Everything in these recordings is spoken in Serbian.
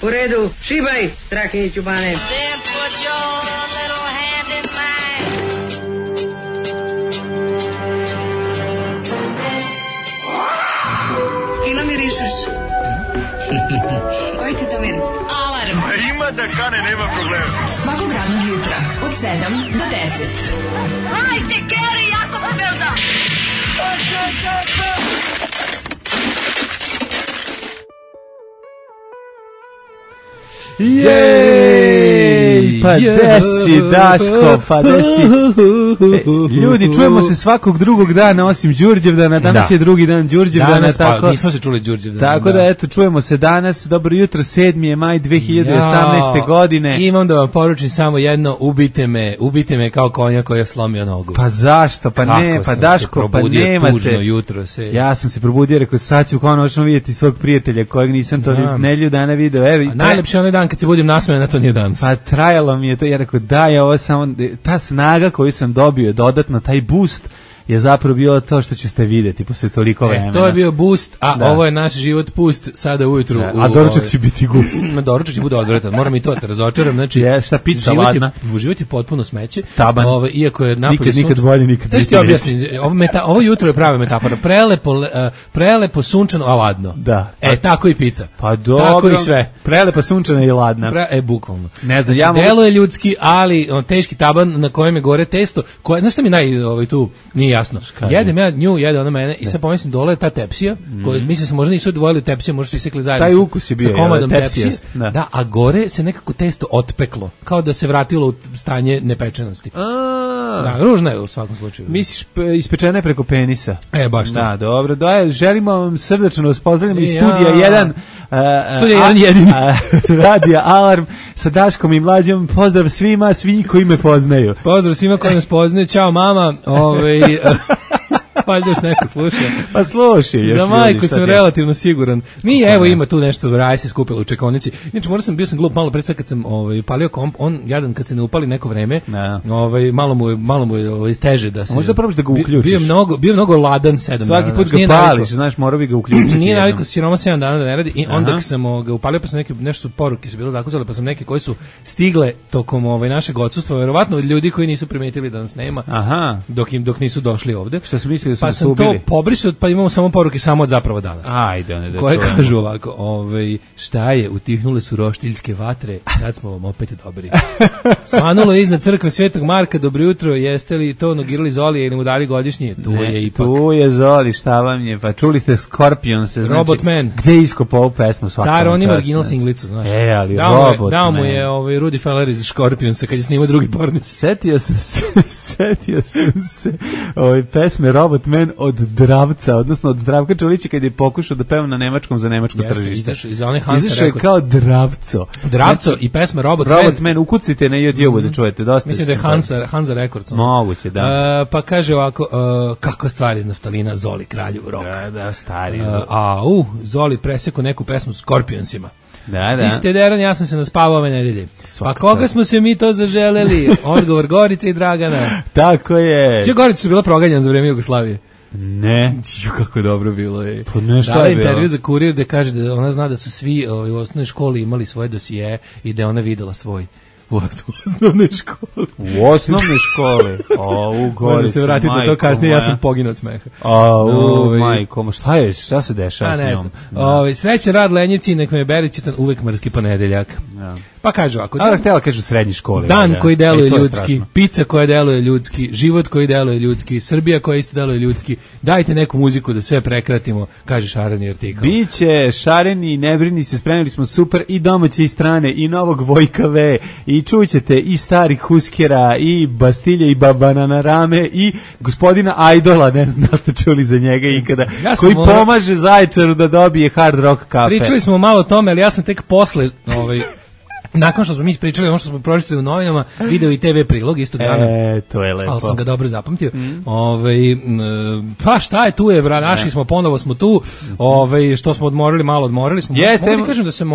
U redu, šibaj, Strahinjiću Bane. Fino mirišeš. Koji ti to miris? Alarm. A ima da kane, nema problema. Svakog radnog jutra, od 7 do 10. Hajde, Geri, jako se velda. Jej, pa desi, Daško, pa desi. Ljudi, čujemo se svakog drugog dana osim Đurđevdana, danas je drugi dan Đurđevdana. Pa nismo se čuli Đurđevdana. Tako da, eto, čujemo se danas, dobro jutro, 7. maj 2018. godine. Imam da vam poručim samo jedno, ubite me kao konja koji je slomio nogu. Pa zašto, pa ne, pa Daško, pa nemate. Tužno jutro se. Ja sam se probudio, rekao, sad ću konačno vidjeti svog prijatelja kojeg nisam to nelju dana video. Evo, najlepši onaj dan kad se budim nasmejan, na to nije dan. Pa trajalo mi je to, ja rekao da je ovo samo, ta snaga koju sam dobio je dodatno, taj boost je zapravo bilo to što ćete vidjeti posle toliko vremena. To je bio boost, a ovo je naš život pust sada ujutru. A doručak će biti gust. Doručak će bude odvratan, moram i to da razočaram. Znači, šta pizza ladna? Život je potpuno smeće. Taban. Iako je napolje nikad bolje, nikad biti reći. Ovo jutro je prava metafora. Prelepo, sunčano, a ladno. Da. Tako i pizza. Pa dobro. Tako i sve. Prelepo, sunčano i ladna. Bukvalno. Ne znam, znači, delo je ljudski, ali teški taban na kojem je gore testo. Znaš šta mi tu nije jasno? Jedem ja nju, jede ona mene i sad pomislim dole je ta tepsija, koju mislim se možda nisu odvojili tepsije, možda su isekli zajedno. Taj ukus je bio, sa komadom tepsije. Da, a gore se nekako testo otpeklo, kao da se vratilo u stanje nepečenosti. Da, ružno je u svakom slučaju. Misliš ispečene preko penisa? Baš to. Da, dobro. Želimo vam srdačno vas pozdravljamo iz studija 1. Studija 1 jedini. Radija Alarm sa Daškom i Mlađom. Pozdrav svima, svi koji me poznaju. Pozdrav svima koji nas poznaju. Ćao mama. Pa još neko sluša. Pa slušaj. Za majku sam relativno siguran. Nije, evo ima tu nešto, raj se skupilo u čekonici. Inače, bio sam glup malo pred sad kad sam palio komp, on jadan kad se ne upali neko vreme, malo mu je teže da se... Možda probaš da ga uključiš. Bio mnogo ladan 7 dana. Svaki put ga pališ, znaš, morao bi ga uključiti. Nije navikao siroma 7 dana da ne radi i onda kad sam ga upalio, pa sam nešto poruke su bilo zakuzale, pa sam neke koje su stigle tokom našeg odsustva, verovatno od ljudi koji nisu primetili da nas nema, dok nisu došli ovde. Šta su mislili? Pa sam to pobrisao, pa imamo samo poruke samo od zapravo danas. Ajde, koje kažu ovako, šta je, utihnule su roštiljske vatre, sad smo vam opet dobri. Svanulo je iznad crkve Svetog Marka, dobro jutro, jeste li to nogirali Zoli ili mu dali godišnje? Tu je Zoli, šta vam je, pa čuli ste Scorpion se, znači, Robot Man. Gde je iskopao ovu pesmu svakom času? Car, on ima original singlicu, znaš. Ali Robot Man. Dao mu je Rudy Feller iz Scorpionsa kad je snimao drugi pornic. Setio sam se pesme Robot Man od Dravca, odnosno od Zdravka Čolića kad je pokušao da peva na nemačkom za nemačko tržište. Izašao je kao Dravco. Dravco i pesma Robot Man. Ukucite na YouTube da čujete. Dosta mislim da je Hansa Records. Moguće, da. Pa kaže ovako, kako stvari iz naftalina Zoli kralju rock. Da, stari. Zoli preseko neku pesmu Scorpionsima. Da. Vi ste Deran, ja sam se naspavao ove nedelje. Pa koga smo se mi to zaželeli? Odgovor Gorica i Dragana. Tako je. Sve Gorica su bila proganjena za vreme Jugoslavije. Ne. Kako dobro bilo je. Pa ne, šta je bilo? Intervju za Kurir da kaže da ona zna da su svi u osnovnoj školi imali svoje dosije i da je ona videla svoj u osnovnoj školi. U osnovnoj školi? U Gorici, moram se vratiti na to kasnije, ja sam poginuo od smeha. Majko, šta se dešava s njom? Srećan rad Lenjici, nek me beri čitan uvek mrski ponedeljak. Pa kažu ovako. Ali htjela kažu srednji školi. Dan koji deluje ljudski, pizza koja deluje ljudski, život koji deluje ljudski, Srbija koja isto deluje ljudski. Dajte neku muziku da sve prekratimo, kaže šareni artikl. Biće šareni, ne brini se, spremili smo super i domaće i strane i novog Vojka V i čućete i starih Huskera i Bastilje i Banana Rame i gospodina Ajdola, ne znam da ste čuli za njega ikada, koji pomaže Zaječaru da dobije hard rock kafe. Pričali smo malo o tome, ali ja sam tek posle Nakon što smo mi ispričali ono što smo pročitali u novinama, video i TV prilog istog dana. To je lepo. Ali sam ga dobro zapamtio. Pa šta je tu je, našli smo, ponovo smo tu. Što smo odmorili smo. Jeste, mogu ti kažem da sam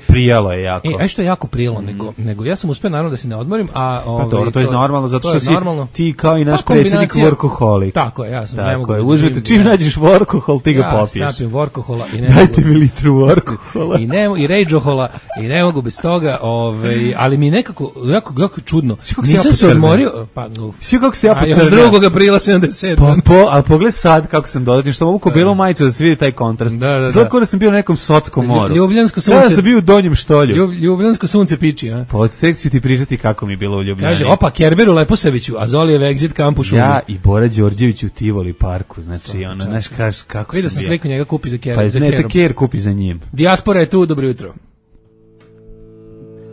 prijalo je jako. Što je jako prijelo, nego ja sam uspeo naravno da se ne odmorim, a pa dobro, to je normalno zato što si ti kao i naš predsjednik workoholik. Tako je, ja sam ne mogu. Uzmete čim nađeš workohol, ti ga popiješ. Ja snapim workohola i ne dajte mi litru workohola. I rageohola i ne mogu bez toga, ali mi nekako jako čudno. Nisam se odmorio, pa svi kako se ja pocrnio. Još 2. aprila 77. A pogled sad kako sam dodatio, što sam obuko belu majicu da se vidi taj kontrast. Zato da sam bio na nekom sotskom moru. Ljubljansko sunce. Da sam bio u Donjem Štolju. Ljubljansko sunce piči, a? Pa od sekciju ti pričati kako mi je bilo u Ljubljani. Kaže, opa, Kerberu Leposaviću, a Zolijev exit kampu šumi. Ja i Bora Đorđević u Tivoli parku, znači ono, znaš kako vidio sam sliku njega kupi za Kerom. Pa ne, te Ker kupi za njim. Dijaspora je tu, dobro jutro.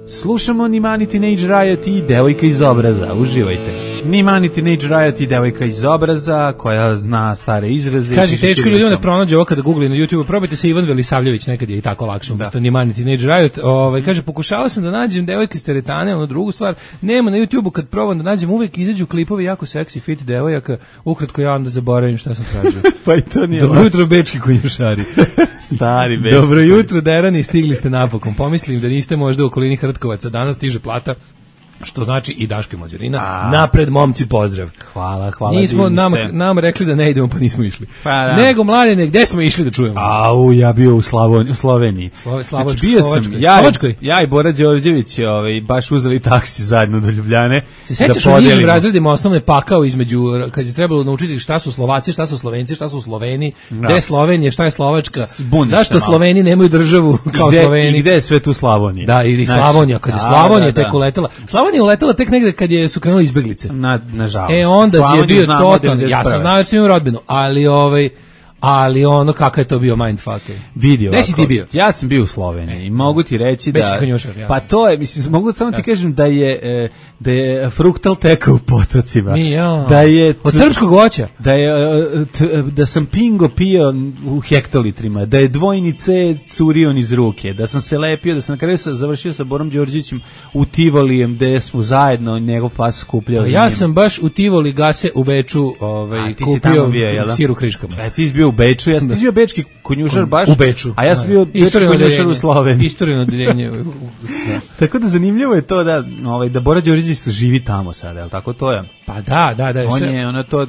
Slušamo Nimani Teenage Riot i Devojka iz obraza, uživajte. Nimani Teenage Riot i Devojka iz obraza, koja zna stare izraze. Kaže, teško ljudima ne pronađe ovo kada googlaju na YouTube, probajte se Ivan Velisavljević, nekad je i tako lakše, umjesto Nimani Teenage Riot. Kaže, pokušavao sam da nađem Devojka iz teretane, ono drugu stvar, nema na YouTubeu, kad probam da nađem, uvek izađu klipovi jako seksi fit devojaka, ukratko ja onda zaboravim šta sam tražio. Pa i to nije dobro jutro, bečki konjušari. Stari bečki. Dobro jutro, derani, stigli ste napokon. Pomislim da niste možda u okolini Hrtkovaca, danas stiže plata, što znači i Daško i Mlađarina. Napred, momci, pozdrav. Hvala. Nismo nam rekli da ne idemo, pa nismo išli. Nego, Mladene, gde smo išli da čujemo? Ja bio u Sloveniji. Slovačkoj. Ja i Bora Đorđević baš uzeli taksi zajedno do Ljubljane. Se sećaš u nižim razredima osnovne pakao između, kad je trebalo naučiti šta su Slovaci, šta su Slovenci, šta su Sloveni, gde je Slovenija, šta je Slovačka, zašto Sloveni nemaju državu kao Sloveni. I gde je sve tu Slavonija? Da, ili Slavonija, kad je Slavonija tek uletela. Slavonija je uletela tek negde kad su krenuli izbeglice. Nažalost. Onda je bio totalno, ja sam znao jer sam imao rodbinu, ali ono kakav je to bio mindfuck. Vidio. Gde si ti bio? Ja sam bio u Sloveniji i mogu ti reći da... Konjušar, ja. Pa to je, mislim, mogu samo ti kažem da je fruktal tekao u potocima. Da je... Od srpskog voća? Da sam pingo pio u hektolitrima, da je dvojni C curio iz ruke, da sam se lepio, da sam na kraju završio sa Borom Đorđevićem u Tivolijem, gde smo zajedno njegov pas skupljao. Ja sam baš u Tivoli Gase u Beču kupio sir u kriškama. Ti si bio u Beču, ja sam bio bečki konjušar baš. U Beču. A ja sam bio bečki konjušar u Sloveniji. Istorino odeljenje. Tako da zanimljivo je to da Bora Đorđević živi tamo sada, je li tako to je? Pa da.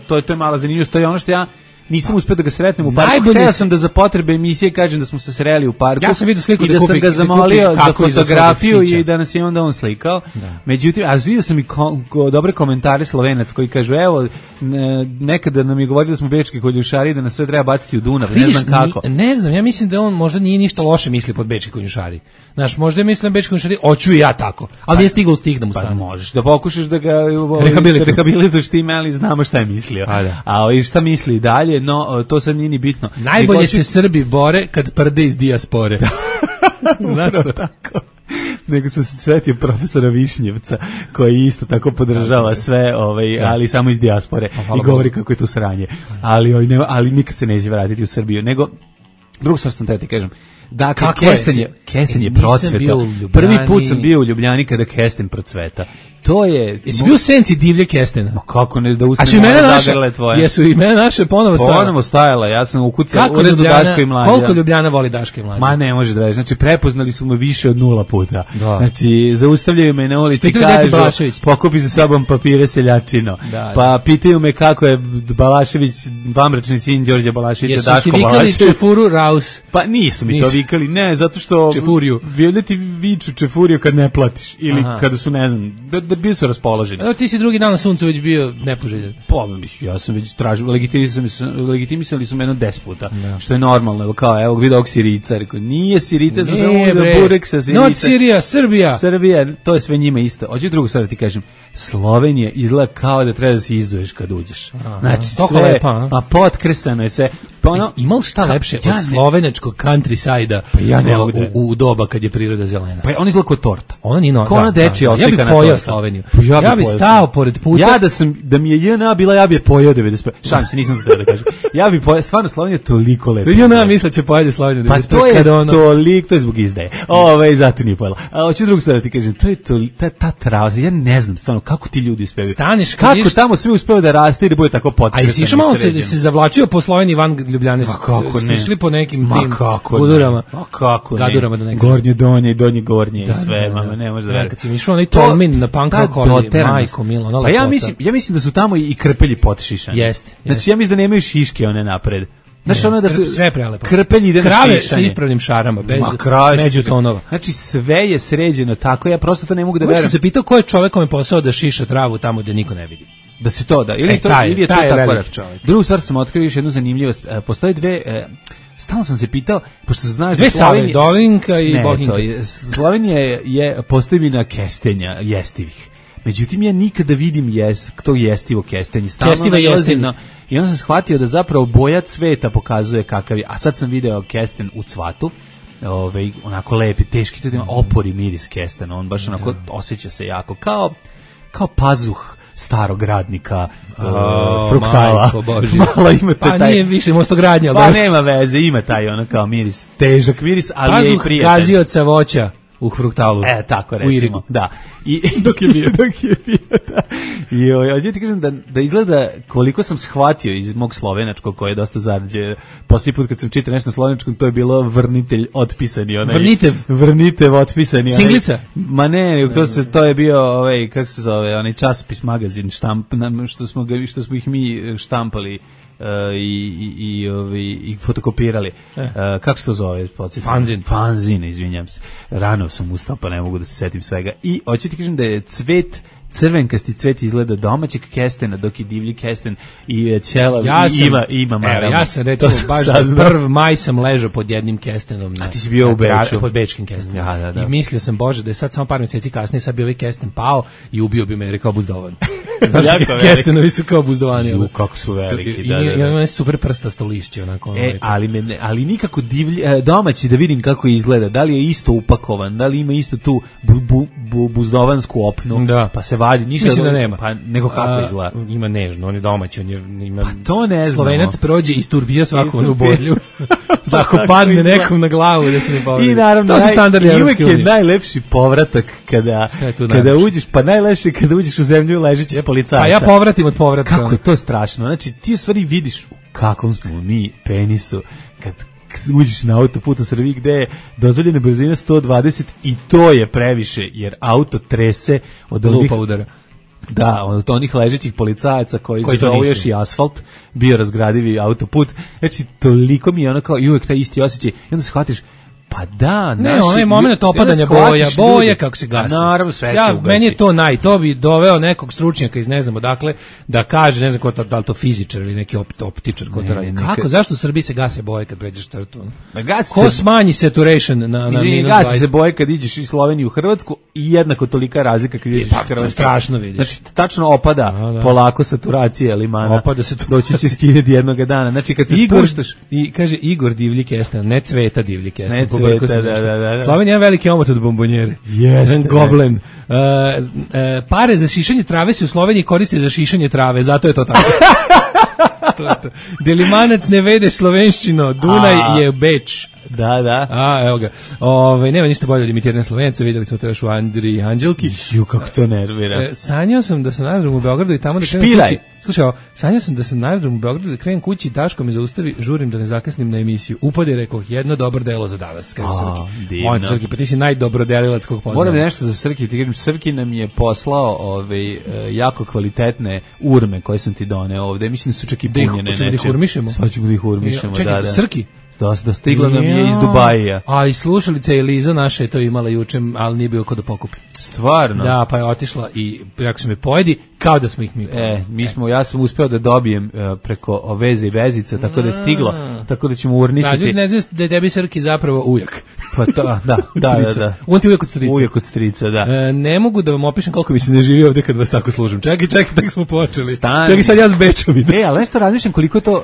To je mala zanimljivost, to je ono što ja nisam uspio da ga sretnem u parku. Hteo sam da za potrebe emisije kažem da smo se sreli u parku. Ja sam vidio sliku da sam ga zamolio za fotografiju i da nas je onda on slikao. Međutim, a vidio sam i dobre komentare Slovenac koji kažu, evo, nekada nam je govorio da smo bečki konjušari, da nas sve treba baciti u Dunav. Ne znam kako. Ne znam, ja mislim da on možda nije ništa loše misli pod bečki konjušari. Znaš, možda je mislim bečki konjušari, hoću i ja tako. Ali nije stigao stih da mu stane. Pa možeš da pokušaš da ga rehabilituješ time, ali znamo šta je mislio. A šta misli dalje? No, to sad nije ni bitno. Najbolje se Srbi bore kad prde iz dijaspore. Znaš što? Tako. Nego sam se svetio profesora Višnjevca, koji isto tako podržava sve, ali samo iz dijaspore i govori kako je to sranje. Ali nikad se neće vratiti u Srbiju. Nego, drugu stvar sam ti kažem, dakle, kesten je procvetao. Prvi put sam bio u Ljubljani kada kesten procveta. To je... Jesi bio u senci divlje kestena? Ma kako ne, da ustanemo zagrle tvoje. Jesu i mene naše ponovo stajale? Ponovo stajala, ja sam ukucao u rezu Daška i Mlađa. Koliko Ljubljana voli Daška i Mlađa? Ma ne može da već, znači prepoznali su me više od 0 puta. Znači, zaustavljaju me na ulici, kažu, pokupi za sobom papire seljačino. Pa pitaju me kako je Balašević, vamračni sin Đorđe Balaševića, Daško Balašević. Jesu ti vikali Čefuru Raus? Pa nisu mi to vikali, ne, zato što... Čefuriju. Vijeli ti viču Čefuriju kad ne platiš, ili kada su, ne znam, da bi su raspoloženi. Ti si drugi dan na suncu već bio nepoželjen. Ja sam već tražio, legitimisali su me jedno 10 puta, što je normalno, kao, evo, vidio ovog Sirica, rekao, nije Sirica, sam samo uzeo burek sa Sirica. Not Sirija, Srbija, to je sve njima isto. Hoću drugu stvar da ti kažem, Slovenija izgleda kao da treba da se izduješ kad uđeš. Znači, sve, pa potkresano je sve. Pa ono, imao šta lepše od slovenačkog countryside-a u doba kad je priroda zelena. Pa on izgleda kao torta. Ona ni no. Ona dečija oslika na torta. Ja bih pojeo Sloveniju. Ja bih stao pored puta. Ja da mi je JNA bila, ja bih je pojeo 95. Šalim se, nisam to treba da kažem. Ja bih pojeo, stvarno Slovenija je toliko lepa. JNA misle će pojede Sloveniju 95. Pa to je toliko, to je zbog izdaje. Zato nije pojela. A hoću drugu stvar da ti kažem, to je ta trava, ja ne znam stvarno kako ti ljudi uspevaju. Staneš kako tamo sve uspeva da raste i da bude tako potrebno. A jesi išao malo se zavlačio po Sloveniji van Ljubljane? Kako ne? Išli po nekim tim gudurama. Kako ne? Gadurama da ne kažem. Gornje donje i donje gornje i sve, mama, ne može da veruje. Kad si išao onaj Tolmin na Pankao kolje, majko milo, ona lepota. Pa ja mislim da su tamo i krpelji potšišani. Jeste. Znači ja mislim da nemaju šiške one napred. Znači ono da su sve prelepo. Krpelj ide na šišanje. Krave sa ispravnim šarama, bez međutonova. Znači sve je sređeno tako, ja prosto to ne mogu da verujem. Ja sam se pitao ko je čovek kome posao da šiša travu tamo gde niko ne vidi. Da se to da, ili je to tako. Drugu stvar sam otkrio još jednu zanimljivost. Postoje dve, stalno sam se pitao, pošto znaš da Slovenija, Dolinka i Bohinka. Slovenija je postojbina kestenja jestivih. Međutim, ja nikada vidim to jestivo kestenje. Kestiva jestivno. I onda sam shvatio da zapravo boja cveta pokazuje kakav je. A sad sam video kesten u cvatu, onako lepi, teški, opori miris kesten. On baš onako osjeća se jako kao pazuh starog radnika fruktala. Malo ima taj. Pa nije više mostogradnja. Pa nema veze, ima taj ono kao miris, težak miris, ali je i prijatan. Pazuh gazioca voća u fruktalu. Tako recimo. Da. I dok je bio, da. I hoću ti kažem da izgleda koliko sam shvatio iz mog slovenačkog koji je dosta zarađe. Posljednji put kad sam čitao nešto na slovenačkom, to je bilo vrnitelj otpisani onaj. Vrnitev otpisani. Singlica? Ma ne, to je bio kako se zove, onaj časopis, magazin, što smo ih mi štampali. I fotokopirali. Kako se to zove? Fanzin, izvinjam se. Rano sam ustao pa ne mogu da se setim svega. I hoću ti kažem da je crvenkasti cvet izgleda domaćeg kestena, dok je divlji kesten i ćelav ima marama. Ja sam recimo baš za 1. maj sam ležao pod jednim kestenom. A ti si bio u Beču? Pod bečkim kestenom. Da. I mislio sam, Bože, da je sad samo par mjeseci kasnije sad bi ovaj kesten pao i ubio bi me jer je kao buzdovan. Znači, kestenovi su kao buzdovani. Kako su veliki. I ima super prstasto lišće. Ali nikako domaći da vidim kako izgleda. Da li je isto upakovan, da li ima isto tu buzdovansku opnu, pa se vadi. Mislim da nema. Pa nego kako izgleda. Ima nežno, on je domaći. Pa to ne znam. Slovenac prođe i sturbija svaku onu bodlju. Da ako padne nekom na glavu da se ne povredi. I naravno, uvijek je najlepši povratak kada uđeš, pa najlepše kada uđeš u zemlju ležećih policajaca. Pa ja povratim od povratka. Kako je to strašno. Znači, ti u stvari vidiš u kakvom smo mi penisu kad uđeš na autoput u Srbiji gde je dozvoljena brzina 120 i to je previše, jer auto trese od lupa udara. Da, od onih ležećih policajaca koji zovu još i asfalt, bio razgradivi autoput. Znači, toliko mi je ono kao i uvek taj isti osjećaj. I onda shvatiš, pa da, ne, onaj moment opadanja boja kako se gasi. Naravno, sve se ugasi. Meni je to bi doveo nekog stručnjaka iz ne znam odakle da kaže, ne znam ko to, da li to fizičar ili neki optičar ko to radi. Kako, zašto u Srbiji se gase boje kad pređeš crtu? Ko smanji saturation na minus 20? Gasi se boje kad iđeš iz Slovenije u Hrvatsku i jednako tolika razlika kad iđeš iz Hrvatske. To je strašno, vidiš. Znači, tačno opada polako saturacija limana. Opada se doći će skidati jednog dana. Znači, kad se spuštaš... I kaže Igor divlji kesten, ne Cveta divlji kesten. Da. Slovenija je veliki omot od bombonjere. Goblen. Pare za šišanje trave se u Sloveniji koriste za šišanje trave, zato je to tako. Delimanac ne vedeš slovenščino, Dunaj je Beč. Da. Evo ga. Nema ništa bolje od imitiranja Slovenca, vidjeli smo to još u Andriji Anđelki. Kako to nervira. Sanjao sam da sam na aerodromu u Beogradu i tamo da krenem kući. Slušaj, sanjao sam da sam na aerodromu u Beogradu da krenem kući i Daško me zaustavi, žurim da ne zakasnim na emisiju. Upade, rekao, jedno dobro delo za danas, kaže Srki. Moj Srki, pa ti si najdobrodelilac kog poznam. Moram nešto za Srki, ti kažem, Srki nam je poslao jako kvalitetne urme koje sam ti doneo ovde. Mislim da su čak i punjene nečem. Da ih urmišemo? Sad ćemo da ih urmišemo, čekaj, Srki? Da stigla nam je iz Dubaija. A i slušalica Eliza naša je to imala juče, ali nije bio ko da pokupi. Stvarno? Da, pa je otišla i rekao se me pojedi kao da smo ih mi pojeli. Ja sam uspeo da dobijem preko veze i vezica, tako da je stiglo, tako da ćemo urnisati. Da, ljudi ne znaju da je tebi Srki zapravo ujak. Pa da. On ti ujak od strica. Ujak od strica, da. Ne mogu da vam opišem koliko mi se ne živi ovde kad vas tako služim. Čekaj, tako smo počeli. Stani. Čekaj, sad ja s Bečom idem. Ali nešto razmišljam koliko to...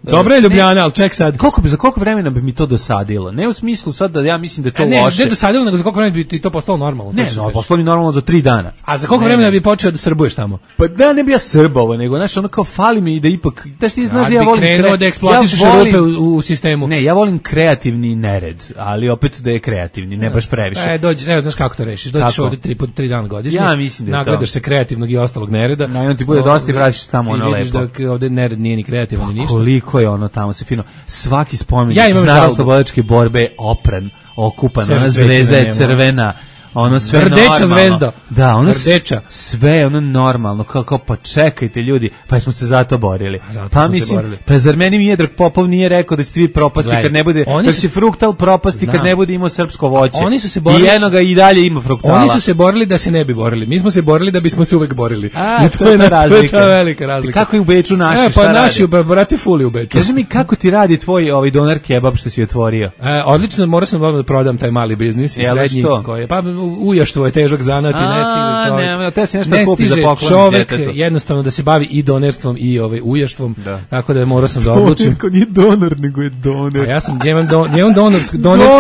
Dobro je Ljubljana, ali ček sad. Za koliko vremena bi mi to dosadilo? Ne u smislu sad da ja mislim da je to loše. Ne dosadilo, nego za koliko vremena bi ti to postalo normalno. Ne, postalo mi normalno za 3 dana. A za koliko vremena bi počeo da srbuješ tamo? Pa da, ne bi ja srbovao, nego znaš, ono kao fali mi i da ipak... Ti znaš da ja volim... krenuo da eksploatišeš rupe u sistemu. Ne, ja volim kreativni nered, ali opet da je kreativni, ne baš previše. Dođi, ne znaš kako to rešiš. Dođeš ovde 3 dana godišnje. Ja mislim da je to. Nagledaš se kreativnog i ostalog nereda. Na ti bude dosta i vraćaš tamo ono lepo. I vidiš da ovde nered nije ni kreativan ni ništa. Koliko je ono tamo se fino. Svaki spomenik iz narodnooslobodilačke borbe opran, okupan, ona zvezda je crvena. Ono sve Rdeča normalno. Zvezda. Da, ono Rdeča. sve je ono normalno. Kao pa čekajte ljudi, pa smo se zato borili. Pa mislim, pa zar meni Miodrag Popov nije rekao da će vi propasti kad ne bude, da će Fruktal propasti kad ne bude imao srpsko voće. Oni su se borili. I enoga i dalje ima Fruktala. Oni su se borili da se ne bi borili. Mi smo se borili da bismo se uvek borili. I to je razlika. To je velika razlika. Kako je u Beču naši? Pa naši brate fuli u Beču. Kaži mi kako ti radi tvoj doner kebab što si otvorio? Odlično, morao sam da prodam taj mali biznis i srednji koji pa ujaštvo je težak zanat i ne stiže čovjek. Ne stiže čovjek jednostavno da se bavi i donerstvom i ujaštvom, tako da morao sam da odlučim. Čovjek nije donor, nego je doner. A ja imam donersku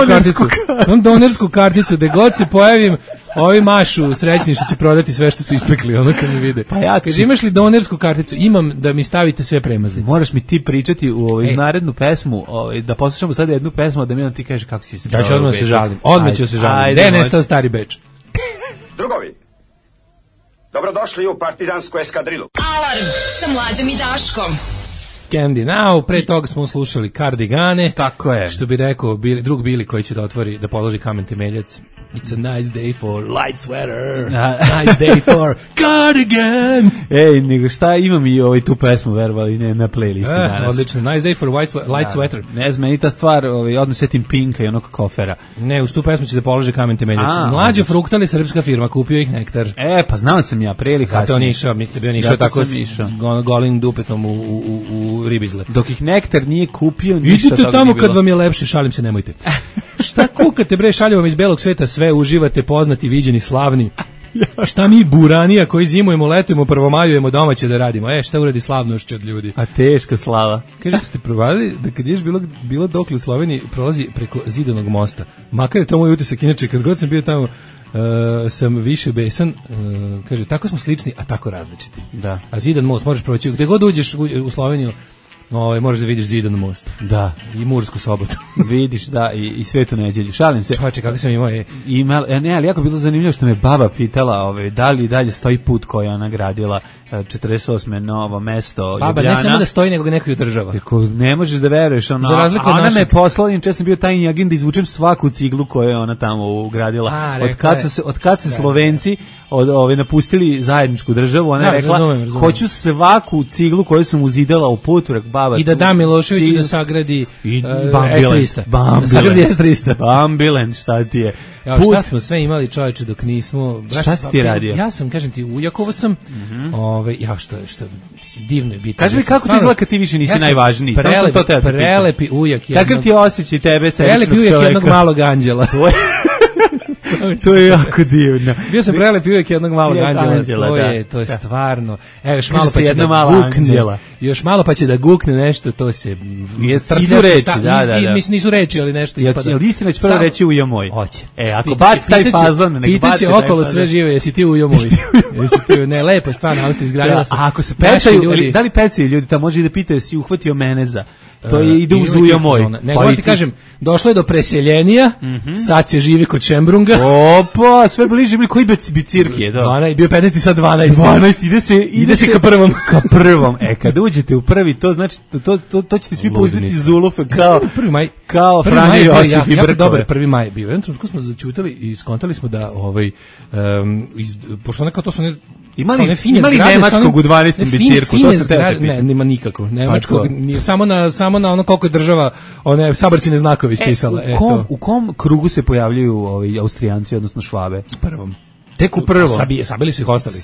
karticu. Imam donersku karticu, gde god se pojavim, ovi mašu srećni što će prodati sve što su ispekli, ono kad mi vide. Kaže, imaš li donersku karticu? Imam, da mi stavite sve premaze. Moraš mi ti pričati u narednu pesmu, da poslušamo sad jednu pesmu, da mi on ti kaže kako si se... Ja ću odmah se žalim. Odmah ću se žalim. Gde je nestao stari Beč? Drugovi, dobrodošli u partizansku eskadrilu. Alarm sa Mlađom i Daškom. Candy Now, pre toga smo slušali Kardigane. Tako je. Što bi rekao drug Bili koji će da položi kamen temeljac. It's a nice day for light sweater. Nice day for cardigan. Ej, nego šta, imam i tu pesmu verovali ne na playlisti danas. Odlično, nice day for light sweater. Ne znam, meni ta stvar, odmah setim Pinka i onog kofera. Ne, uz tu pesmu će da položi kamen temeljac. Mlađe Fruktali, srpska firma, kupio ih Nektar. Pa znao sam ja, prije ili kasnije. Zato on išao, mislite bio išao tako golim dupetom u ribizle. Dok ih Nektar nije kupio, ništa idite tamo kad vam je lepše, šalim se, nemojte. Šta kukate bre, šalju vam iz belog sveta sve, uživate, poznati, viđeni, slavni. Šta mi buranija koji zimujemo, letujemo, prvomajujemo, domaće da radimo. Šta uradi slavnošću od ljudi? A teška slava. Kaže, ste provadili da kad ješ bilo dokle u Sloveniji prolazi preko Zidanog mosta. Makar je to moj utisak, inače kad god sam bio tamo sam više besan, kaže, tako smo slični, a tako različiti. Da. A Zidan most možeš proći, gde god uđeš u Sloveniju, možeš da vidiš Zidan most. Da. I Mursku sobotu. Vidiš, da, i Svetu neđelju. Šalim se. Čovječe, kako sam imao Ne, ali jako bilo zanimljivo što me baba pitala da li dalje stoji put koji je ona gradila 48. novo mesto Ljubljana. Baba, ne samo da stoji, nego ga neko i održava. Tako, ne možeš da veruješ. Ona me poslala, če sam bio tajni agent da izvučem svaku ciglu koju je ona tamo ugradila. Od kad se Slovenci napustili zajedničku državu, ona je rekla, hoću svaku ciglu koju sam uzidala u putu, baba. I da Miloševiću da sagradi S-300. Da sagradi S-300. Bambilen, šta ti je? Šta smo sve imali, čovječe, dok nismo... Šta si ti radio? Ja sam, kažem ti, u Jakovo sam, što mislim, divno je biti. Kaži mi kako ti izgleda kad ti više nisi najvažniji? Prelepi ujak. Kakav ti osjećaj tebe, prelepi ujak jednog malog anđela. To je jako divno. Bio sam prelepi uvijek jednog malog anđela. To je stvarno. Još malo pa će da gukne. Još malo pa će da gukne nešto, to se... Idu reči, da. Mislim, nisu reči, ali nešto ispada. Jel istina će prvo reći ujo moj? Hoće. Ako baci taj fazon, nek baci. Pitaće okolo sve žive, jesi ti ujo moj? Ne, lepo je stvarno, Austrija izgradila se. A ako se pecaju, da li pecaju ljudi, tamo može da pitaju, si uhvatio mene za... To ide uz ujo moj. Nego ti kažem, došlo je do preseljenja, sad se živi kod Šembrunga. Opa, sve bliže, koji bicirki je to? Bio 15 i sad 12. 12, ide se ka prvom. Ka prvom. Kad uđete u prvi, to znači, to ćete svi pouzeti zulufe kao Franjo Josif i Brkove. Dobar, 1. maj je bio. Jednom trenutku smo začutali i skontali smo da, pošto nekao to su imali nemačkog u 12. bicirku, to se teo te pita. Ne, nema nikako. Nemačkog, samo na ono koliko je država one sabarcine znakove ispisala. U kom krugu se pojavljuju Austrijanci, odnosno Švabe? Tek u prvo. Sabili su ih ostali.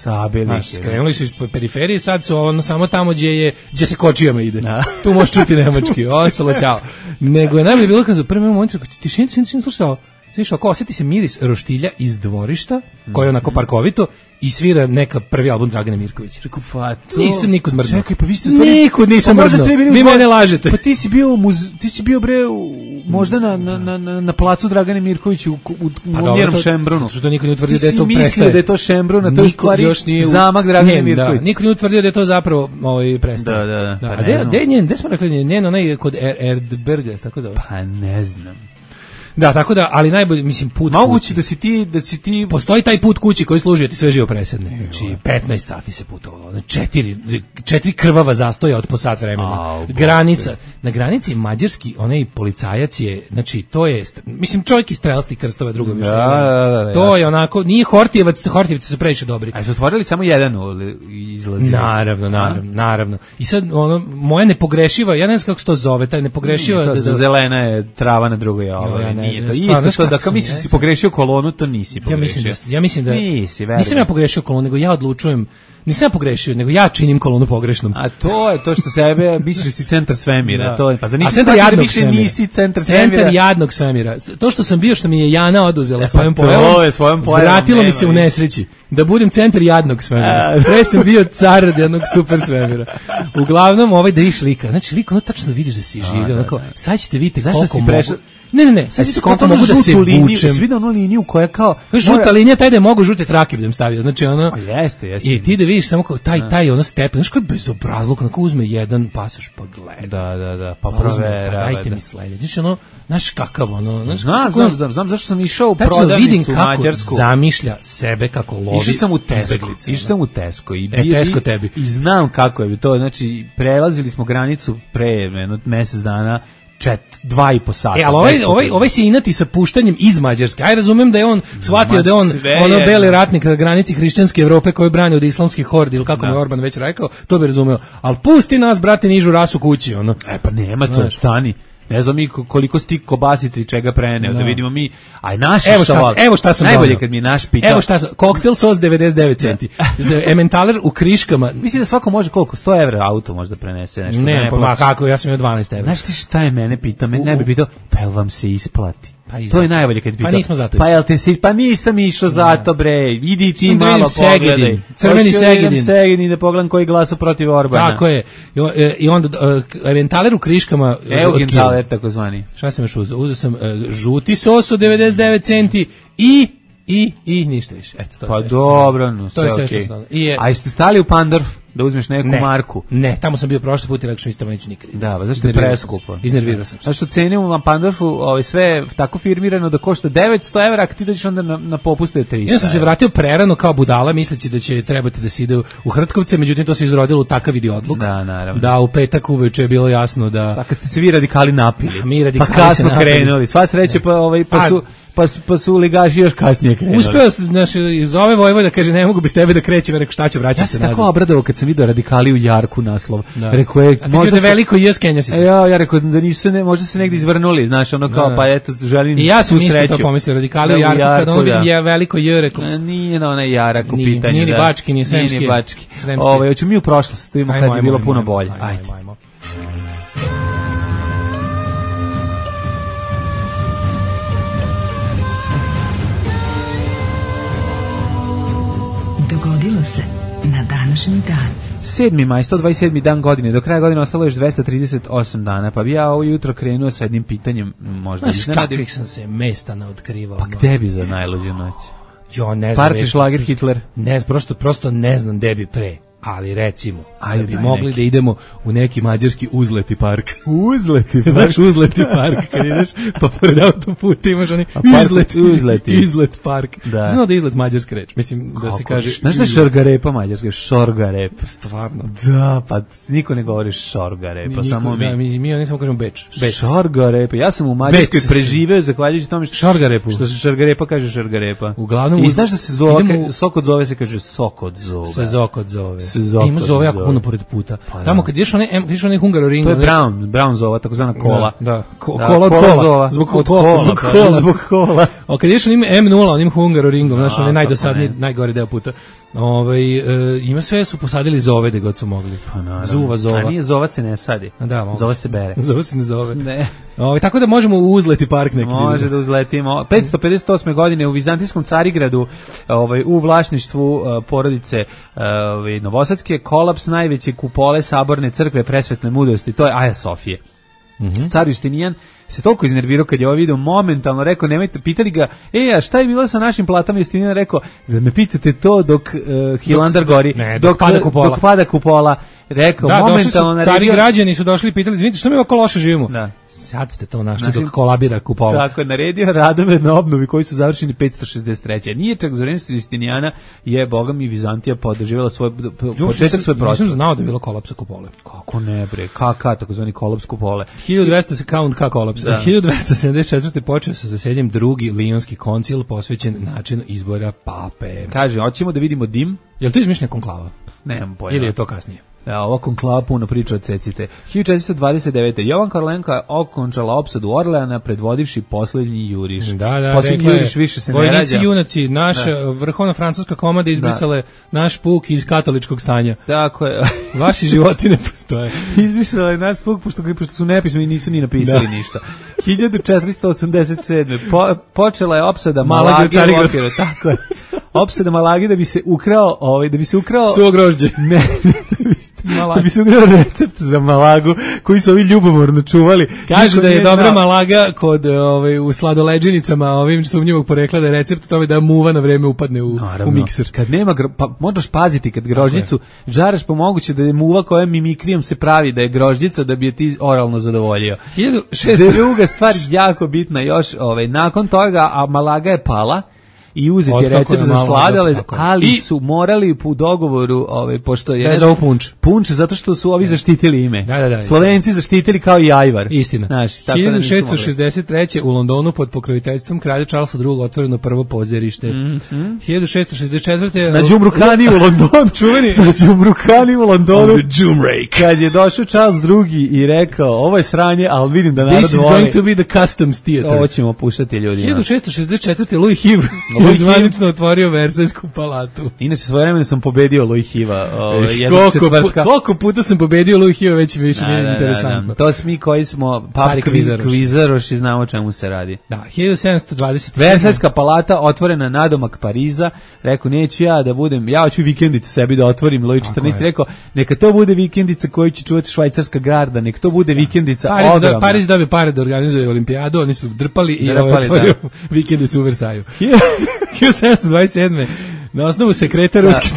Skrenuli su iz periferije, sad su ono samo tamo gdje se kočijama ide. Tu možeš čuti nemački, ostalo ćao. Nego je najbolje bilo kad u prvom momentu tišin slušao. Svišao, ako osjeti se miris roštilja iz dvorišta, koji je onako parkovito, i svira neka prvi album Dragane Mirković. Rekao, nisam nikud mrdnuo. Čekaj, pa vi ste nikud nisam mrdnuo. Vi mene lažete. Pa ti si bio bre možda na placu Dragane Mirković u Mjerom Šembrunu. Što niko nije utvrdio da je to prestaje. Ti si mislio da je to Šembrun, a to je stvari zamak Dragane Mirković. Niko nije utvrdio da je to zapravo prestaje. Da. A gde smo rekli njen onaj kod Erdberga, tako zove? Pa ne znam. Da, tako da, ali najbolje, mislim, put moguće kući. da si ti... Postoji taj put kući koji služi da ti sve živo presedne. Znači, 15 sati se putovalo. 4 krvava zastoja od po sat vremena. Granica. Na granici mađarski, onaj policajac je, znači, to je, mislim, čovjek iz Strelskih Krstova, drugo više. To je onako, nije Hortijevac, Hortijevci su previše dobri. A su otvorili samo jedan izlaz? Naravno. I sad, ono, moja nepogrešiva, ja ne znam kako se to zove, taj nepogrešiva... Zelena je trava na drugoj nije to isto to da kao misliš si pogrešio kolonu, to nisi pogrešio. Ja mislim da nisam ja pogrešio kolonu, nego ja odlučujem. Nisam ja pogrešio, nego ja činim kolonu pogrešnom. A to je to što sebe misliš si centar svemira, to je pa za centar jadnog svemira. Nisi centar svemira. Centar jadnog svemira. To što sam bio, što mi je Jana oduzela svojom pojavom, vratilo mi se u nesreći. Da budem centar jadnog svemira. Pre sam bio car jednog super svemira. Uglavnom, da viš lika. Znači, lik, ono tačno vidiš da si živio. Sad ćete vidjeti koliko mogu. Ne, sad ćete koliko mogu da se vučem. Si vidio onu liniju koja kao... Žuta linija, taj da je mogu žute trake budem stavio. Znači, ono... Jeste. I ti da vidiš samo kao taj ono stepen. Znaš koji je bezobrazluk, onako uzme jedan pasoš, pa gleda. Da. Pa provera. Dajte mi sledeći. Znači, ono, znaš kakav, ono... Znam zašto sam išao u prodavnicu u Mađarsku. Zamišlja sebe kako lovi izbeglice. Išao sam u Tesco. Tesco tebi. I znam kako je to. Znači, prelazili smo granicu pre mesec dana, 2,5 sata. Ali ovaj se inati sa puštanjem iz Mađarske. Aj, razumem da je on shvatio da je on ono beli ratnik na granici hrišćanske Evrope koji brani od islamskih hordi, ili kako mu je Orban već rekao, to bi razumeo. Ali pusti nas, brate, nižu rasu kući, ono. Pa nema to, stani. Ne znam mi koliko sti kobasice i čega preneo, da vidimo mi, aj naš evo šta sam najbolje kad mi je naš pitao. Evo šta sam, koktel sos 99 centi. Ementaler u Kriškama. Mislim da svako može koliko, 100 evra auto možda prenese nešto. Ne, pa kako, ja sam imao 12 evra. Znaš ti šta je mene pitao? Mene ne bi pitao, pa jel vam se isplati? To je najbolje kad pitao. Pa nismo zato. Pa jel te si, pa nisam išao zato, bre. Idi ti malo pogledaj. Crveni Segedin da pogledam koji glasa protiv Orbana. Tako je. I onda Eventaler u Kriškama. Eventaler takozvani. Šta sam još uzeo? Uzeo sam žuti sos od 99 centi i ništa više. Eto, to pa dobro, no, to je sve što sam. A jeste stali u Pandorf da uzmeš neku marku? Ne, tamo sam bio prošli put i rekao što isto neću nikad. Da, pa zašto je preskupo? Iznervirao sam se. Zašto cenimo na Pandorfu sve tako firmirano da košta 900 evra, a ti dođeš onda na popustu je 300. Ja sam se vratio prerano kao budala, misleći da će trebati da se ide u Hrtkovce, međutim to se izrodilo u takav idiotluк. Da, naravno. Da, u petak uveče je bilo jasno da... Pa kad ste svi radikali napili. Pa kasno krenuli. Sva sreće pa su ligaši još kasnije krenuli. Uspeo sam, iz ove Vojvoda kaže ne mogu bez tebe da krećem, rekao šta ću, vraćam se nazad. Ja sam tako obradovao kad sam vidio radikali u Jarku naslov. Rekao je, možda veliko i Skenja si se. Ja rekao da nisu možda se negdje izvrnuli, znaš, ono kao pa eto želim. I ja sam isto to pomislio, radikali u Jarku kad on vidim je veliko J, rekao. Nije na onaj Jarak u pitanju. Nije ni Bački, ni Sremski. Nije Bački. Hoću mi u prošlost, to ima kad je bilo puno bolje. Ajde. Dogodilo se na današnji dan. 7. maj, 127. dan godine, do kraja godine ostalo još 238 dana, pa bi ja ovo jutro krenuo sa jednim pitanjem, možda iznenadim. Kakvih sam se mesta naotkrivao. Pa gde bi za najluđu noć? Jo, ne znam. Parti šlager Hitler? Ne, prosto ne znam gde bi pre. Ali recimo, da bi mogli da idemo u neki mađarski uzleti park. Uzleti park? Znaš uzleti park, kad ideš, pa pored autoputa imaš oni izlet park. Znao da je izlet mađarska reč. Mislim da se kaže... Znaš da je šorgarepa mađarska? Šorgarepa. Stvarno? Da, pa niko ne govori šorgarepa, samo mi. Mi oni samo kažemo beč. Šorgarepa. Ja sam u Mađarskoj preživeo zahvaljujući tome što šorgarepa kaže šorgarepa. Uglavnom... I znaš da se zove, sok od zove se kaže sok od zove. Se zok od zove. se zove. Ima zove jako puno pored puta. Pa, tamo kad ideš onaj Hungaroring. To je Brown zova, takozvana kola. Da. Kola od kola. Zbog kola. A kad ideš onim M0, onim Hungaroringom, znaš, onaj najdosadniji, najgori deo puta. Ima sve su posadili zove da god su mogli. Pa Zuva zova. A nije zova se ne sadi. Da, zova se bere. Zova se ne zove. Ne. Tako da možemo uzleti park neki. Može da uzletimo. 558. godine u Vizantijskom Carigradu, u vlasništvu porodice Novosadske, kolaps najveće kupole saborne crkve presvetne mudrosti, to je Aja Sofije. Car Justinijan se toliko iznervirao kad je ovo video, momentalno rekao, nemojte, pitali ga, a šta je bilo sa našim platama? Justinijan rekao, da me pitate to dok Hilandar gori, dok pada kupola. Rekao, da, momentalno došli su, cari građani su došli i pitali, vidite, što mi ovako loše živimo? Da. Sad ste to našli dok kolabira kupola. Tako je, naredio radove na obnovi koji su završeni 563. Nije čak za vreme Justinijana je, boga mi, Vizantija podržavala početak svoje prostora. Nisam znao da je bilo kolapsa kupole. Kako ne bre, KK, takozvani kolaps kupole. 1200 se count K kolaps. 1274. počeo sa zasednjem drugi Lionski koncil posvećen načinu izbora pape. Kaže, hoćemo da vidimo dim. Je li to izmišljena konklava? Nemam pojma. Ili je to kasnije? Ova konklava puno priča od cecite. 1429. Jovan Karolenko okončala opsadu Orleana predvodivši posljednji juriš. Posljednji juriš više se ne rađa. Vojnici junaci, naša vrhovna francuska komanda izbrisale naš puk iz katoličkog stanja. Tako je. Vaši životi ne postoje. Izbrisale naš puk, pošto su nepismeni i nisu ni napisali ništa. 1487. Počela je opsada Malage. Tako je. Opsada Malage da bi se ukrao, suvo grožđe. Ne, da bi se ukrao recept za Malagu koji su ovi ljubomorno čuvali. Kažu da je dobra Malaga kod u sladoleđenicama ovim sumnjivog porekla, da je recept tome da muva na vreme upadne u mikser. Kad nema, pa moraš paziti kad grožđicu žaraš, pa moguće da je muva koja mimikrijom se pravi da je grožđica da bi je ti oralno zadovoljio. 1600. Druga stvar jako bitna još, nakon toga, a Malaga je pala i uzeti je recept za sladoled, ali su morali u dogovoru, pošto je... Da je zove punč, zato što su ovi zaštitili ime. Da. Slovenci zaštitili kao i ajvar. Istina. 1663. u Londonu pod pokroviteljstvom kralja Charlesa II. Otvoreno prvo pozorište. 1664. Na Đumrukani u Londonu. Čuveni. Na Đumrukani u Londonu. On the Đumrake. Kad je došao Charles II. I rekao, ovo je sranje, ali vidim da narod voli. This is going to be the customs theater. Ovo ćemo puštati ljudima. 1664. Louis Hiv zvanično otvorio Versajsku palatu. Inače, svojevremeno sam pobedio Louis Hiva. Koliko puta sam pobedio Louis Hiva, već više nije interesantno. To smo koji smo kvizaroši, znamo čemu se radi. Da, 1727. Versajska palata otvorena nadomak Pariza. Rekao, neću ja da budem, ja hoću vikendicu sebi da otvorim. Louis XIV rekao, neka to bude vikendica koju će čuvati švajcarska garda, neka to bude vikendica ogromna. Pariz dobio pare da organizuje olimpijadu, oni su drpali i otvorio vikendicu u Versaju. 1727. Na osnovu sekreta ruske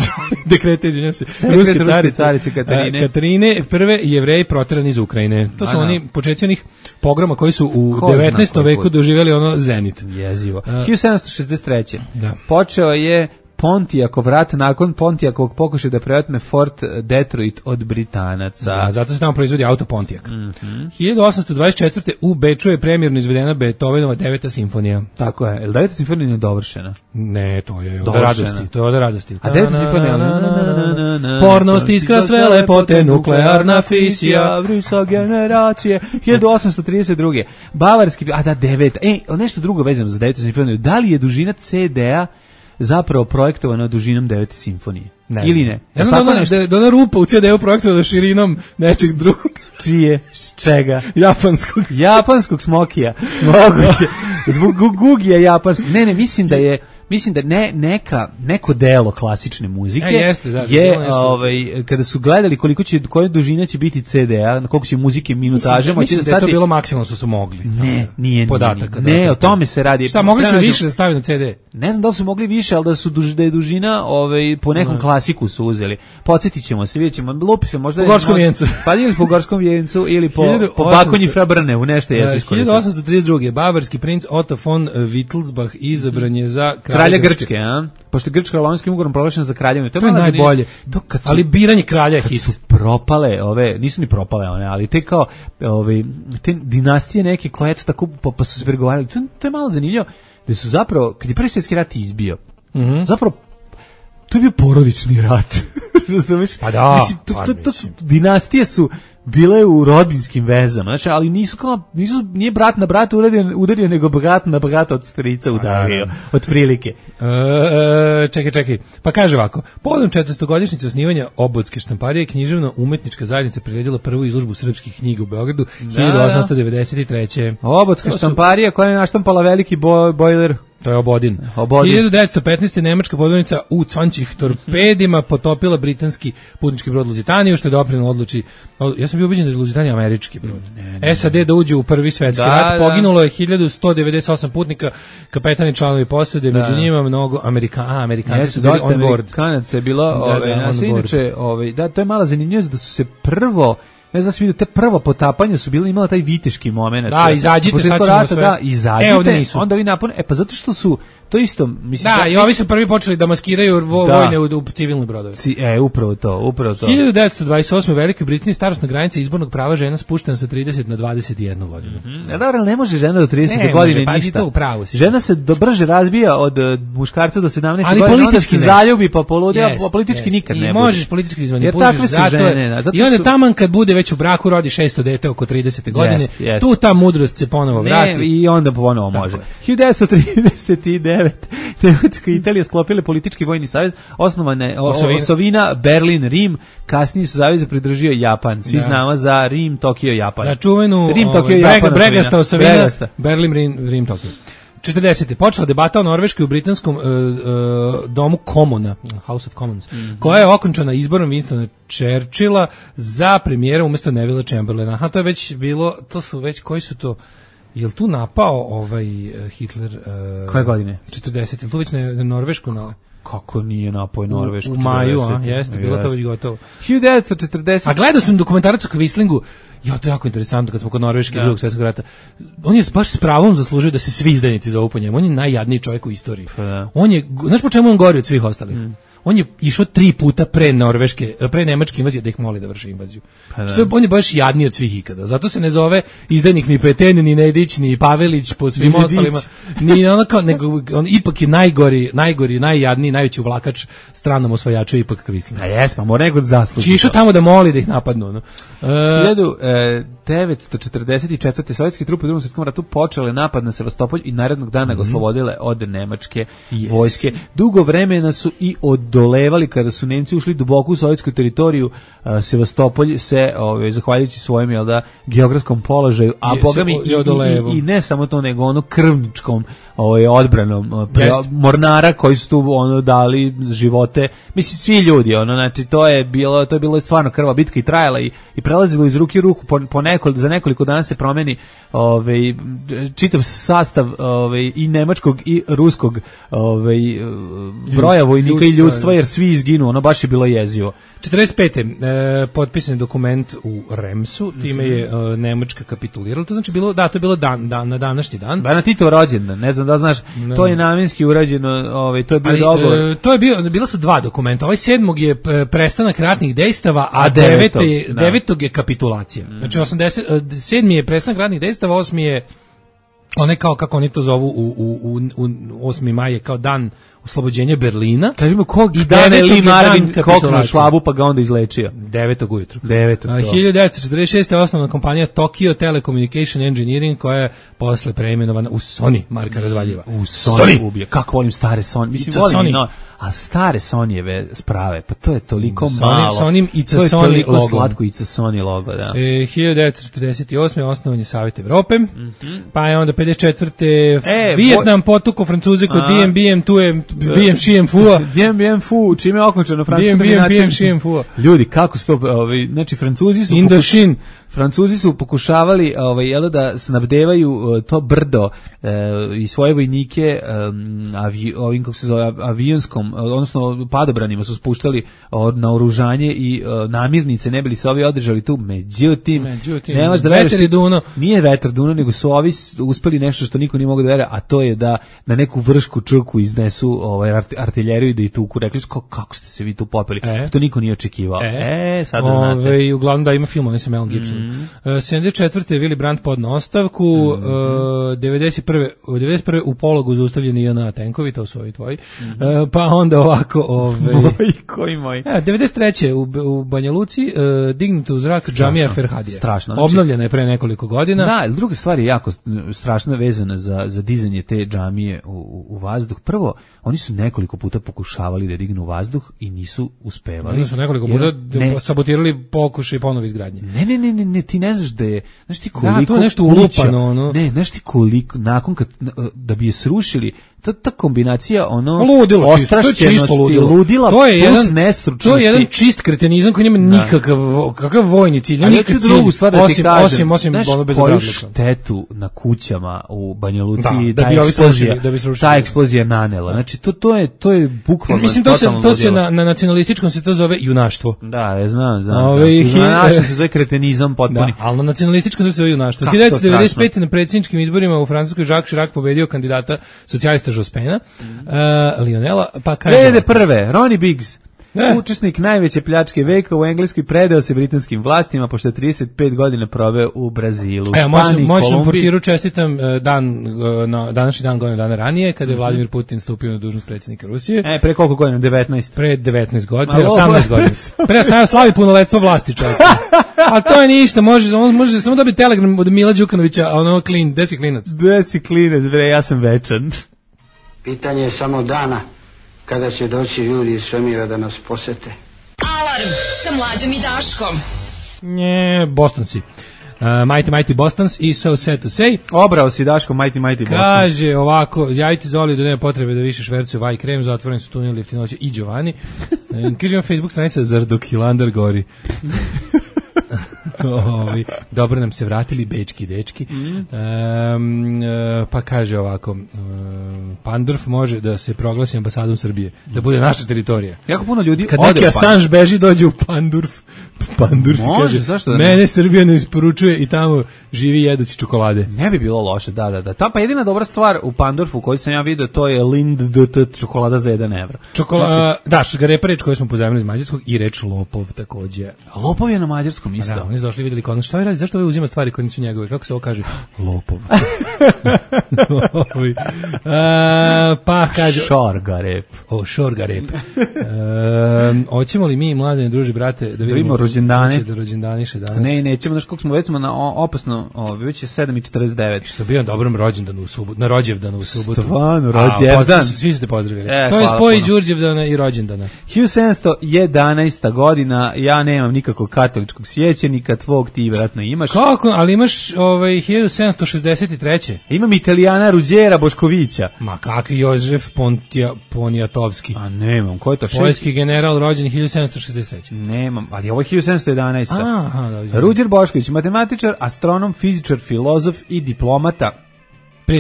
dekreta, izvinjam se, ruske carice Katarine prve Jevreji proterani iz Ukrajine. To su oni početci onih pogroma koji su u 19. veku doživjeli ono zenit. Jezivo. 1763. Počeo je Pontijakov rat nakon Pontijakovog pokušaja da preotme Fort Detroit od Britanaca. Da, zato se tamo proizvodi auto Pontiac. 1824. u Beču je premijerno izvedena Beethovenova 9. simfonija. Tako je. Je li 9. simfonija nedovršena? Ne, to je od radosti. To je od radosti. A 9. simfonija? Pornost, iskra, sve lepote, nuklearna fisija, vrisa generacije. 1832. Bavarski, 9. Nešto drugo vezano za 9. simfoniju. Da li je dužina CD-a zapravo projektovano dužinom 9. simfonije? Ili ne? Ja znam da ona rupa u CD-u projektovana širinom nečeg drugog. Čije? Čega? Japanskog smokija. Moguće. Zbog gugija japanskog. Ne, mislim da neko delo klasične muzike je kada su gledali koja dužina će biti CD-a, koliko će muzike minutaže, mislim da je to bilo maksimalno što su mogli. Nije. Podatak. Ne, o tome se radi. Šta, mogli su više da staviti na CD? Ne znam da li su mogli više, ali da je dužina po nekom klasiku su uzeli. Podsjetit ćemo se, vidjet ćemo, lupi se možda... Po Gorskom vijencu. Pa ili po Gorskom vijencu, ili po Bakonji Frabrnevu, nešto jesu iskoristili. 1832. Bavarski princ Otto von Wittelsbach izabran je za kralja Grčke, a? Pošto je Grčka Lonskim ugovorom proglašena za kraljevinu. To je najbolje. Ali biranje kralja je hit. Su propale nisu ni propale one, ali te kao te dinastije neke koje eto tako pa su se pregovarali. To je malo zanimljivo da su zapravo kad je Prvi svjetski rat izbio. Zapravo to je bio porodični rat. razumeš? Pa da, mislim, to dinastije su bile u rodinskim vezama, znači, ali nije brat na brata udario, nego brat na brata od strica udario, od prilike. Čekaj. Pa kaže ovako, povodom 400-godišnjice osnivanja Obodske štamparije, književno-umetnička zajednica priredila prvu izložbu srpskih knjiga u Beogradu 1893. Obodska štamparija koja je naštampala veliki bojler. To je Obodin. 1915. nemačka podvodnica u Cončih torpedima potopila britanski putnički brod Luzitaniju, što je doprinelo odluči. Ja sam bio ubeđen da je Luzitanija američki brod. SAD da uđe u Prvi svetski rat. Poginulo je 1198 putnika, kapetani, članovi posade, među njima mnogo Amerikanci su bili on board. Amerikanaca je bilo, inače, to je mala zanimljivost da su se prvo, ne znam, vidio, te prvo potapanje su bile, imala taj viteški moment. Da, izađite, sad ćemo sve. Da, izađite, onda vi napune, pa zato što su, to isto, mislim... Da, i ovi su prvi počeli da maskiraju vojne u civilne brodove. Upravo to. 1928. u Velikoj Britaniji starosna granica izbornog prava žena spuštena sa 30 na 21 godinu. Dobro, ne može žena do 30 godine ništa. Žena se brže razbija od muškarca do 17 godina, onda se zaljubi pa poludi, a politički nikad ne bude. Možeš politički izmanipuliš. Jer takve su žene. I onda taman kad bude već u braku, rodi 600 dete oko 30. godine, tu ta mudrost se ponovo vrati. I onda ponovo može. 1939. Nemačka i Italija sklopile politički vojni savez, osnovane osovina, Berlin, Rim, kasnije su saveze pridružio Japan. Svi znamo za Rim, Tokio, Japan. Za čuvenu Bregasta osovina, Berlin, Rim, Tokio. 40. počela debata o Norveškoj u britanskom domu Commona, House of Commons, koja je okončana izborom Winstona Churchilla za premijera umjesto Neville Chamberlaina. Aha, to je već bilo, koji su to... Jel tu napao Hitler? Koje godine? 40. Jel tu već na Norvešku? Kako nije napao Norvešku? U maju, jeste, bilo to već gotovo. 1940. A gledao sam dokumentarac o Quislingu. To je jako interesantno kad smo kod Norveške drugog svjetskog rata. On je baš s pravom zaslužio da se svi izdajnici zovu po njemu. On je najjadniji čovjek u istoriji. On je, znaš po čemu on gori od svih ostalih? On je išao 3 puta pre nemačke invazije da ih moli da vrši invaziju. On je baš jadniji od svih ikada. Zato se ne zove izdajnik ni Peten, ni Nedić, ni Pavelić po svim ostalima. Nego on ipak je najgori, najjadniji, najveći uvlakač stranom osvajaču ipak Quisling. A jes, pa mora nego zaslužiti. Išao tamo da moli da ih napadnu. 1944. sovjetski trupe u Drugom svjetskom ratu počele napad na Sevastopolj i narednog dana ga oslobodile od nemačke vojske. Dugo vremena su i odolevali kada su Nemci ušli duboko u sovjetsku teritoriju. Sevastopolj se, zahvaljujući svojim geografskom položaju, a bogami i ne samo to, nego krvničkom odbranom mornara koji su tu dali živote, mislim svi ljudi, znači to je bilo stvarno krva bitka i trajala i prelazilo iz ruke u ruku, za nekoliko dana se promeni čitav sastav i nemačkog i ruskog broja vojnika i ljudstva, jer svi izginu, baš je bilo jezivo. 45. Potpisan je dokument u Remsu, time je Nemačka kapitulirala. To znači bilo, to je bilo na današnji dan. Na Titov rođendan, ne znam da znaš, to je namjenski urađeno, to je bio dogovor. To je bilo su 2 dokumenta. 7. je prestanak ratnih dejstava, a 9. je kapitulacija. Znači 7. je prestanak ratnih dejstava, 8. je onaj kao kako oni to zovu u 8. maj je kao dan oslobođenja Berlina. Kažemo kog dana je Lee Marvin koknuo švabu pa ga onda izlečio. 9. ujutru. 1946. je osnovna kompanija Tokyo Telecommunication Engineering koja je posle preimenovana u Sony, marka razvaljiva. U Sony ubije. Kako volim stare Sony. Mislim, volim a stare Sonyjeve sprave, pa to je toliko malo. Sony It's a Sony logo. To je toliko slatko It's a Sony logo, da. 1948. osnovan je Savjet Evrope, pa je onda 54. Vijetnam potuko Francuze kod Dien Bien, tu je Bien Chien Phu. Dien Bien Phu, čime je okončano francuska dominacija. Bien Chien Phu. Ljudi, kako su to, znači Francuzi su pokušavali da snabdevaju to brdo i svoje vojnike ovim, kako se zove, avionskom, odnosno padobranima su spuštali naoružanje i namirnice, ne bili se ovi održali tu, međutim vetar je duno. Nije vetar duno, nego su ovi uspeli nešto što niko nije mogao da veruje, a to je da na neku vršku črku iznesu artiljeriju i da i tuku. Rekli su, kako ste se vi tu popeli? To niko nije očekivao. Sad da znate. Uglavnom da ima film, on je sa Melom Gibson. 74. je Willy Brandt podno ostavku, 91. u pologu zaustavljeni JNA tenkovi, to su ovi tvoji, pa onda ovako... Koji moj? 93. u Banja Luci dignuta u zrak džamija Ferhadija. Strašno. Obnovljena je pre nekoliko godina. Da, ali druga stvar je jako strašno vezana za dizanje te džamije u vazduh. Prvo, oni su nekoliko puta pokušavali da dignu u vazduh i nisu uspevali. Oni su nekoliko puta sabotirali pokušaj ponovo izgradnje. Ne, ti ne znaš da je, znaš ti koliko... Da, to je nešto ulupano, ono. Ne, znaš ti koliko, nakon da bi je srušili, ta kombinacija, ono, ludilo, ostrašćenosti, ludila plus nestručnosti. To je jedan čist kretenizam koji nema kakav vojni cilj, nikakav cilj, osim ono bez koju štetu na kućama u Banja Luci ta eksplozija nanela. Znači, to je bukvalno... Mislim, to se na nacionalističkom se to zove junaštvo. Da, znam. Na našem se zove kretenizam potpuni. Da, ali na nacionalističkom to se zove junaštvo. 1995. na predsjedničkim izborima u Francuskoj Jacques Chirac pobedio kandidata socijalista Jospena, Lionela, pa kaže... 2001. Ronnie Biggs, učesnik najveće pljačke veka u Engleskoj, predao se britanskim vlastima pošto je 35 godina proveo u Brazilu. Moćnom portiru čestitam današnji dan godinu dana ranije, kada je Vladimir Putin stupio na dužnost predsjednika Rusije. Pre koliko godina? 19? Pre 19 godina, pre 18 godina. Pre 18 slavi punoletstvo vlasti čovjek. A to je ništa, može samo dobiti telegram od Mila Đukanovića, a ono gde si klinac? Gde si klinac, bre, ja sam večan. Pitanje je samo dana kada će doći ljudi iz svemira da nas posete. Alarm sa Mlađom i Daškom. Boston si. Mighty Bostons i So Sad to Say. Obrao si Daško Mighty Bostons. Kaže ovako, javite Zoli da nema potrebe da više švercuju vaj krem, zatvoreni su tuneli jeftinoće i Giovanni. Kaže vam Facebook stranica Zardokilandar gori. Dobro nam se vratili bečki dečki. Pa kaže ovako, Pandorf može da se proglasi ambasadom Srbije, da bude naša teritorija. Jako puno ljudi kad neki Assange beži dođe u Pandorf kaže, zašto da mene Srbija ne isporučuje i tamo živi jedući čokolade. Ne bi bilo loše, da. Ta pa jedina dobra stvar u Pandorfu koju sam ja vidio, to je Lind DT čokolada za 1 evro. Da, šgarepa reč koju smo pozajmili iz mađarskog i reč lopov takođe. Lopov je na mađarskom isto. Da, oni su došli i vidjeli kod šta vi radi, zašto ovaj uzima stvari koje nisu njegove, kako se ovo kaže? Lopov. Pa kaže... Šorgarep. Šorgarep. Hoćemo li mi, mladene druži, brate, da vidimo rođendane? Da rođendaniše danas. Ne, nećemo, znaš koliko smo, već smo na opasno, već je 7:49. Što bio na dobrom rođendanu u subotu, na rođevdanu u subotu. Stvarno, rođevdan. Svi su te pozdravili. To je spoj Đurđevdana i rođendana. 1711. godina, ja nemam nikakvog katoličkog sjećenika, tvog ti vjerojatno imaš. Kako? Ali imaš 1763. Imam Italijana Ruđera Boškovića. Ma kakvi Jožef Poniatovski. A nemam, ko je to? Poljski general rođen 1763. Nemam, ali ovo je 1711. Aha, Ruđer Bošković, matematičar, astronom, fizičar, filozof i diplomata.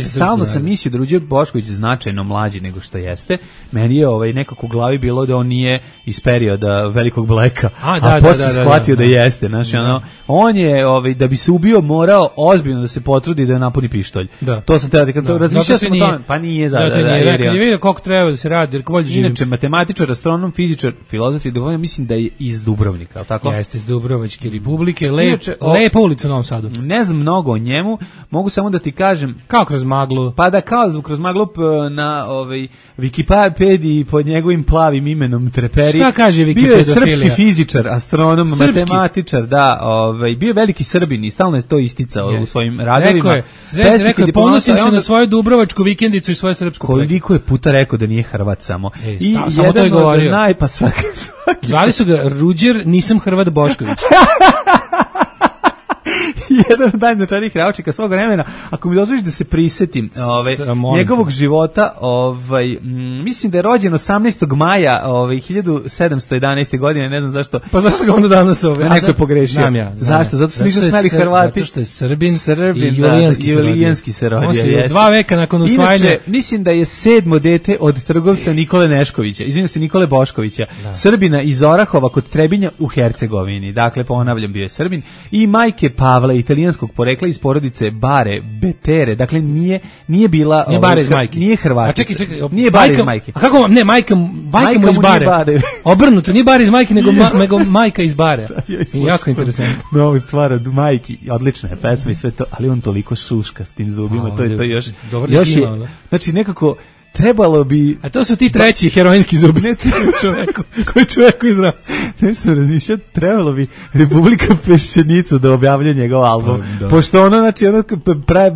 Stalno sam mislio da Ruđer Bošković je značajno mlađi nego što jeste. Meni je nekako u glavi bilo da on nije iz perioda Velikog Bleka, a posle shvatio da jeste. Znači, on je, da bi se ubio, morao ozbiljno da se potrudi da napuni pištolj. To sam te razmišljao sam o tome. Pa nije za je vidio koliko treba da se radi, jer bolje živim. Inače, matematičar, astronom, fizičar, filozof i diplomata, mislim da je iz Dubrovnika, tako? Jeste, iz Dubrovačke republike, lepa ulica u Novom Sadu. Ne znam mnogo o njemu, mogu samo da ti kažem kroz maglu. Pa da, kao kroz maglu na Wikipediji pod njegovim plavim imenom Treperi. Šta kaže Wikipedofilija? Bio je srpski fizičar, astronom, matematičar, da, bio je veliki Srbin i stalno je to isticao u svojim radovima. Rekao je, ponosim se na svoju dubrovačku vikendicu i svoje srpsko projekte. Koliko je puta rekao da nije Hrvat samo. I samo to je govorio. Svaki. Zvali su ga Ruđer, nisam Hrvat Bošković. Jedan od najznačajnijih naučnika svog vremena. Ako mi dozvoliš da se prisetim njegovog života, mislim da je rođen 18. maja 1711. godine, ne znam zašto. Pa zašto ga onda danas neko je pogrešio. Zašto? Zato su nisu smeli Hrvati. Zato što je Srbin i Julijanski se rodio. On se 2 veka nakon usvajanja. Inače, mislim da je 7. dete od trgovca Nikole Neškovića, izvinjam se, Nikole Boškovića, Srbina iz Orahova kod Trebinja u Hercegovini. Dakle, ponavljam, bio je Srbin. I majke Pavle i italijanskog porekla iz porodice Bare Betere. Dakle, nije bila... Nije Bare iz majke. Nije Hrvatica. A čekaj, nije Bare iz majke. A kako vam? Ne, majka mu iz Bare. Obrnuto, nije Bare iz majke, nego majka iz Bare. Jako interesantno. Novu stvar od majki. Odlična je pesma i sve to, ali on toliko šuška s tim zubima. To je još je... Znači, nekako... Trebalo bi... A to su ti treći heroinski zubi. Ne koji čoveku izraz. Nešto razmišljati, trebalo bi Republika Peščenica da objavlja njegov album. Pošto ono, znači,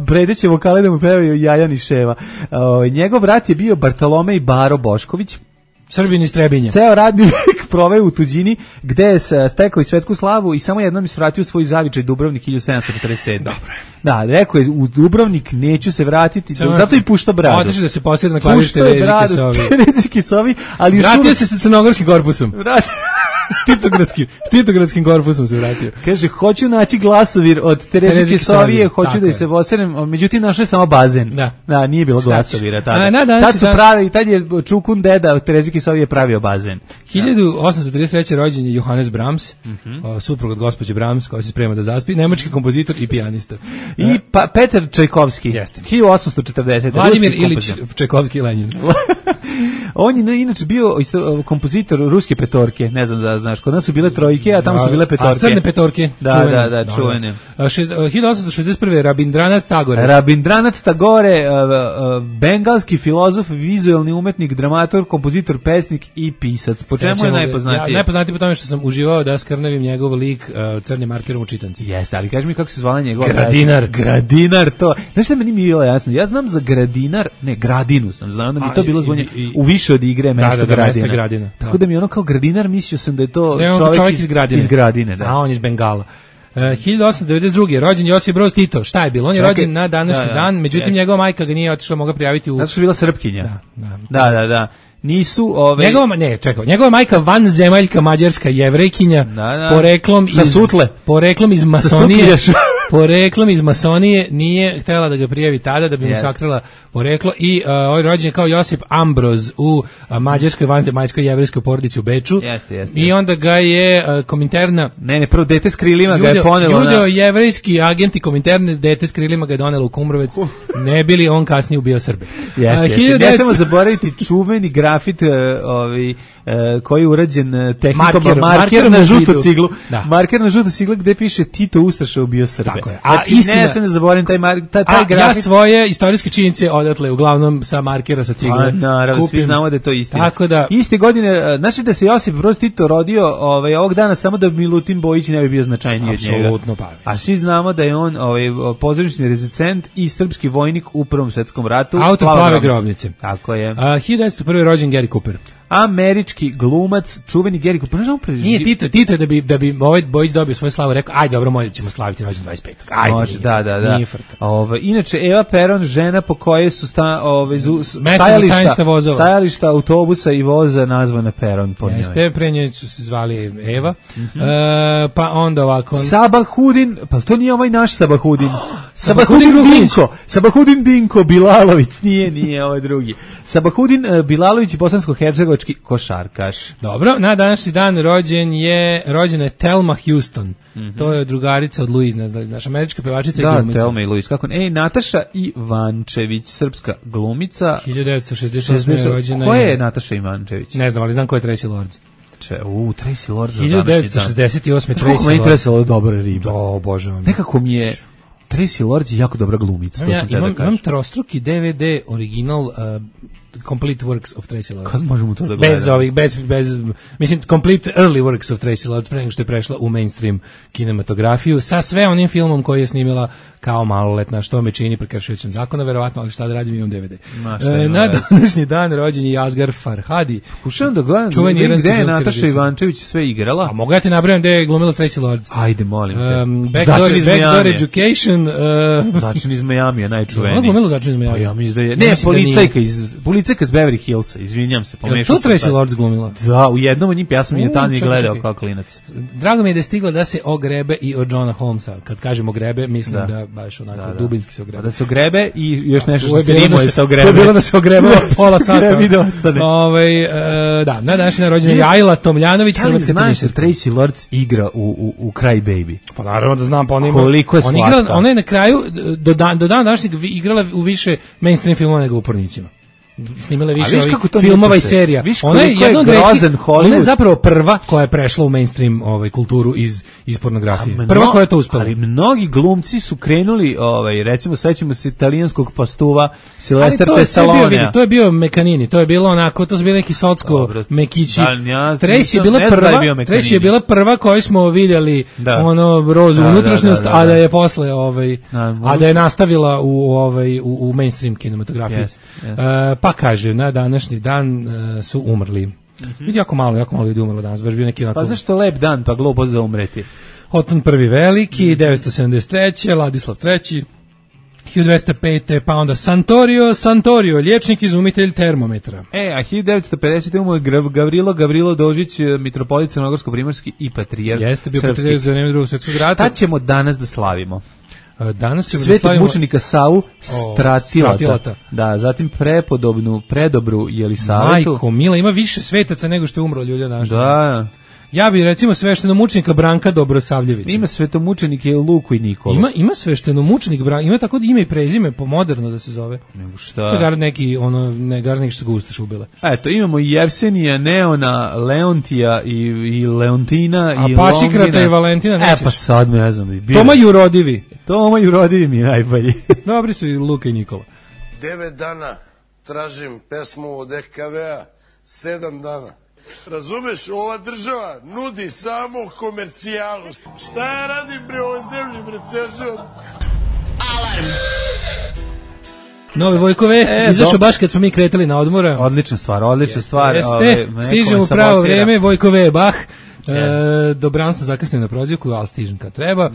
predeće vokale da mu pevaju Jajan i Ševa. Njegov brat je bio Bartolomej Baro Bošković. Srbin iz Trebinja. Ceo radni vek proveo u tuđini, gde je stekao i svetsku slavu i samo jednom je svratio svoj zavičaj Dubrovnik 1747. Dobro. Da, rekao je u Dubrovnik neću se vratiti, zato i pušta bradu. Odeš da se posjede na klavište Terezi Kisovi, ali vratio se sa crnogorskim korpusom. Stitogradskim korpusom se vratio. Kaže, hoću naći glasovir od Terezi Kisovije, hoću da se voserem, međutim našao je samo bazen. Da, nije bilo glasovira tada. Tad su pravi, tad je Čukun deda od Terezi Kisovije pravio bazen. 1833. rođen je Johannes Brahms, suprug od gospođe Brahms, koja se sprema da zaspi, nemački kompozitor i pijanista. I Petar Čajkovski, 1840. Vladimir Ilić Čajkovski Lenin. On je inače bio kompozitor ruske petorke, ne znam da znaš, kod nas su bile trojke, a tamo su bile petorke. A crne petorke, da, čuvene. 1861. Rabindranath Tagore. Rabindranath Tagore, bengalski filozof, vizuelni umetnik, dramaturg, kompozitor, pesnik i pisac. Po čemu je najpoznatiji? Najpoznatiji po tome što sam uživao da skrnavim njegov lik crnim markerom u čitanci. Jeste, ali kaži mi kako se zvala njegova Gradinar. Gradinar, to. Znaš šta meni mi je bilo jasno? Ja znam za Gradinar, ne, Gradinu sam znao, da mi to bilo zvonje u više od igre mesto Gradina. Tako da mi ono kao Gradinar, mislio sam da je to čovjek iz Gradine. Da. A on iz Bengala. 1892. rođen Josip Broz Tito. Šta je bilo? On je rođen na današnji dan, međutim njegova majka ga nije otišla, mogla prijaviti u... Zato što je bila Srpkinja. Da. Nisu njegova majka vanzemaljka mađarska jevrejkinja, poreklom iz masonije. Poreklom iz masonije, nije htjela da ga prijavi tada da bi mu sakrila poreklo i ovaj rođen je kao Josip Ambroz u mađarskoj vanzemaljskoj jevrejskoj porodici u Beču. I onda ga je Kominterna... prvo dete s krilima ga je ponelo na... Judeo-jevrejski agenti Kominterne, dete s krilima ga je donelo u Kumrovec, ne bili on kasnije ubio Srbe. Ne samo zaboraviti čuveni grafit koji je urađen tehnikom marker na žutu ciglu. Marker na žutu ciglu gde piše Tito Ustaša ubio Srbe. Znači, ne se ne zaboravim taj grafit. Ja svoje istorijske činjenice odatle, uglavnom sa markera, sa cigle. Naravno, svi znamo da je to istina. Tako da... Iste godine, znači da se Josip Broz Tito rodio ovog dana samo da Milutin Bojić ne bi bio značajniji od njega. Apsolutno, pa. A svi znamo da je on pozorišni rezident i srpski vojnik u Prvom svetskom ratu. Autor Plave grobnice. Tako je. 1901. rođen Gary Cooper. Američki glumac, čuveni Gary Cooper. Nije Tito je da bi ovaj Bojić dobio svoju slavu, rekao, aj dobro, ćemo slaviti rođen 25. Ajde, može, da. Nije frka. Inače, Eva Peron, žena po kojoj su stajališta autobusa i voza nazvana Peron po njoj. Jeste, pre njoj su se zvali Eva. Pa onda ovako... Sabahudin, pa to nije ovaj naš Sabahudin. Sabahudin Dinko Bilalović, nije ovaj drugi. Sabahudin Bilalović, bosansko-hercegovački košarkaš. Dobro, na današnji dan rođena je Thelma Houston. To je drugarica od Louise, ne znam, naša američka pevačica i glumica. Da, Thelma i Louise, kako ne. Nataša Ivančević, srpska glumica. 1966. rođena je... Ko je Nataša Ivančević? Ne znam, ali znam ko je Tracy Lords. Tracy Lords. 1968. Tracy Lords. Kako meni Tracy Lords dobra riba. Obožavam. Nekako mi je... Tracy Lords je jako dobra glumica. Imam trostruki DVD original Complete Works of Tracy Lords. Kad možemo to da gledamo? Bez mislim, Complete Early Works of Tracy Lords, pre nego što je prešla u mainstream kinematografiju, sa sve onim filmom koji je snimila kao maloletna, što me čini prekršujućem zakona, verovatno, ali šta da radim, imam DVD. Na današnji dan rođen je Asghar Farhadi. Pokušavam da gledam gde je Nataša Ivančević sve igrala. A mogu ja ti nabrajam gde je glumila Tracy Lords? Ajde, molim te. Backdoor Education. Začin iz Majamija, najčuveniji. Ona glumila Začin iz Majamija. Ja mislim da je. Ne, policajka iz Liceka s Beverly Hillsa, izvinjam se, pomešao sam. To Tracy Lords glumila? Da, u jednom od njih, ja sam je tamo i gledao kao klinac. Drago mi je da je stigla da se ogrebe i od Johna Holmesa. Kad kažem ogrebe, mislim da baš onako dubinski se ogrebe. Da se ogrebe i još nešto što se rimuje sa ogrebe. To je bilo da se ogrebe pola sata. I da ostane. Da, na današnji rođendan je Ajla Tomljanović. Da li znaš da Tracy Lords igra u Cry Baby? Pa naravno da znam, pa koliko je slatka. Ona je na kraju, do dana današnjeg igrala u više mainstream filmova nego u Pornićima. Snimala više filmova i serija. Ona je jednog ona je zapravo prva koja je prešla u mainstream kulturu iz pornografije. Prva koja je to uspela. Ali mnogi glumci su krenuli, recimo sećamo se italijanskog pastuva Silvestre Stallone. To je bio Mekanini, to je bilo onako, to su bili neki socko mekići. Tracy je bila prva koju smo vidjeli rozu unutrašnjost, a da je posle a da je nastavila u mainstream kinematografiji. Pa kaže, na današnji dan su umrli. Vidi, jako malo ljudi umrlo danas, baš bio neki onako... Pa zašto lep dan, pa glupo za umreti? Oton prvi veliki, 973. Ladislav III. 1205. Pa onda Santorio, liječnik izumitelj termometra. A 1950. umro je Gavrilo Dožić, mitropolit crnogorsko-primorski i patrijarh srpski. Jeste bio patrijarh za vreme Drugog svjetskog rata. Šta ćemo danas da slavimo? Danas ćemo Svetog mučenika Savu Stratilata. Da, zatim predobru Jelisavetu. Majko Mila, ima više svetaca nego što je umro ljudi naš. Da. Ja bih recimo sveštenomučenika Branka Dobrosavljevića. Ima svetomučenike Luku i Nikolu. Ima sveštenomučenik Branka, ima tako da ime i prezime moderno da se zove. Nego šta? To je gar neki što su ga Ustaše ubile. Eto, imamo i Jevsenija, Neona, Leontija i Leontina i Longina. A Pasikrata i Valentina nećeš? Pa sad ne znam. Toma Jurodivi mi je najbolji. Dobri su i Luka i Nikola. 9 dana tražim pesmu od EKV-a, 7 dana. Razumeš, ova država nudi samo komercijalu. Šta ja radim bre ovoj zemlji, bre, Ceržan? Alarm! Nove Vojkove, izašao baš kad smo mi kretali na odmora. Odlična stvar. Stižemo u pravo vreme, Vojkove, Bach. Dobran sam zakasnio na prozivku, ali stižem kad treba.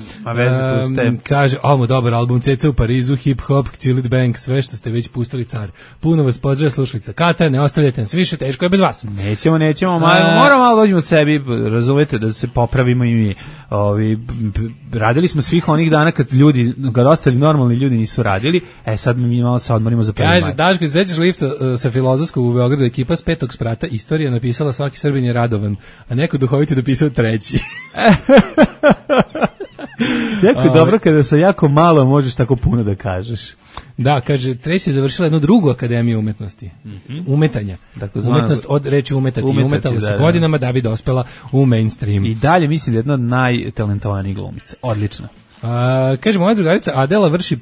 Kaže, ovo dobar album, Ceca u Parizu, hip hop, Cilit Bank, sve što ste već pustili, car. Puno vas pozdravlja slušalica Kata, ne ostavljajte nas više, teško je bez vas. Nećemo, moramo malo dođemo sebi, razumete, da se popravimo i mi. Radili smo svih onih dana kad ostali normalni ljudi nisu radili, sad mi malo se odmorimo za prvi maj. Kaže, Daško, sećaš lifta sa Filozofskog u Beogradu, ekipa s 5. sprata, istorija napisala svaki Srbin je radovan, a neko duhoviti dopisao 3. Jako je dobro kada sa jako malo možeš tako puno da kažeš. Da, kaže, Tracy je završila jednu drugu akademiju umetnosti. Umetanja. Umetnost od reči umetati. Umetala se godinama da bi dospela u mainstream. I dalje mislim da je jedna od najtalentovanijih glumica. Odlično. Kaže, moja drugarica Adela vrši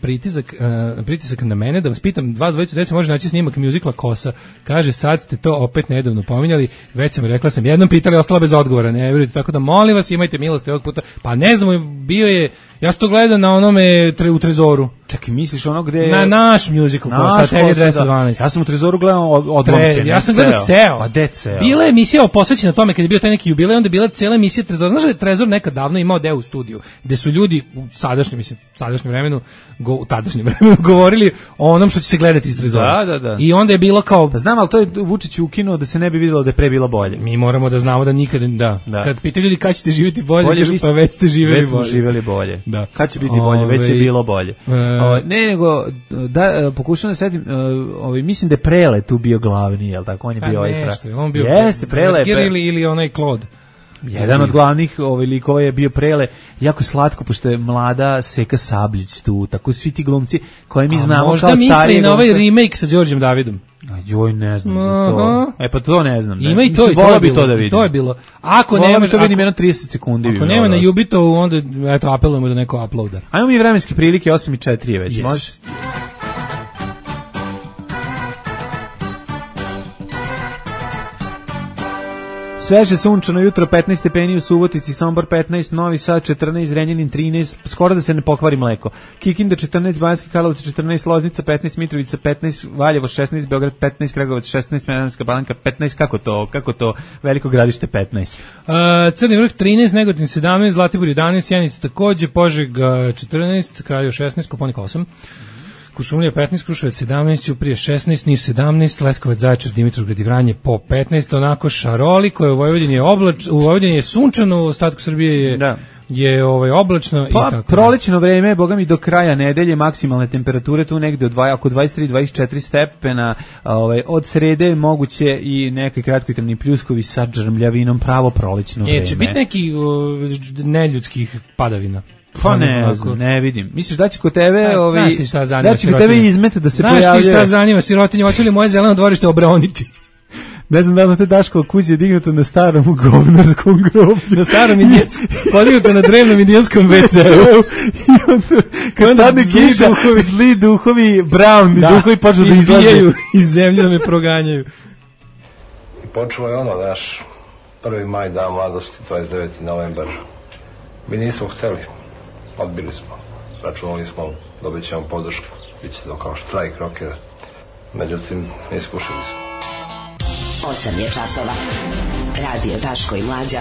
pritisak na mene da vas pitam, vas dvojicu gde se može naći snimak mjuzikla Kosa. Kaže, sad ste to opet nedavno pominjali, već sam rekla sam, jednom pitali, ostala bez odgovora, ne vjerujte, tako da molim vas, imajte milosti ovog puta. Pa ne znam, bio je, ja sam to gledao na onome u Trezoru. Čekaj, misliš ono gde je... Na naš mjuzikl Kosa, TV 212. Ja sam u Trezoru gledao odlomke. Ja sam gledao ceo. Pa de ceo. Bila je emisija posvećena tome kad je bio taj neki jubilej, onda je bila cela emisija Trezora. Znaš da je Trezor nekad davno imao deo u studiju, gde su ljudi u tadašnjem vremenu govorili o onom što će se gledati iz Trezora. Da. I onda je bilo kao... Pa znam, ali to je Vučić ukinuo da se ne bi vidjelo da je pre bilo bolje. Mi moramo da znamo da nikad... Da. Kad pitaju ljudi kad ćete živjeti bolje kažu, pa već ste živjeli bolje. Da. Kad će biti bolje, već je bilo bolje. Ne, nego, pokušam da setim, mislim da je Prele tu bio glavni, jel tako? On je bio on bio... Jeste, Prele. Ili onaj Claude. Jedan od glavnih likova je bio Prele, jako slatko, pošto je mlada Seka Sabljić tu, tako svi ti glumci koje mi znamo kao starije glumce. Možda misli na ovaj remake sa Đorđem Davidom. Joj, ne znam za to. Pa to ne znam. Ima i to je bilo. Ako nema, to vidim jedno 30 sekundi. Ako nema na Jubitovu, onda eto apelujemo da neko uploada. Ajmo mi vremenske prilike, 8:04 je već, može? Sveže sunčano jutro, 15 stepeni u Subotici, Sombor 15, Novi Sad 14, Zrenjanin 13, skoro da se ne pokvari mleko. Kikinda 14, Banjski Karlovac 14, Loznica 15, Mitrovica 15, Valjevo 16, Beograd 15, Kragujevac 16, Smederevska Palanka 15, kako to, Veliko Gradište 15. Crni Vrh 13, Negotin 17, Zlatibor 11, Sjenica takođe, Požega 14, Kraljevo 16, Koponik 8. Kuršumlija 15, Kruševac 17, Ćuprije 16, Niš 17, Leskovac, Zaječar, Dimitrovgrad i Vranje po 15, onako šaroliko je u Vojvodini u Vojvodini je sunčano, u ostatku Srbije je oblačno pa, i tako. Prolećno vreme, boga mi do kraja nedelje, maksimalne temperature tu negde oko 23-24 stepena, od srede moguće i neke kratkotrajni pljuskovi sa žrmljavinom, pravo prolećno vreme. Će biti neki neljudskih padavina? Pa ne vidim. Misliš da će kod tebe znaš ti šta zanima sirotinje? Da će kod tebe izmet da se pojavljaju? Znaš ti šta zanima sirotinje? Hoće li moje zeleno dvorište obroniti? Ne znam da li te Daškova kuća je dignuto na starom govnarskom groblju. Na starom podignuto na drevnom indijanskom WC-u. I onda, kad padne kiša, zli duhovi, brown duhovi počnu da izlaze. Iz zemlje da me proganjaju. I počelo je naš 1. maj, dan mladosti, 29. novembar. Mi nismo hteli, odbili smo, računali smo, dobit ćemo podršku, bit će to kao štrajk rokera. Međutim, iskušali smo. 8 je časova. Radio Daško i Mlađa.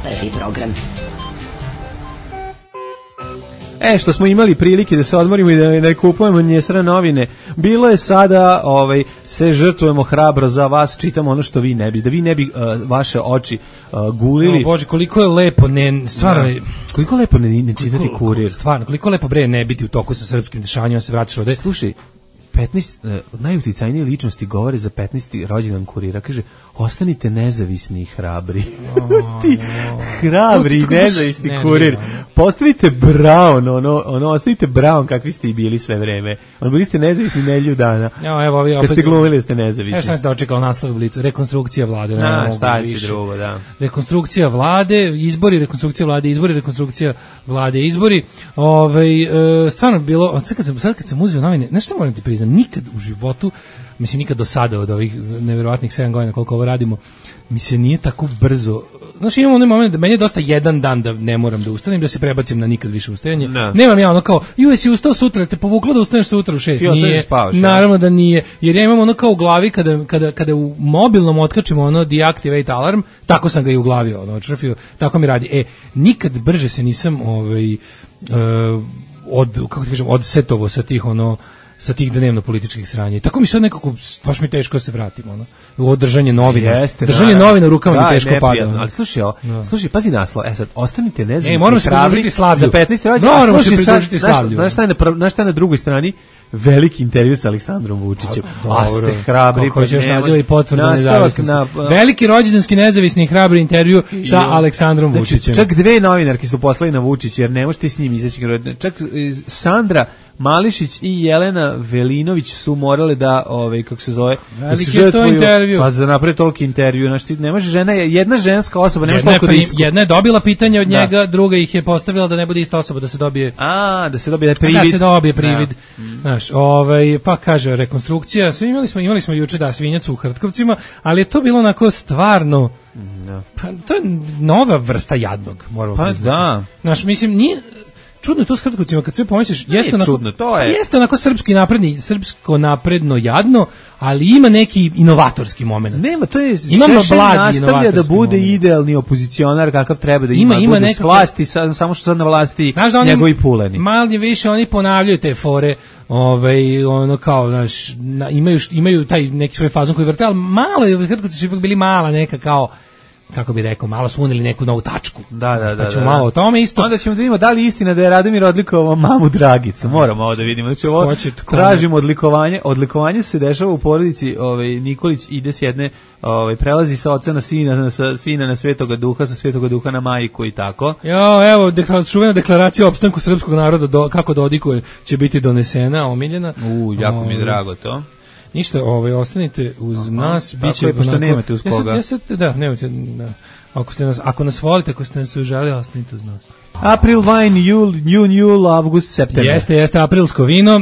Prvi program. Što smo imali prilike da se odmorimo i da ne kupujemo njesra novine, bilo je sada, se žrtvujemo hrabro za vas, čitamo ono što vi ne bi, da vi ne bi vaše oči gulili. Bože, koliko je lepo, stvarno... Koliko je lepo ne čitati Kurir. Stvarno, koliko je lepo ne biti u toku sa srpskim dešavanjima, se vratiš ovde. Slušaj, 15 najuticajnije ličnosti govore za 15. rođendan Kurira. Kaže, ostanite nezavisni i hrabri. Hrabri i nezavisni Kurir. Postanite Brown, ostanite Brown kakvi ste i bili sve vreme. Bili ste nezavisni nedjelju dana. Kad ste glumili ste nezavisni. Sam se dočekao naslov u Blicu. Rekonstrukcija vlade. Šta će drugo, da. Rekonstrukcija vlade, izbori, rekonstrukcija vlade, izbori, rekonstrukcija vlade, izbori. Stvarno bilo, sad kad sam uzeo novine, nešto moram ti priznam, nikad u životu, mislim nikad do sada od ovih nevjerovatnih 7 godina koliko ovo radimo, mi se nije tako brzo, znači imam onaj moment da meni je dosta jedan dan da ne moram da ustanem, da se prebacim na nikad više ustajanje. Nemam ja ono kao, jesi ustao sutra, te povuklo da ustaneš sutra u 6. Nije, naravno da nije, jer ja imam ono kao u glavi kada u mobilnom otkačimo ono deactivate alarm, tako sam ga i u glavi odšrafio, tako mi radi. Nikad brže se nisam odsetovo sa tih dnevno političkih sranja. Tako mi sad nekako, baš mi teško se vratim, u održanje novina. Držanje novina u rukama mi teško pada. Ali slušaj, pazi naslov. Sad, ostanite nezavisni, moramo se pridružiti Slavlju. Za 15. rođendan. Moramo se pridružiti Slavlju. Znaš šta je na drugoj strani? Veliki intervju sa Aleksandrom Vučićem. Ste hrabri. Koji još naziva i potvrdu nezavisnosti. Veliki rođendanski nezavisni i hrabri intervju sa Aleksandrom Vučićem. Čak 2 novinarke su poslali na Vučić, jer ne možete s njim izaći. Čak Sandra Mališić i Jelena Velinović su morale da, kako se zove, veliki je to intervju. Pa za napred toliki intervju. Ne može žena, jedna ženska osoba, ne može toliko disku. Jedna je dobila pitanje od njega, druga ih je postavila da ne bude ista osoba, da se dobije... da se dobije privid. Da se dobije privid. Znaš, pa kaže, rekonstrukcija, imali smo juče svinjac u Hrtkovcima, ali je to bilo onako stvarno, pa to je nova vrsta jadnog, moramo priznati. Pa da. Znaš, mislim, nije... Čudno je to s Hrtkovcima, kad sve pomisliš, jeste onako srpsko napredno jadno, ali ima neki inovatorski moment. Nema, to je nastavlja da bude idealni opozicionar kakav treba da ima bude s vlasti, samo što sad na vlasti njegovi puleni. Manje više oni ponavljaju te fore, ono kao, znaš, imaju taj neki svoj fazon koji vrte, ali malo je, Hrtkovci su ipak bili mala neka kao, kako bi rekao, malo su uneli neku novu tačku. Da. Ćemo malo o tome isto. Onda ćemo da vidimo da li istina da je Radomir odlikovao mamu Dragicu. Moramo ovo da vidimo. Znači ovo tražimo odlikovanje. Odlikovanje se dešava u porodici, Nikolić ide s jedne, prelazi sa oca na sina, sa sina na Svetoga Duha, sa Svetoga Duha na majku i tako. Evo, čuvena deklaracija o opstanku srpskog naroda kako dodikuje će biti donesena, omiljena. Jako mi je drago to. Ništa, ostanite uz nas, biće pošto nemate uz koga. Nemate, da. Ako nas volite, ako ste nas uželi, ostanite uz nas. April wine, jul, avgust, september. Jeste aprilsko vino,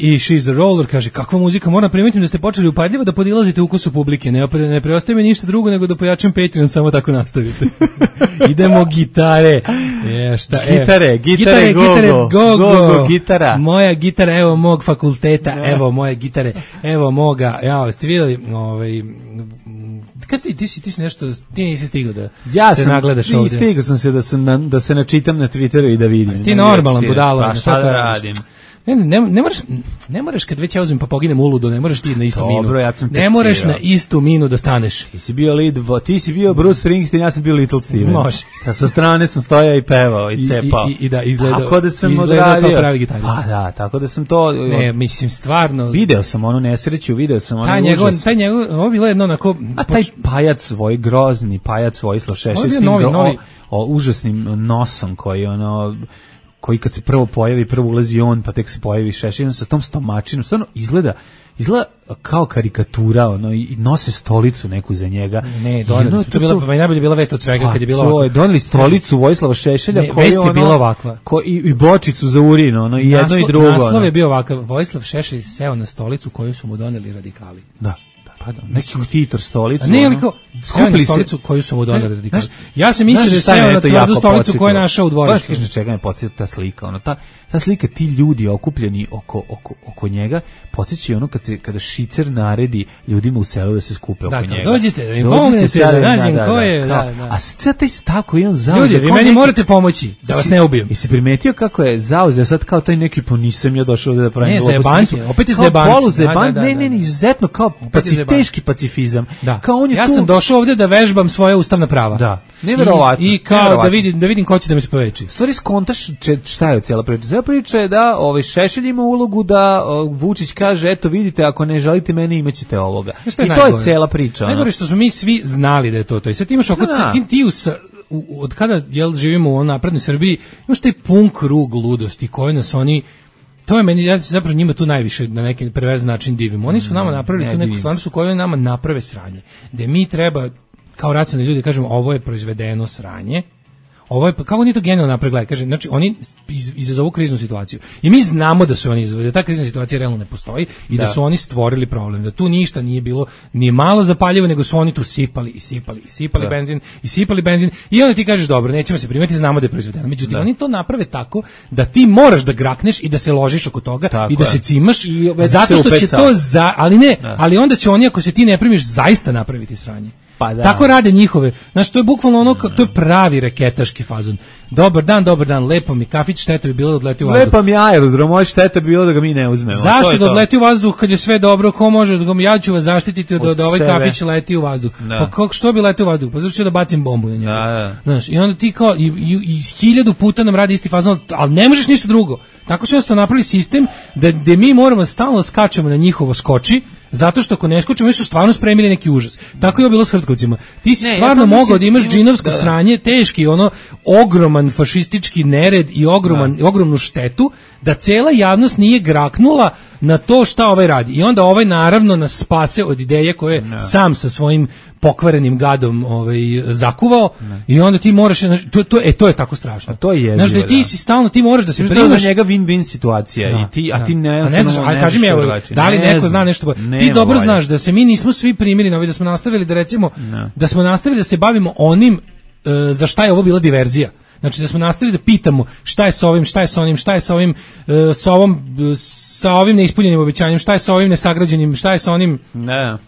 i She's a Roller, kaže, kakva muzika, moram primetiti da ste počeli upadljivo da podilazite ukusu publike, ne preostaje mi ništa drugo nego da pojačam Patreon, samo tako nastavite. Idemo gitare. Gitare, go, gitara. Moja gitara, evo mog fakulteta, evo moje gitare, evo moga, ste vidjeli, ti si nešto, ti nisi stigao da se nagledaš ovdje. Stigao sam se da se načitam na Twitteru i da vidim. Ti normalan budalo. Pa šta da radim? ne moraš kad već ja uzmem pa poginem uludo, ne moraš ti na istu minu. Dobro, ja sam ne moraš na istu minu da staneš. Ti si bio Bruce Springsteen, ja sam bio Little Steven. Može. Sa strane sam stojao i pevao i cepao. I da izgledao. Tako da sam odradio kao pravi gitarista. Pa da, tako da sam to. Ne, mislim stvarno. Video sam onu nesreću, video sam onu užas. Taj njegov, ovo bilo jedno onako. A taj pajac svoj grozni, pajac Vojislav Šešelj s tim užasnim nosom koji kad se prvo pojavi, prvo ulazi on, pa tek se pojavi Šešelj, sa tom stomačinom, stvarno izgleda kao karikatura, i nose stolicu neku za njega. Ne, doneli su, to bila, najbolje bila vest od svega kad je bilo ovako. Doneli stolicu Vojislava Šešelja, vest je bila ovakva. I bočicu za urin, i jedno i drugo. Naslov je bio ovakav, Vojislav Šešelj seo na stolicu koju su mu doneli radikali. Da. Neki Titor stolicu. Ne, ali kao skupili stolicu koju su mu doneli radikali. Ja sam mislio da je seo na tvrdu stolicu koju je našao u dvorištu. Znaš čega me podsjeti ta slika? Ta slika, ti ljudi okupljeni oko njega, podsjeća kada Šicer naredi ljudima u selu da se skupe oko njega. Dođite, da mi pomognete, da nađem ko je. A sad taj stav koji on zauzeo. Ljudi, vi meni morate pomoći, da vas ne ubijem. I si primetio kako je zauzeo sad kao taj neki, pa nisam ja došao da pravim. Ne, zajebanke, opet je zajebanke. Ne, izuzetno kao teški pacifizam. Ja sam došao ovdje da vežbam svoje ustavna prava. Da, neverovatno. I kao da vidim ko će da mi se poveći. Stvari skontaš šta je cijela priča. Cijela priča je da Šešelj ima ulogu da Vučić kaže, eto vidite, ako ne želite mene imaćete ovoga. I to je cijela priča. Najgore što smo mi svi znali da je to. I sad imaš od kada živimo u naprednoj Srbiji, imaš taj pun krug ludosti koji nas oni. To je meni, ja zapravo njima tu najviše na neki perverzan način divim. Oni su nama napravili tu neku stvarnost u kojoj nama naprave sranje. Gde mi treba, kao racionalni ljudi, kažemo ovo je proizvedeno sranje, ovo je, kako oni to genijalno napravili, kaže, znači oni izazovu kriznu situaciju. I mi znamo da su oni izazvali, da ta krizna situacija realno ne postoji i da su oni stvorili problem, da tu ništa nije bilo, nije malo zapaljivo, nego su oni tu sipali benzin i onda ti kažeš, dobro, nećemo se primeti, znamo da je proizvedeno. Međutim, oni to naprave tako da ti moraš da grakneš i da se ložiš oko toga i da se cimaš, zato što će to, ali onda će oni, ako se ti ne primiš, zaista napraviti sranje. Tako rade njihove. Znači, to je bukvalno to je pravi reketaški fazon. Dobar dan, lepo mi kafić, šteta bi bilo da odleti u vazduh. Lepa mi aerodrom, moj šteta bi bilo da ga mi ne uzmemo. Zašto da odleti u vazduh kad je sve dobro, ko može, ja ću vas zaštititi da ovaj kafić leti u vazduh. Pa što bi letio u vazduh? Pa zašto ću da bacim bombu na njega? Znaš, i onda ti kao, i 1000 puta nam radi isti fazon, ali ne možeš ništa drugo. Tako su jednostavno napravili sistem da mi moramo stalno skačemo na njihovo skoči, zato što ako ne skočimo, mi su stvarno spremili neki užas. Tako je bilo s Hrtkovcima. Ti si stvarno mogao da imaš džinovsko sranje, teški, ogroman fašistički nered i ogromnu štetu, da cela javnost nije graknula na to šta ovaj radi. I onda ovaj naravno nas spase od ideje koje sam sa svojim pokvarenim gadom zakuvao i onda ti moraš, to je tako strašno. To je znaš da ti si stalno, ti moraš da se primaš. To je za njega win-win situacija a ti ne znaš, ali kaži mi, da li neko zna nešto, ti dobro znaš da se mi nismo svi primili, da smo nastavili da recimo, da smo nastavili da se bavimo onim za šta je ovo bila diverzija. Znači da smo nastavili da pitamo šta je sa ovim, šta je sa onim, šta je sa ovim, sa ovim neispunjenim obećanjem, šta je sa ovim nesagrađenim, šta je sa onim,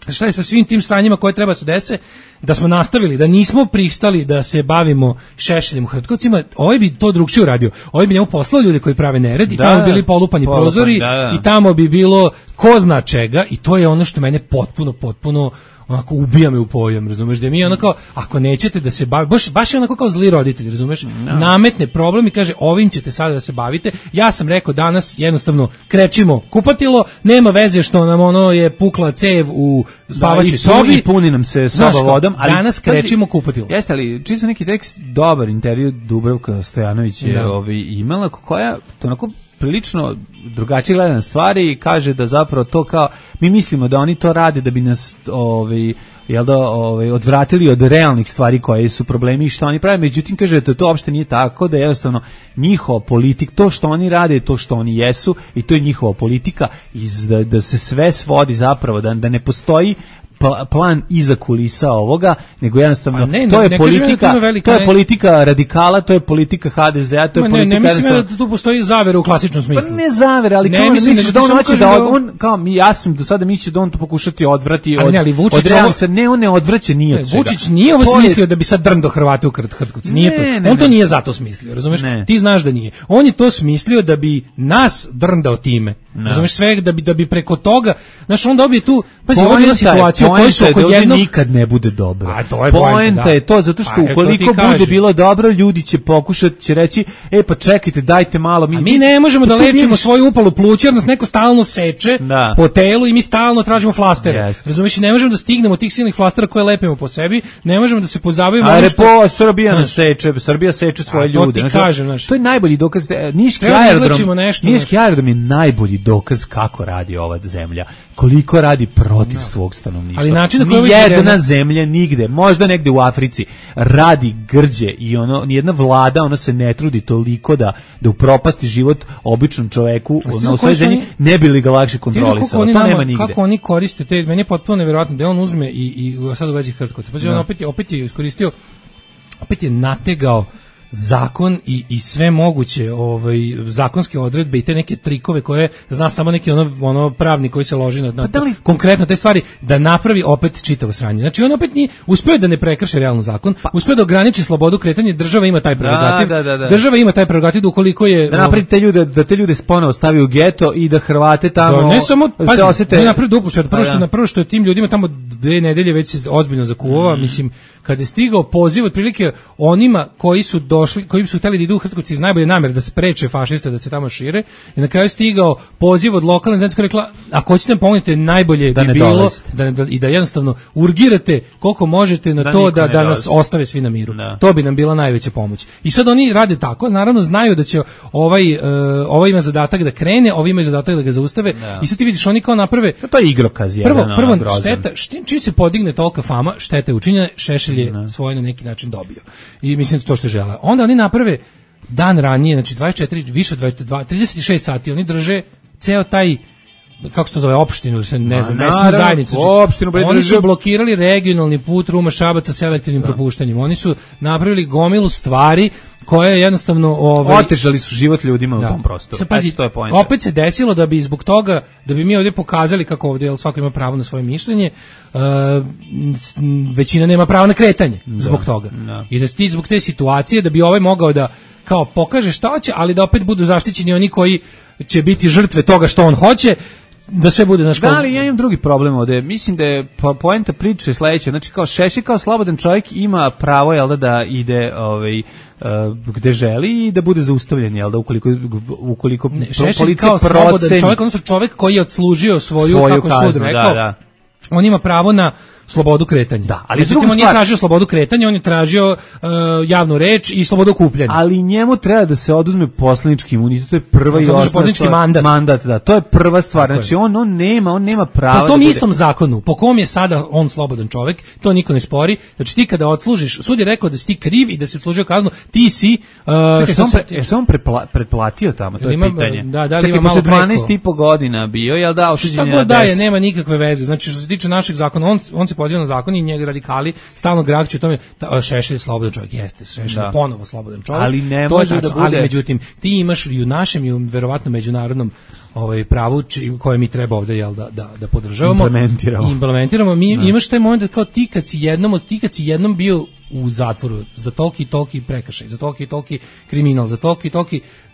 šta je sa svim tim stranjima koje treba se dese, da smo nastavili, da nismo pristali da se bavimo Šešeljem u Hrtkovcima, ovaj bi to drugčije uradio. Ovaj bi njemu poslao ljude koji prave nered i tamo bi bili polupani prozori i tamo bi bilo ko zna čega i to je ono što mene potpuno onako ubija me u pojam, razumeš, da mi onako, ako nećete da se bavi, baš je onako kao zli roditelj, razumeš, nametne problem i kaže, ovim ćete sada da se bavite. Ja sam rekao danas, jednostavno, krećimo kupatilo, nema veze što nam je pukla cev u spavaćoj sobi. I puni nam se soba vodom. Ali danas krećimo kupatilo. Jeste li, čisto neki tekst, dobar intervju Dubravka Stojanović je imala, koja, to onako, prilično drugačije gleda na stvari i kaže da zapravo to kao, mi mislimo da oni to rade da bi nas odvratili od realnih stvari koje su problemi i što oni prave, međutim kaže da to uopšte nije tako, da je jednostavno njihova politika, to što oni rade, to što oni jesu i to je njihova politika i da se sve svodi zapravo, da ne postoji plan iza kulisa ovoga, nego jednostavno ne, to je ne politika, velika, to je politika radikala, to je politika HDZ-a, to je politika. Ne mislim da tu postoji zavera u klasičnom smislu. Pa ne zavera, ali kao misliš da on hoće da on kao ja sam do sada mislio da on to pokušati odvrati od. Ali Vučić on ne odvraća ni od čega. Vučić nije ovo smislio da bi sad drndo Hrvate u Hrtkovci. Nije to. On to nije zato smislio, razumeš? Ti znaš da nije. On je to smislio da bi nas drndao time. Razumeš, sve da bi preko toga, znaš, on dobije tu, pazi, ovo je bila situacija u kojoj su oko jednog nikad ne bude dobro. A to je poenta je to, zato što ukoliko bude bilo dobro, ljudi će pokušati, će reći, pa čekajte, dajte malo. Mi ne možemo da lečimo svoju upalu pluća, jer nas neko stalno seče po telu i mi stalno tražimo flastere. Razumeš, ne možemo da stignemo tih silnih flastera koje lepimo po sebi, ne možemo da se pozabavimo. Srbija nas seče, Srbija seče svoje ljude. To je najbolji dokaz. Niški aerodrom je najbolji dokaz kako radi ova zemlja, koliko radi protiv svog stanovništva. Ali način na koji nijedna zemlja nigde, možda negde u Africi, radi grđe i nijedna vlada, ona se ne trudi toliko da upropasti život običnom čoveku u svojoj zemlji, ne bi li ga lakše kontrolisalo. To nema nigde. Kako oni koriste te, meni je potpuno nevjerojatno da on uzme i sad u vezi Hrtkovca. Pa on opet je iskoristio, opet je nategao zakon i sve moguće zakonske odredbe i te neke trikove koje zna samo neki ono pravnik koji se loži na konkretno te stvari da napravi opet čitavo sranje. Znači on opet nije uspeo da ne prekrši realno zakon, uspeo da ograniči slobodu kretanja, država ima taj prerogativ. Država ima taj prerogativ da ukoliko je da napravi te ljude ponovo stavi u geto i da Hrvate tamo ne samo se osete. Napravi dupušet, prvo što je tim ljudima tamo 2 nedelje već se ozbiljno zakuvao, mislim kad je stigao poziv otprilike onima koji su koji su hteli da idu u Hrtkovci iz najbolje namere da spreče fašiste da se tamo šire i na kraju stigao poziv od lokalne zajednice koja je rekla ako hoćete nam pomognite najbolje bi bilo i da jednostavno urgirate koliko možete na to da nas ostave svi na miru. To bi nam bila najveća pomoć. I sad oni rade tako, naravno znaju da će ovaj ima zadatak da krene, ovaj ima zadatak da ga zaustave i sad ti vidiš oni kao naprave. To je igrokaz jedan. Prvo šteta, čim se podigne tolika fama, šteta je učinjena, Šešelj je svoje na neki način dobio. I mislim to što žele. Onda oni naprave dan ranije, znači 24, više od 36 sati, oni drže ceo taj, kako se to zove, opštinu, ne znam, mesnu zajednicu. Oni su blokirali regionalni put Ruma-Šabac sa selektivnim propuštanjem. Oni su napravili gomilu stvari koje jednostavno otežali su život ljudima u tom prostoru. To je poenta. Opet se desilo da bi zbog toga, da bi mi ovdje pokazali kako ovdje svako ima pravo na svoje mišljenje, većina nema pravo na kretanje zbog toga. I da ti zbog te situacije da bi ovaj mogao da kao pokaže šta hoće, ali da opet budu zaštićeni oni koji će biti žrtve toga što on hoće, da sve bude naš. Da, ali ja imam drugi problem ovde. Mislim da je poenta priče sledeća. Znači kao Šešelj kao slobodan čovjek ima pravo da ide gde želi i da bude zaustavljen, jel da ukoliko policija proceni. Čovjek, odnosno čovjek koji je odslužio svoju kako sud rekao, on ima pravo na slobodu kretanja. Da, ali međutim, on nije tražio slobodu kretanja, on je tražio javnu reč i slobodu okupljanja. Ali njemu treba da se oduzme poslanički imunitet, to je prva i osnovna stvar. Mandat, da, to je prva stvar. Znači on nema prava. Po tom istom zakonu, po kom je sada on slobodan čovjek, to niko ne spori. Znači ti kada odslužiš, sud je rekao da si ti kriv i da si odslužio kaznu, ti si je se on pretplatio tamo, to je pitanje. Čekaj, posle 12,5 godina bio, jel da, osuđen je na 10. Šta god nema nikakve veze. Znači što se tiče našeg zakona, on se poziva na zakon i njega radikali stalno grakću u tome, Šešelj je slobodan čovjek, jeste, Šešelj je ponovo slobodan čovjek. Ali ne može da bude. Ali međutim, ti imaš i u našem i u verovatno međunarodnom pravu koje mi treba ovdje da podržavamo i implementiramo. Mi imaš taj moment kao ti kad si jednom bio u zatvoru za toliki prekršaj, za toliki kriminal, za toliki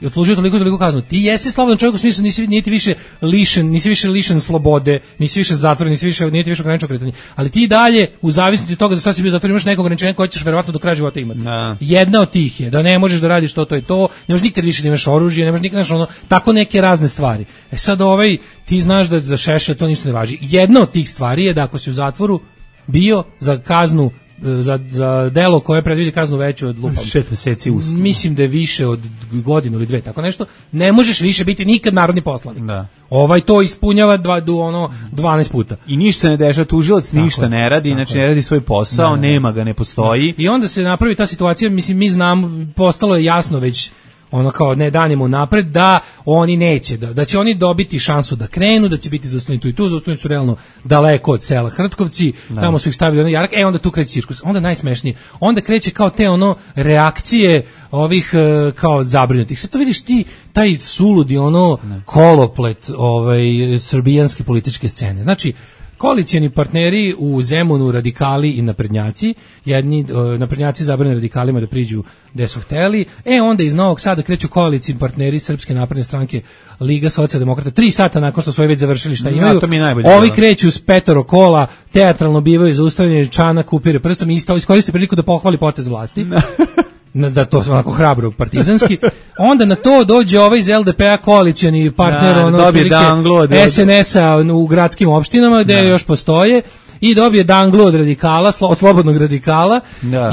i odslužio toliko kaznu. Ti jesi slobodan čovjek u smislu nisi više lišen slobode, nisi više zatvoren, nisi više ograničeno kretanje. Ali ti dalje u zavisnosti od toga da sad si bio zatvor imaš neko ograničenje koje ćeš verovatno do kraja života imati. Jedna od tih je da ne možeš da radiš to je to, ne možeš nikad više da imaš oružje, ne možeš nikad tako neke razne stvari. Sad ti znaš da za Šešelja to ništa ne važi. Jedna od tih stvari je da ako si u zatvoru bio za kaznu za delo koje predviđa kaznu veću od 6 meseci uslovno. Mislim da je više od godinu ili 2, tako nešto. Ne možeš više biti nikad narodni poslanik. Da. To ispunjava 12 puta. I ništa se ne dešava, tužilac ništa ne radi, znači ne radi svoj posao, nema ga, ne postoji. I onda se napravi ta situacija, mislim mi znamo, postalo je jasno već ono kao ne danimo napred da oni neće, da će oni dobiti šansu da krenu, da će biti zaustavljeni tu i tu, zaustavljeni su realno daleko od sela Hrtkovci, tamo su ih stavili ono jarak, onda tu kreće cirkus, onda najsmešnije, onda kreće kao te ono reakcije ovih kao zabrinutih. Sad to vidiš ti, taj suludi ono koloplet srbijanske političke scene. Znači, koalicijani partneri u Zemunu, radikali i naprednjaci, jedni naprednjaci zabrane radikalima da priđu gde su hteli, onda iz Novog Sada kreću koalicijani partneri Srpske napredne stranke, Liga socijaldemokrata, 3 sata nakon što su već završili šta imaju, ovi kreću s 5 kola, teatralno bivaju zaustavljeni, Čanak upire prstom i iskoriste priliku da pohvali potez vlasti. Da to su onako hrabro partizanski, onda na to dođe ovaj iz LDP-a koalicijani partner SNS-a u gradskim opštinama gde još postoje i dobije danglu od radikala, od slobodnog radikala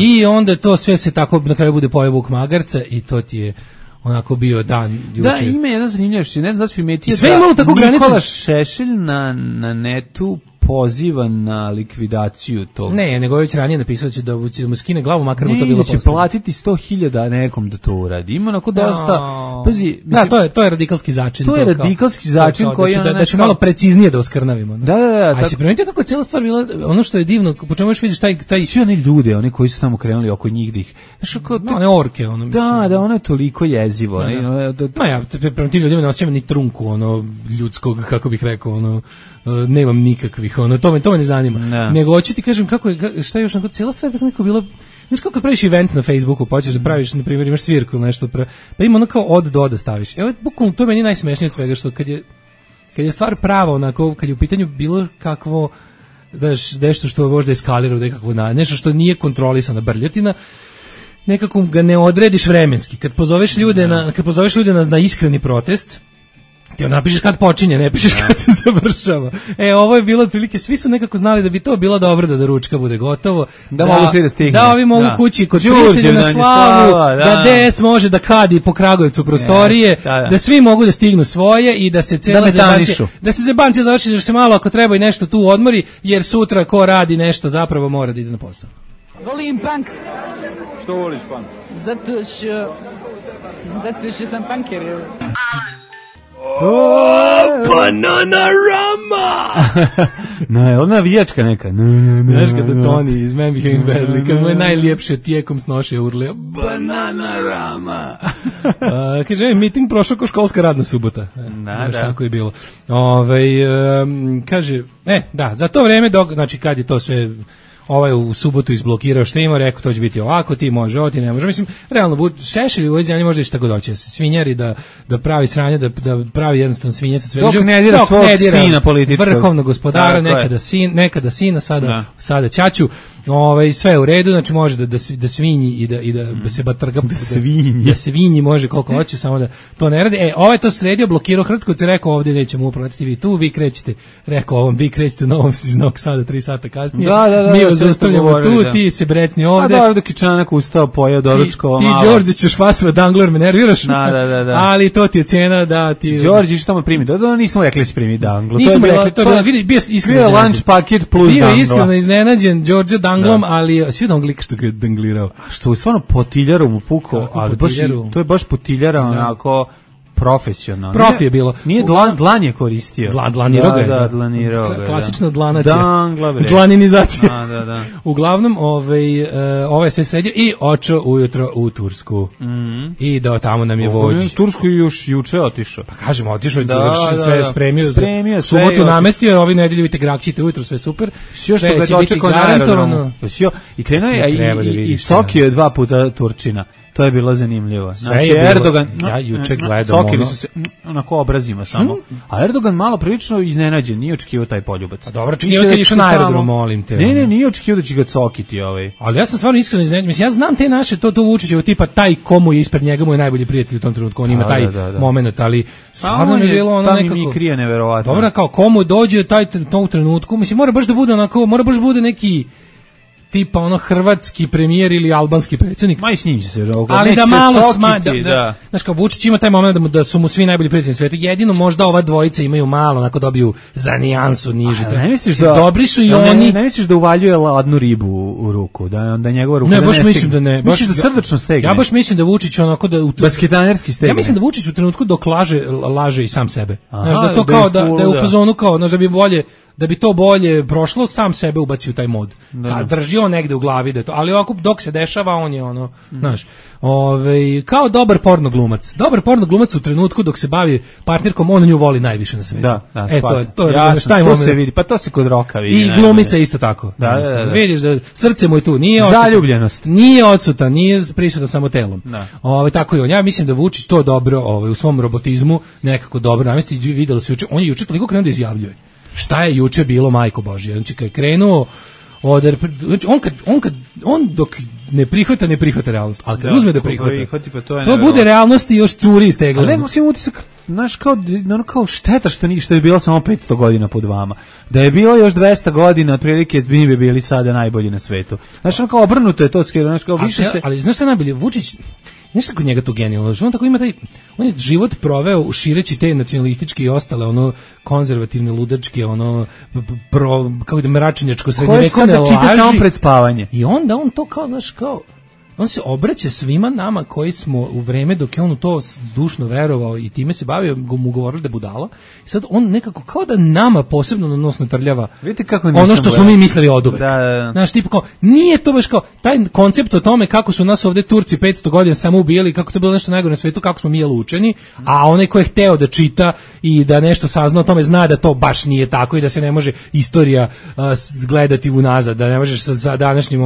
i onda to sve se tako na kraju bude pojeo Vuk Magarca i to ti je onako bio dan juče. Da, ima jedan zanimljivost, ne znam da si primetio da Nikola Šešelj na netu poziva na likvidaciju tog. Ne, nego je već ranije napisao da će mu skine glavu, makar mu to bilo posle. Će platiti 100.000 nekom da to uradi. Ima onako dosta. Pazi, to je radikalski začin. To je radikalski začin koji da će malo preciznije da oskrnavimo. Da. A si primetio kako je cijela stvar bila, ono što je divno, po čemu još vidiš taj svi oni ljude, oni koji su tamo krenuli oko njih da ih. One orke, ono mislim. Da, ono je toliko jezivo. Ja prema tim ljudima ne osjećam ni trunku ono ljudskog, kako bih rekao, ono nemam nikakvih, to me ne zanima. Nego hoću ti kažem šta je još onako cijela stvar tako neko bilo. Znaš kako praviš event na Facebooku, počeš da praviš, na primjer, imaš svirku ili nešto, pa ima ono kao od do da staviš. Evo, bukvalno, to je meni najsmešnije od svega, što kad je stvar prava, onako, kad je u pitanju bilo kakvo, nešto što možda eskalira u nekakvo, nešto što nije kontrolisana brljotina, nekako ga ne odrediš vremenski. Kad pozoveš ljude na iskreni protest, ti napišeš kad počinje, ne pišeš kad se završava. Ovo je bilo otprilike, svi su nekako znali da bi to bilo dobro da ručka bude gotovo. Da mogu svi da stigne. Da ovi mogu kući kod prijatelja na slavu, da DS može da kadi po Kragujevcu prostorije, da svi mogu da stignu svoje i da se cela zebancija završi, da se malo ako treba i nešto tu odmori, jer sutra ko radi nešto zapravo mora da ide na posao. Volim punk. Što voliš punk? Zato što sam punker. Bananarama! Ona navijačka neka. Znaš kada Toni iz Man Behaving Badly, kad mu je najljepše tijekom snoše urlio Bananarama! Kaže, miting prošao ko školska radna subota. Znaš kako je bilo. Kaže, za to vreme, znači kad je to sve... u subotu izblokirao što ima, rekao to će biti ovako, ti može, ovo ti ne može. Mislim, realno, Šešelj u ovoj zemlji može šta god hoće. Svinjari da pravi sranje, da pravi jednostavno svinjac od svega. Dok ne dira svog sina političkog. Vrhovnog gospodara, nekada sina, sada ćaću. Sve u redu, znači može da svinji i da se batrga. Da svinji može koliko hoće, samo da to ne radi. Ovaj to sredio, blokirao Hrtkovce, rekao ovdje nećemo uplatiti vi tu, vi krećete, rekao ovom, vi krećete na ovom iz Novog Sada 3 sata kasnije. Mi vas zaustavljamo tu, ti se brecni ovde. A dok je Čanak ustao, pojeo doručko. Ti Đorđe ćeš fasva dangler, me nerviraš. Da. Ali to ti je cena da ti... Đorđe, što mu primi? Nismo rekli si primi danglu. Nismo rekli, to je bilo, vidi, bio iskreno lunch paket plus dangla. Bio iskreno iznenađen Đorđe danglom, ali svi danglika što ga je danglirao. Što je stvarno potiljarom u puko, ali to je baš potiljara onako... profesionalno. Profi je bilo. Nije dlan je koristio. Dlanirao ga je. Da, dlanirao ga. Klasična dlanacija. Dangla, bre. Dlaninizacija. Da. Uglavnom, ovo je sve sredio i očeo ujutro u Tursku. I da tamo nam je vođ. U Tursku još juče otišao. Pa kažemo, otišao, sve spremio. Subotu namestio, ovi nedelju vidite Grakćite ujutro, sve super. Sve će biti garantovano. I krenuo je i Sokio je 2 puta Turčina. To je bilo zanimljivo. Znači Erdogan, ja juče gledam Cokili su se onako obrazima samo. A Erdogan malo prilično iznenađen, nije očekivao taj poljubac. A dobro, očekivao kad išao na aerodrom, molim te. Ne, nije očekivao da će ga cokiti ovaj. Ali ja sam stvarno iskreno iznenađen. Mislim, ja znam te naše to Vučićevo tipa taj komu je ispred njega mu je najbolji prijatelj u tom trenutku, on ima taj momenat, ali stvarno mi je bilo ono nekako. Mi krije neverovatno. Dobro, kao komu dođe taj u trenutku, mislim mora baš da bude onako, mora baš bude neki tipa ono hrvatski premijer ili albanski predsjednik. Ma i s njim će se ali da malo znaš kao Vučić ima taj moment da su mu svi najbolji prijatelji na svetu. Jedino možda ova dvojica imaju malo, onako dobiju za nijansu niže. Ne misliš dobri su i oni. Ne misliš da uvaljuje ladnu ribu u ruku, da njegova ruka ne baš mislim da ne. Misliš da srdačno stegne? Ja baš mislim da Vučić onako da basketanerski stegne. Ja mislim da Vučić u trenutku dok laže i sam sebe. Znaš da to kao da je u fazonu kao, znaš da bi to bolje prošlo, sam sebe ubaci u taj mod. A drži on negde u glavi da je to, ali ovako dok se dešava on je ono, znaš, kao dobar porno glumac. Dobar porno glumac u trenutku dok se bavi partnerkom, on nju voli najviše na svetu. To je šta ima se vidi, pa to se kod Roka vidi. I glumica isto tako. Da. Vidiš da srce mu je tu, nije zaljubljenost. Nije odsutan, nije prisutan samo telom. Tako je on. Ja mislim da Vučić to dobro, u svom robotizmu nekako dobro namesti. Videlo se juče, on je juče toliko krenuo da izjavljuje. Šta je juče bilo, majko Božje? Znači kad je krenuo on dok ne prihvata realnost, ali kad uzme da prihvata, to bude realnost i još curi iz tegla. Ali nema si utisak, znaš, kao šteta što je bilo samo 500 godina pod vama. Da je bilo još 200 godina, otprilike mi bi bili sada najbolji na svetu. Znaš, ono kao obrnuto je to, znaš, kao više se... Ali znaš šta najbolje, Vučić, nešto kod njega to genijalno, on tako ima on je život proveo šireći te nacionalističke i ostale konzervativne, ludačke, kako da mračnjačko srednjevekovne laži. Čita samo pred spavanje. I onda on to kao, znaš, on se obraća svima nama koji smo u vreme dok je on u to dušno verovao i time se bavio, mu govorili da je budala. I sad on nekako kao da nama posebno na nos natrljava ono što smo mi mislili oduvek. Znaš, tipa kao, nije to baš kao taj koncept o tome kako su nas ovde Turci 500 godina samo ubijali, kako to je bilo nešto najgore na svetu, kako smo mi učeni, a onaj ko je hteo da čita i da nešto sazna o tome zna da to baš nije tako i da se ne može istorija gledati unazad, da ne možeš sa današnjim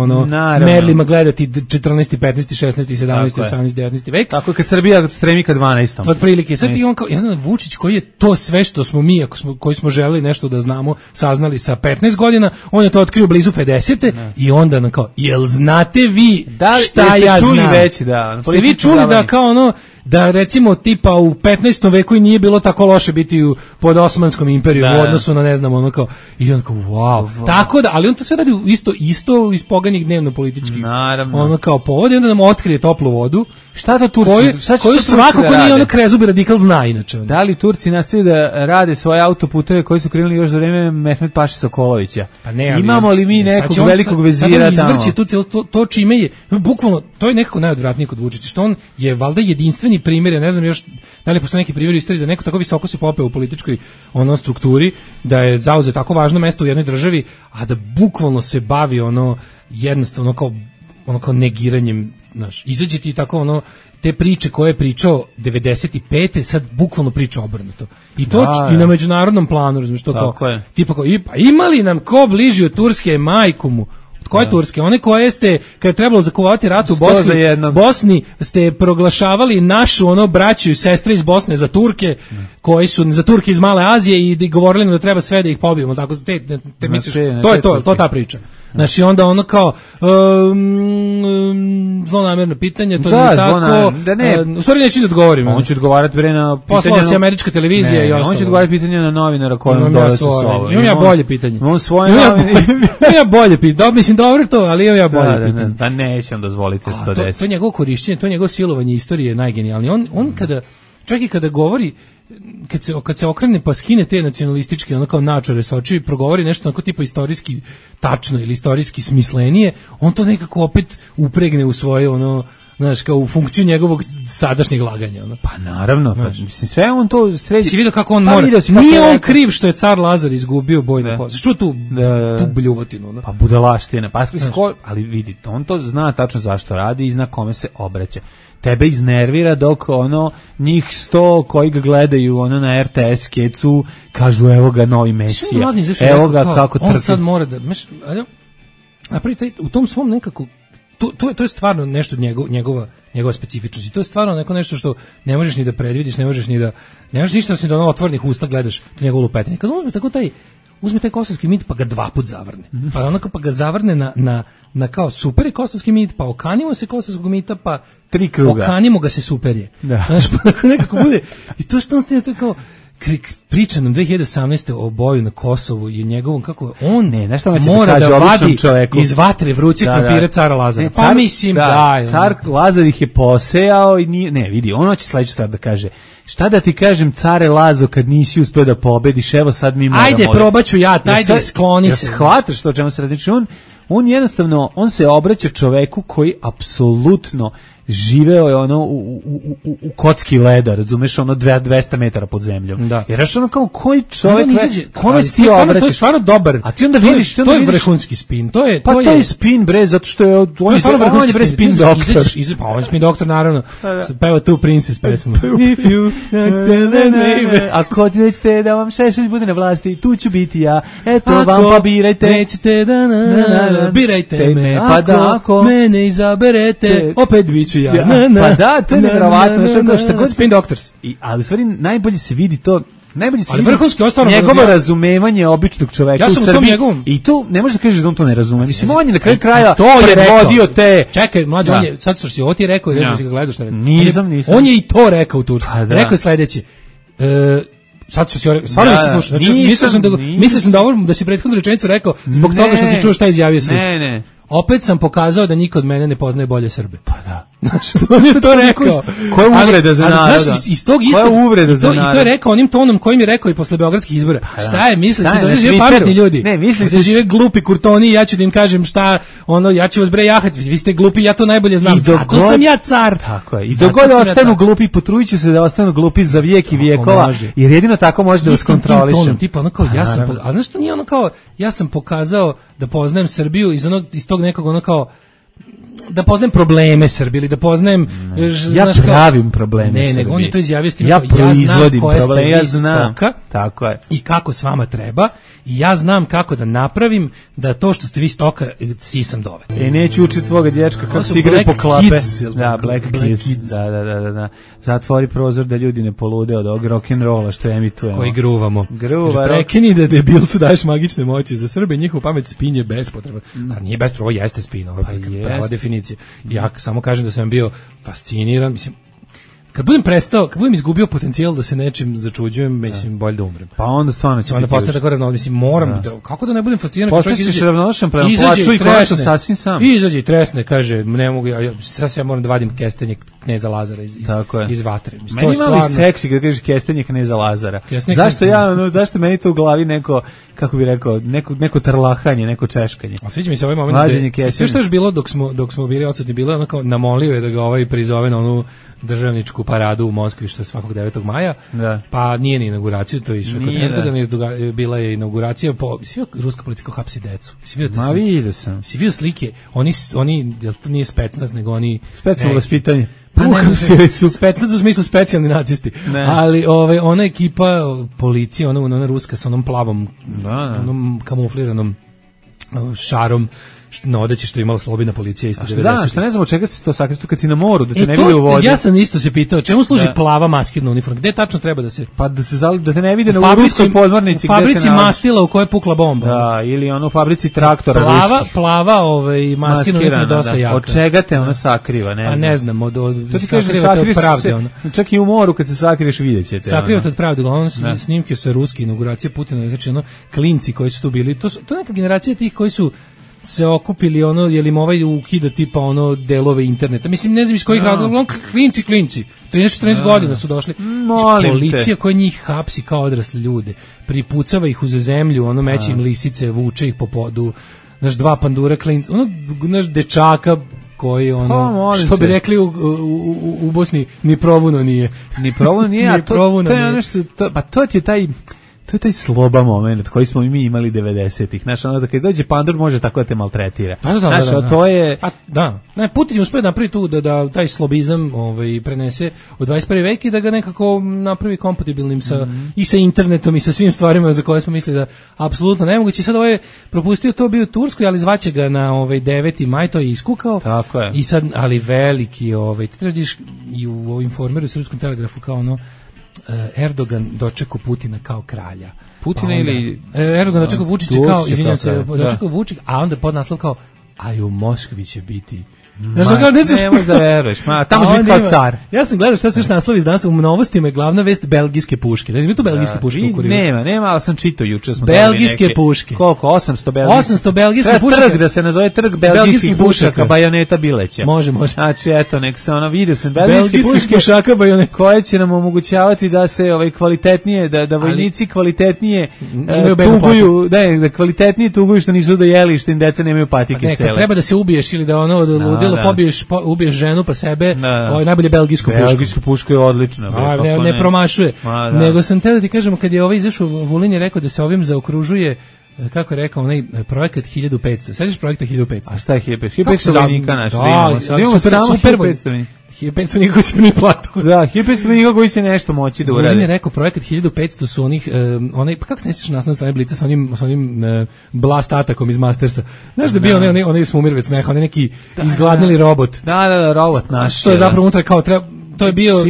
merlima gledati 14. 15. 16. 17. 18. 19. vek. Tako kad Srbija stremi ka 12. Otprilike. Sad i on kao, ja znam, Vučić koji je to sve što smo mi, koji smo želeli nešto da znamo, saznali sa 15 godina, on je to otkrio blizu 50. I onda kao, jel znate vi šta ja znam? Ste vi čuli da kao da recimo tipa u 15. veku i nije bilo tako loše biti pod Osmanskom imperijom u odnosu na ne znam kao i on kao wow. Tako da, ali on to sve radi isto iz poganih dnevno političkih. Naravno. Kao povod, onda nam otkrije toplu vodu. Šta to Turci? Koju svako ko nije krezubi radikal zna inače. Da li Turci nastavljaju da rade svoje autoputeve koji su krenuli još za vreme Mehmet Paše Sokolovića? Pa ne, imamo li mi nekog velikog vezira tamo? To čime je, bukvalno, to je nekako najodvratnije kod Vučića, što on je valjda jedinstveni primjer, ja ne znam još da li postoji neki primjer istorije da neko tako visoko se popeo u političkoj strukturi, da je zauzeo tako važno mesto u jednoj državi, a da bukvalno se bavi jednostavno kao negiranjem, znaš, izađe ti tako te priče koje je pričao 95. sad bukvalno priča obrnuto. I to i na međunarodnom planu, razumiješ, to kao, tipa kao, ima li nam ko bliži od Turske, majku mu? Od koje Turske? One koje ste, kad je trebalo zakupovati rat u Bosni, ste proglašavali našu braću i sestre iz Bosne za Turke, koji su za Turke iz Male Azije i govorili nam da treba sve da ih pobijemo. Tako te misliš, to je to ta priča. Znači onda kao zlonamjerno pitanje, to je tako. U stvari neću da odgovorim. On će odgovarati na pitanje. Poslala se američka televizija i ostalo. On će odgovarati pitanje na novinara kojom dolazi sa sobom. Imam ja bolje pitanje. Imam svoje ja bolje pitanje. Mislim dobro to, ali imam ja bolje pitanje. Pa nećem dozvoliti se to desiti. To je njegovo korišćenje, to je njegovo silovanje istorije najgenijalnije. On čak i kada govori, kad se okrene pa skine te nacionalističke kao načore sa oči, progovori nešto onako tipa istorijski tačno ili istorijski smislenije, on to nekako opet upregne u svoje znaš, kao u funkciju njegovog sadašnjeg laganja. Pa naravno, mislim, sve on to sredi. Si vidio kako on mora, nije on kriv što je car Lazar izgubio boj na poslu. Što tu bljuvotinu? Pa budalaština, ali vidi, on to zna tačno zašto radi i zna kome se obraća. Tebe iznervira dok njih 100 koji ga gledaju na RTS kecu kažu evo ga novi Mesija, evo ga kako trpi. On sad mora da napravi u tom svom nekako, to je stvarno nešto njegova specifičnost i to je stvarno nešto što ne možeš ni da predvidiš, ne možeš ništa osim da otvorenih usta gledaš to njegovo lupetanje. Kad uzme taj kosovski mit pa ga 2 puta zavrne. Pa ga zavrne na kao super je kosovski mit, pa okanimo se kosovskog mita, pa 3 kruga. Okanimo ga se super je. Znaš, pa nekako bude. I to što on stane, to je kao, priča nam 2018. o boju na Kosovu i njegovom kako on mora da vadi čoveku iz vatre vrućeg krompira cara Lazara. Pa mislim car Lazar ih je posejao i nije, ne vidi, ono će sledeću stvar da kaže. Šta da ti kažem, care Lazo, kad nisi uspeo da pobediš, evo sad mi moramo. Ajde, probaću ja, ajde, skloni se. Shvataš što o čemu se radi? On jednostavno, on se obraća čoveku koji apsolutno živeo je ono u kocki leda, razumeš, ono 200 metara pod zemljom. Da. Jer znaš ono kao koji čovjek, kome si ti obraćaš? To je stvarno dobar. A ti onda vidiš, to je vrhunski spin. To je spin bre, zato što je on je bre spin doktor. Pa on je spin doktor naravno. Peva tu Princess pesmu. If you ako nećete da vam Šešelj bude na vlasti, tu ću biti ja. Eto vam pa birajte. Nećete da birajte me. Ako mene izaberete, opet biću ja. Pa da, to je nevjerovatno. Spin Doctors. Ali u stvari najbolje se vidi to, ali vrhunski njegovo razumevanje običnog čoveka u Srbiji. I tu ne možeš da kažeš da on to ne razume. Mislim, on je na kraju kraja predvodio te... Čekaj, mlađe, on je, sad što si ovo ti rekao, ne znam si ga gledaš. Nisam. On je i to rekao u Turskoj. Rekao je sledeće. Sad što si stvarno nisi slušao. Znači, mislio sam da si prethodnu rečenicu rekao zbog toga što si čuo šta izjavio slušao. Ne. Opet sam pokazao da niko od mene ne poznaje bolje Srbe. Pa da. Znači, on je to rekao. Koja uvreda za naroda? Znaš, iz tog istog... I to je rekao onim tonom kojim je rekao i posle beogradskih izbora. Šta je, mislite da žive pametni ljudi? Ne, mislite da žive glupi kurtoni i ja ću da im kažem šta, ja ću vas bre jahati, vi ste glupi, ja to najbolje znam. Zato sam ja car. Tako je. I dogod ostanu glupi, potrudit ću se da ostanu glupi za vijek i vijekova, jer jedino tako može da vas kontrolišem. Tipa ono kao, a znaš što nije ono kao, ja sam pokazao da poznajem Srbiju iz tog nekog ono kao, da poznajem probleme Srbije ili da poznajem ja pravim probleme Srbije. Ne, nego on je to izjavio s tim, ja proizvodim probleme, ja znam tako je. I kako s vama treba i ja znam kako da napravim da to što ste vi stoka sisam dove. Neću učiti tvoga dječka kako se igraju po klape. Da, Black Kids. Da. Zatvori prozor da ljudi ne polude od ovog rock'n'rolla što emitujemo. Koji gruvamo. Prekini da debilcu daješ magične moći za Srbe, njihovu pamet spin je bespotrebno. Nije bespotrebno, ovo jeste spin, ovo je prava definicija. Ja samo kažem da sam bio fasciniran, mislim, kad budem izgubio potencijal da se nečim začuđujem, mislim, bolje da umrem. Pa onda stvarno će biti. Onda postane tako ravnodušan, mislim, moram, kako da ne budem fasciniran? Postaćeš ravnodušan prema plaču i konačno sasvim sam. Izađe i tresne, kaže, ne mogu, sad ja moram da vadim kestenje kneza Lazara iz vatre. Meni imali seksi kad kažeš kestenje kneza Lazara. Zašto meni to u glavi neko, kako bi rekao, neko trlahanje, neko češkanje. A sviđa mi se ovaj moment sve što je bilo dok smo bili odsutni, bilo onako namolio je da ga prizove na onu državničku paradu u Moskvi što je svakog 9. maja, pa nije ni inauguraciju, to je išao kod Erdogan, bila je inauguracija, ruska politika hapsi decu. Vidio sam. Si vidio slike, oni, jel to nije specnaz, nego oni... Specijalno vaspitanje. Pa ne, specnaz u smislu specijalni nacisti, ali ona ekipa policije, ona ruska sa onom plavom, onom kamufliranom šarom, na odeći što je imala slobodna policija isto 90. Da, šta ne znam od čega se to sakrije, kad si na moru, da te ne vide u vodi. Ja sam isto se pitao, čemu služi plava maskirna uniforma? Gde tačno treba da se... Pa da te ne vide na ruskoj podmornici. U fabrici mastila u kojoj je pukla bomba. Da, ili u fabrici traktora ruskih. Plava maskirna uniforma dosta jaka. Od čega te ona sakriva, ne znam. Pa ne znam, sakrivate od pravde. Čak i u moru kad se sakriješ vidjet ćete. Sakrivate od pravde, uglavnom snimke sa ruske inauguracije Putina, znači klinci koji su tu bili, to neka generacija tih koji su se okupili je li im ukida tipa delove interneta. Mislim, ne znam iz kojih razloga, klinci, 13-14 godina su došli. Policija koja njih hapsi kao odrasle ljude, pripucava ih uz zemlju, meće im lisice, vuče ih po podu, dva pandura klinci, dečaka koji što bi rekli u Bosni, ni provuno nije. Ni provuno nije, a to ti je taj... To je taj sloba moment koji smo mi imali 90-ih. Znaš, da kad dođe pandur može tako da te maltretira. Da. To je... Ne, Putin je uspio napraviti tu da taj slobizam prenese u 21. vek i da ga nekako napravi kompatibilnim i sa internetom i sa svim stvarima za koje smo mislili da apsolutno nemoguće. Sad je propustio to bio u Turskoj, ali zvaće ga na 9. maj, to je iskukao. Tako je. I sad, ali veliki, ti tradiš i u Informeru, u Srpskom telegrafu kao Erdogan dočekao Putina kao kralja. Putina ili... Erdogan dočekao Vučića kao, izvinjam se, dočekao Vučić, a onda podnaslov kao a i u Moskvi će biti. Ne možeš da veruješ, tamo će biti kao car. Ja sam gledao šta se još naslovi iz danas, u novostima je glavna vest belgijske puške. Znači mi tu belgijske puške u kuriru. Nema, ali sam čitao juče smo belgijske puške. Koliko? 800 belgijskih. 800 belgijskih pušaka. Trg da se nazove trg belgijskih pušaka, Bajoneta Bileća. Može. Znači eto, nek se vidio sam belgijske pušaka Bajoneta koje će nam omogućavati da se kvalitetnije, da vojnici kvalitetnije tuguju, da kvalitetnije tuguju što nisu dojeli, što im deca nemaju patike cele. Treba da se ubiješ ili da ludilo ubiješ ženu pa sebe, najbolje belgijsku pušku. Belgijska puška je odlična. Ne promašuje. Nego sam te da ti kažemo, kad je izašao, Vulin je rekao da se ovim zaokružuje, kako je rekao, onaj projekat 1500. Sećaš projekta 1500? A šta je 1500? 1500 vojnika našli. Da, imamo samo 1500. 1500 vojnika koji će primiti platu. Da, 1500 vojnika koji će nešto moći da urade. Vulin je rekao, projekat 1500 su onaj, pa kako se nećeš naslovne strane Blica sa onim blast atakom iz Mastersa. Znaš da bio onaj Smumirvec meha, onaj neki izgladnili robot. Da, robot naš. Što je zapravo unutra kao to je bilo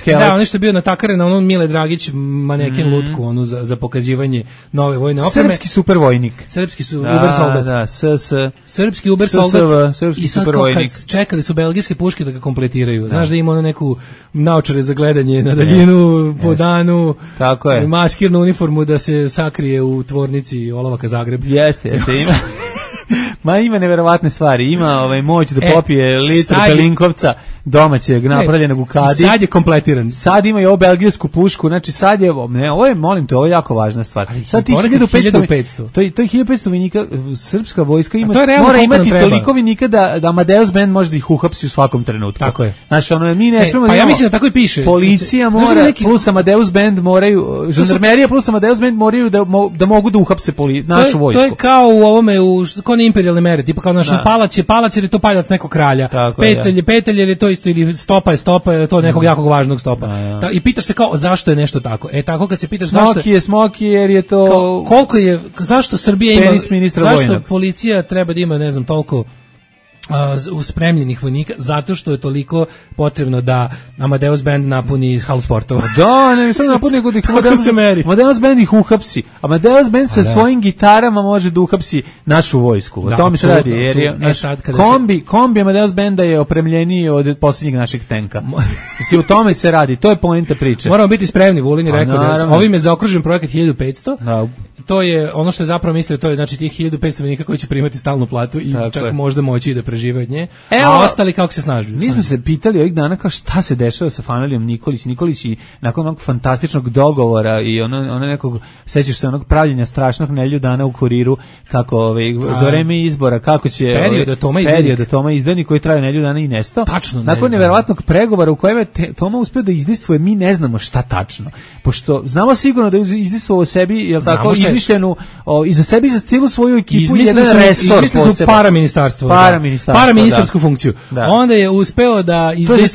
da, ono što je bio natakaren na onom Mile Dragić maneken lutku, onu za pokazivanje nove vojne opreme. Srpski supervojnik. Srpski su uber soldat. Da, srpski uber soldat. I sad kad čekali su belgijske puške da ga kompletiraju. Znaš da ima neku naočare za gledanje na daljinu, po danu, maskirnu uniformu da se sakrije u tvornici Olovaka Zagreb. Jeste, ima. Ma ima neverovatne stvari, ima moć da popije litru Pelinkovca domaćeg napravljenog u kadi. Sad je kompletiran. Sad ima i ovu belgijsku pušku, znači sad je, ovo je, molim te, ovo je jako važna stvar. Sad ti 1500. To je 1500 vojnika, srpska vojska mora imati toliko vojnika da Amadeus Band može da ih uhapsi u svakom trenutku. Tako je. Znači, mi ne smemo pa ja mislim da tako i piše. Policija mora, plus Amadeus Band moraju, žandarmerija plus Amadeus Band moraju da mogu da uhapse našu vojsku. To je kao u ovome, kao na imperijalne mere, tipa kao naš palac jer je to paljac nekog kralja. Petelj jer je to isto, ili stopa je to nekog jakog važnog stopa. I pitaš se kao zašto je nešto tako. Tako kad se pitaš Smoki jer je to koliko je, zašto Srbija ima, zašto policija treba da ima, ne znam, toliko uspremljenih vojnika, zato što je toliko potrebno da Amadeus Band napuni halu sportova. Da, ne samo napuni, nego da ih Amadeus Band ih uhapsi. Amadeus Band sa svojim gitarama može da uhapsi našu vojsku. O tome se radi. Jer je kombi Amadeus Banda je opremljeniji od posljednjeg našeg tenka. U tome se radi. To je poenta priče. Moramo biti spremni. Vulin je rekao da ovim je zaokružen projekat 1500. To je ono što je zapravo mislio, to je znači tih 1500 vojnika koji će primati stalnu platu i čak možda moći da prežive od nje, a ostali kako se snažuju. Mi smo se pitali ovih dana kao šta se dešava sa familijom Nikolić. Nikolić i nakon onog fantastičnog dogovora i ono nekog, sećaš se onog pravljenja strašnog Nedelju dana u Kuriru, kako za vreme izbora, kako će period da Toma izdani koji traje Nedelju dana i nestao. Tačno. Nakon neverovatnog pregovora u kojem je Toma uspeo da izdistvuje, mi ne znamo šta tačno. Pošto znamo sigurno da je izdistvovao sebi, jel tako, izmišljenu i za sebi, za cijelu svoju ekipu jedan resor poseban. Paraministarsku funkciju. Onda je uspeo da izdejstvuje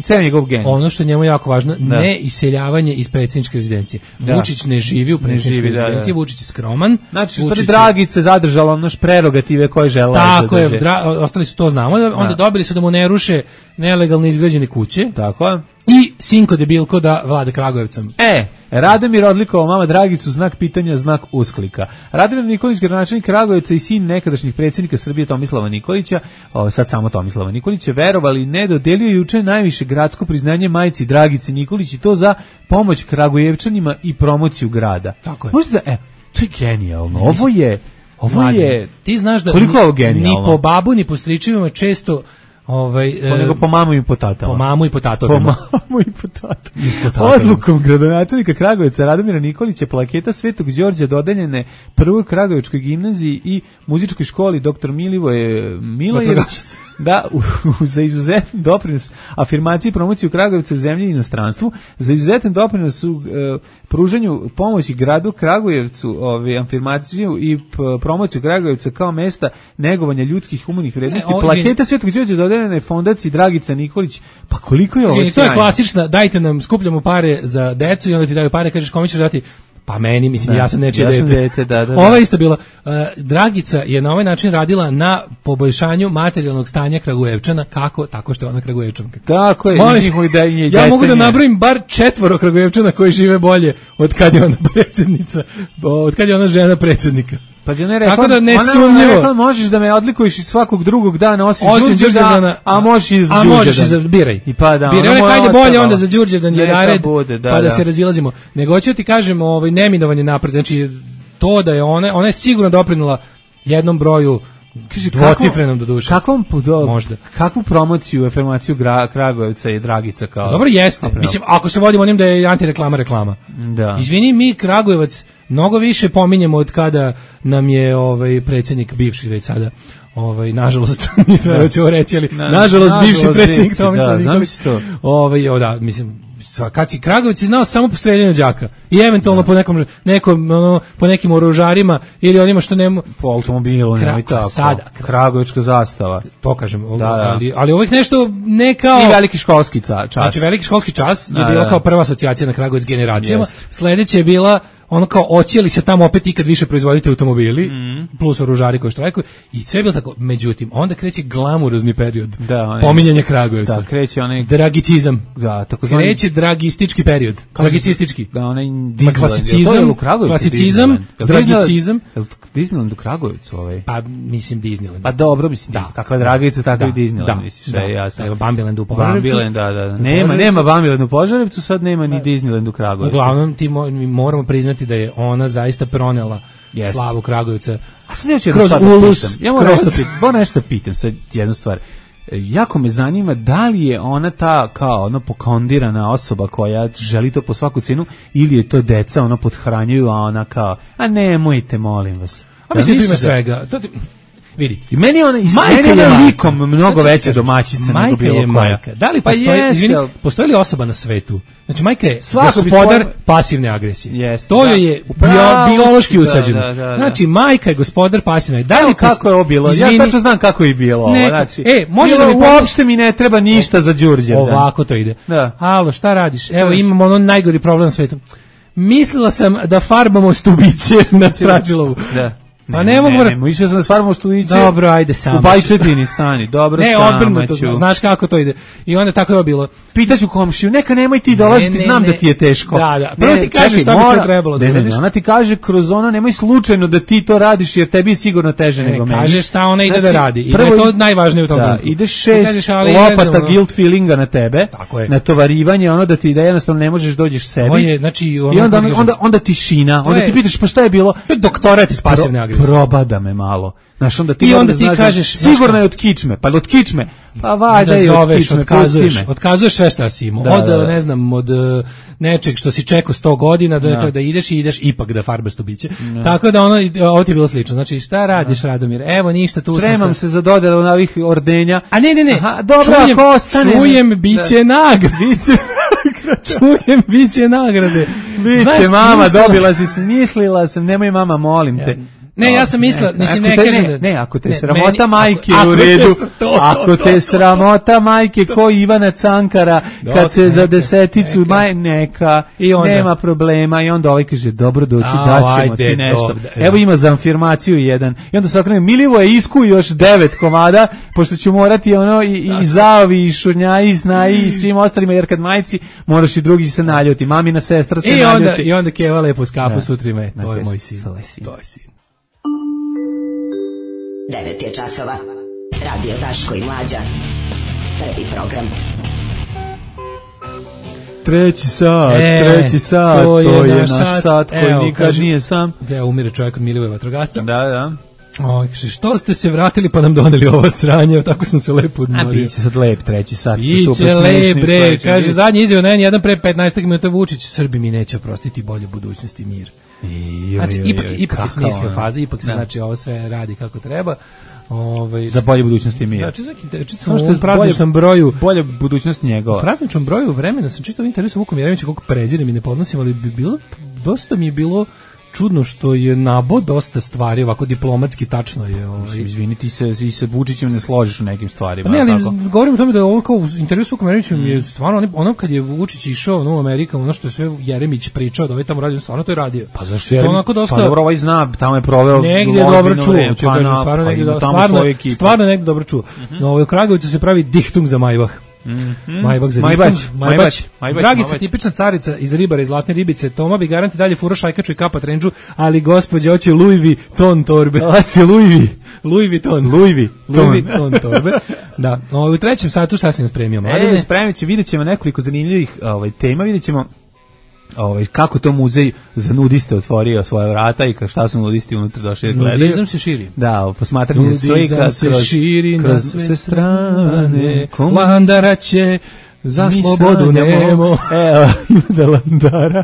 ceo njegov gen. Ono što njemu je jako važno, ne iseljavanje iz predsjedničke rezidencije. Vučić ne živi u predsjedničkoj rezidenciji, Vučić je skroman. Znači, Dragica zadržala naš prerogative koje žela. Tako je, ostali su to znamo, onda dobili su da mu ne ruše nelegalno izgrađene kuće. Tako je. I sinko debilko da vlada Kragujevcem. Radomir odlikovao mama Dragicu, znak pitanja, znak usklika. Radomir Nikolić, gradonačelnik Kragujevca i sin nekadašnjih predsjednika Srbije Tomislava Nikolića, sad samo Tomislava Nikolića, verovali ne, dodelio juče najviše gradsko priznanje majci Dragici Nikolić i to za pomoć Kragujevčanima i promociju grada. Tako je. Možda to je genijalno. Ovo je ti znaš da ni po babu ni po stričevima često nego po mamu i po tatama. Po mamu i po tatovima. Odlukom gradonačelnika Kragujevca Radomira Nikolića plaketa Svetog Đorđa dodeljene prvoj Kragujevačkoj gimnaziji i muzičkoj školi dr. Milivoje Milojević za izuzetan doprinos afirmaciji i promociju Kragujevca u zemlji i inostranstvu, za izuzetan doprinos u pružanju pomoći gradu Kragujevcu, afirmaciju i promociju Kragujevca kao mesta negovanja ljudskih humanih vrednosti. Plaketa Svetog Đorđa dodeljena je fondaciji Dragica Nikolić. Pa koliko je ovo sjajno? To je klasična, dajte nam, skupljamo pare za decu i onda ti daju pare, kažeš kome ćeš dati? Pa meni, mislim, ja sam nečije dete. Ova isto bilo. Dragica je na ovaj način radila na poboljšanju materijalnog stanja Kragujevčana. Kako? Tako što je ona Kragujevčanka. Tako je. Ja mogu da nabrojim bar 4 Kragujevčana koji žive bolje od kad je ona predsjednica, od kad je ona žena predsjednika. Pa ona je rekla, tako da nesumnjivo. Ona je rekla, možeš da me odlikuješ iz svakog drugog dana osim Đurđevdana, a možeš iz Đurđevdana. A možeš biraj. I pa da, biraj, ona kajde bolje onda za Đurđevdan je nared, pa da se razilazimo. Nego ću ti kažem, neminovanje napred, znači to da je ona je sigurno doprinula jednom broju dvocifrenom do duše. Možda. Kakvu promociju, afirmaciju Kragujevca je Dragica kao... Dobro, jeste. Mislim, ako se vodimo onim da je antireklama reklama. Da. Izvini, mi Kragujevac mnogo više pominjemo od kada nam je predsjednik bivši već sada nažalost, nisam već ovo reći, ali nažalost bivši predsjednik Tomislav Nikolić. Da, mislim, kad si Kragujevac si znao samo po streljanju đaka i eventualno po nekim oružarima ili onima što nema po automobilu, sada kragujevačka zastava, to kažem, ali ovih nešto ne kao i veliki školski čas. Znači veliki školski čas je bila kao prva asocijacija na Kragujevac generacijama. Sledeće je bila ono kao oće li se tamo opet ikad više proizvoditi automobili, plus oružari koji štrajkuju, i sve je bilo tako. Međutim, onda kreće glamurozni period pominjanja Kragujevca. Da, kreće onaj dragicizam. Da, kreće dragistički period. Dragicistički. Da, onaj klasicizam, dragicizam. Disneyland u Kragujevcu Pa, mislim Disneyland. Pa dobro, mislim, kakva Dragica, tako i Disneyland, misliš, jasno. Evo, Bambiland u Požarevcu. Da. Nema Bambiland u Požarevcu, sad nema ni Disneyland u Kragujevcu. Uglavnom, mi moramo priznati da je ona zaista pronela slavu Kragujevca kroz ulus. Ja moram nešto pitam sad jednu stvar. Jako me zanima da li je ona ta kao pokondirana osoba koja želi to po svaku cenu, ili je to deca pothranjuju, a ona kao, a nemojte, molim vas. A mislim da ima svega. Vidi. I meni ona je likom mnogo veća domaćica nego bilo koja. Majka. Da li postoji li osoba na svetu? Znači, majka je gospodar pasivne agresije. To je biološki usađeno. Znači, majka je gospodar pasivne. Kako je ovo bilo? Ja tačno znam kako je bilo. Uopšte mi ne treba ništa za Đurđevdan. Ovako to ide. Alo, šta radiš? Evo, imamo najgori problem na svetu. Mislila sam da farbamo stubiće na Strađilovu. Pa ne mogu. Išao sam da stvaramo studiće. Dobro, ajde sam. U Bajčetini stani. Dobro, ne, odbrnuto, znaš kako to ide. I onda tako je bilo. Pitaću komšiju, neka nemoj ti dolaziti, znam da ti je teško. Da. Prvo ti kaže šta bi sve trebalo da uradiš. Ona ti kaže kroz ono, nemoj slučajno da ti to radiš, jer tebi je sigurno teže nego meni. Kaže šta ona ide da radi. I da je to najvažnije u tom trenutku. Ideš 6 lopata guilt feelinga na tebe, na tovarivanje, ono da ti da jednostavno ne možeš dođeš sebi. I onda tišina. Onda ti pitaš pa šta je bilo? To je doktorat iz pasivne agresije. Probada me malo. Znaš, onda ti kažeš, sigurno je od kičme, pa od kičme, pa valjda je od kičme, otkazuješ sve šta si imao, ne znam, od nečeg što si čekao 100 godina, da ideš i ideš ipak da farbaš stubiće. Tako da ovo ti je bilo slično. Znači, šta radiš, Radomir? Evo, ništa, tu spremam se za dodelu na ovih ordenja. A ne. Aha, dobro, ako ostane. Čujem, biće nagrade. Čujem, biće nagrade. Biće, mama, dobila si, mislila sam, nemoj mama, molim te. Ne, ja sam mislila, ne kažem da... Ne, ako te sramota majke u redu, ako te sramota majke ko Ivana Cankara, kad se za deseticu, neka, nema problema, i onda ovaj kaže, dobro doći, daćemo ti nešto. Evo ima za afirmaciju jedan. I onda se okrene, Milivo je isku još 9 komada, pošto ću morati i Zaovi, i Šurnjaji, i Snaji, i svim ostalima, jer kad majci, moraš i drugi se naljuti. Mamina sestra se naljuti. I onda Keva lepo s kafu sutrime, to je moj sin. To je sin. 9 je časova. Radio Daško i Mlađa. Prvi program. Treći sat, to je naš sat koji nikad nije sam. Umire čovjek od Milivoje vatrogasca. Da. Što ste se vratili pa nam doneli ovo sranje, tako sam se lepo odmorio. A biće sad lep treći sat. Biće lep, bre, kaže zadnji izjava na N1 pre 15 minuta Vučić, Srbi mi neće oprostiti bolju budućnost i mir. Znači, ipak je smislio faze, ipak se znači ovo sve radi kako treba. Za bolje budućnosti mir. Samo što je prazničnom broju, bolje budućnost njegova. U prazničnom broju vremena sam čitao intervju sa Vukom Jeremićem, koliko prezirem i ne podnosim, ali dosta mi je bilo čudno što je nabo dosta stvari ovako diplomatski tačno je. Izvini, ti se Vučićem ne složiš u nekim stvarima. Ne, ali govorim o tome da je ovo kao u intervju s Vukom Jeremićem je stvarno ono kad je Vučić išao u Ameriku, ono što je sve Jeremić pričao da ovaj tamo radio, stvarno to je radio. Pa zašto je onako dosta? Pa dobro, ovaj zna, tamo je proveo negdje dobro čuo, stvarno negdje dobro čuo. U Kragujevcu se pravi dihtung za Majvah. Majbać. Dragica, tipična carica iz Ribara i Zlatne ribice. Toma bi garanti dalje furo šajkaču i kapa trendžu, ali gospođa hoće Louis Vuitton torbe. Hoće Louis Vuitton torbe. Da. U trećem satu šta si nam spremio? Spremit će, vidjet ćemo nekoliko zanimljivih tema, vidjet ćemo kako to muzej za nudiste otvorio svoje vrata i šta su nudisti unutra došli da gledaju. Nudizam se širi. Da, posmatranje slika se širi kroz sve strane. Landara će za slobodu nemo. Evo, ima da Landara.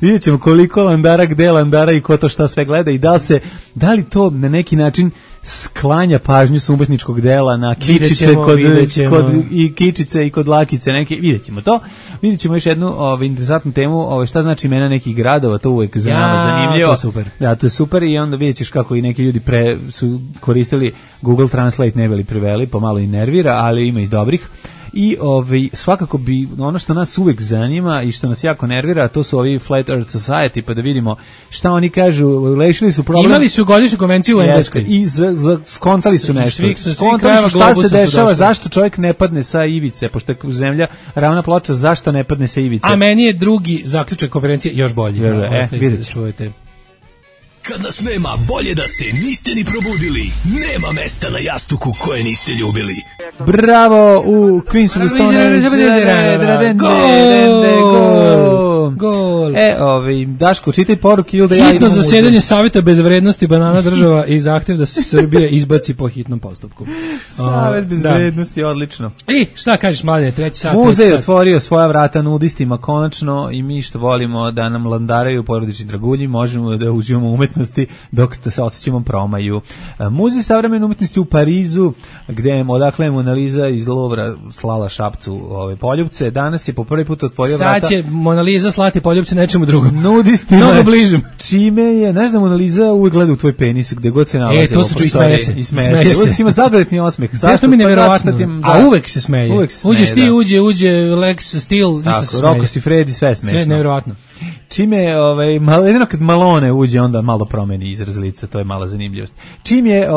Vidjet ćemo koliko Landara, gde Landara i ko to šta sve gleda i da li to na neki način sklanja pažnju s umetničkog dela na kičice i kičice i kod lakice neke. Vidjet ćemo još jednu interesantnu temu, šta znači imena nekih gradova, to uvek za nama zanimljivo. To je super. Da, to je super i onda vidjet ćeš kako i neki ljudi su koristili Google Translate, ne bili preveli, pomalo i nervira, ali ima i dobrih. I svakako bi ono što nas uvek zanima i što nas jako nervira, to su ovi Flat Earth Society, pa da vidimo šta oni kažu. Rešili su problem. Imali su godišnju konvenciju u Engleskoj i skontali su nešto. Skontali su šta se dešava, zašto čovjek ne padne sa ivice, pošto je zemlja ravna ploča, zašto ne padne sa ivice. A meni je drugi zaključak konferencije još bolji. Vidjet ćemo. Kad nas nema, bolje da se niste ni probudili. Nema mesta na jastuku koje niste ljubili. Bravo u Queen's Stone. Gol. Daško, čitaj poruke ili da ja idem. Hitno zasedanje Saveta bezvrednosti banana država i zahtev da se Srbija izbaci po hitnom postupku. Savet bezvrednosti, odlično. I šta kažeš, Mladene, treći sat? Muzej otvorio svoja vrata nudistima konačno i mi što volimo da nam landaraju porodični dragulji, možemo da uživamo umetnosti dok se osjećamo promaju. Muzej savremene umetnosti u Parizu, odakle je Mona Lisa iz Louvra slala Šapcu poljupce, danas je po prvi put otvorio vrata. Sad će Mona Lisa slati poljupce nečemu drugom. Nudistima. Mnogo bližim. Čime je, znaš da Mona Lisa uvijek gleda u tvoj penis gde god se nalazi. To se ču, ismeje se. Uvijek ima zabavitni osmeh. Zašto mi nevjerovatno? A uvek se smeje. Uđeš ti, uđe Lex Steel, isto se smeje. Roko si Freddy, sve smešno. Sve nevjerovatno. Čime je, jedino kad Malone uđe, onda malo promeni izraz lica, to je mala zanimljivost. Čim je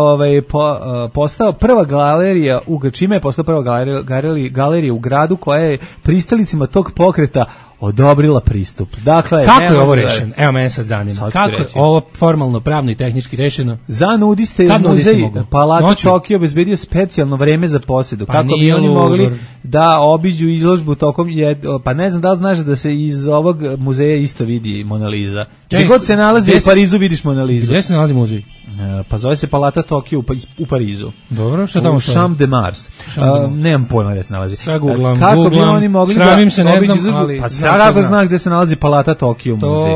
postao prva galerija, galerija u gradu koja je pristalicima tog pokreta odobrila pristup. Dakle, kako je ovo rešeno? Evo, mene sad zanima. Kako je ovo formalno, pravno i tehnički rešeno? Za nudiste je muzej Palata Tokio obezbedio specijalno vreme za posjedu. Kako bi oni mogli da obiđu izložbu tokom pa ne znam da li znaš da se iz ovog muzeja isto vidi Mona Lisa. Gdje god se nalazi u Parizu vidiš Mona Lisu. Gdje se nalazi muzej? Pa zove se Palata Tokio u Parizu. Dobro, što tamo u Champ de Mars. Nemam pojma gdje se nalazi. Sad googlam, kako bi oni mogli sramim se, ne znam, ali... Pa kako znaš gde se nalazi Palata Tokio muzej?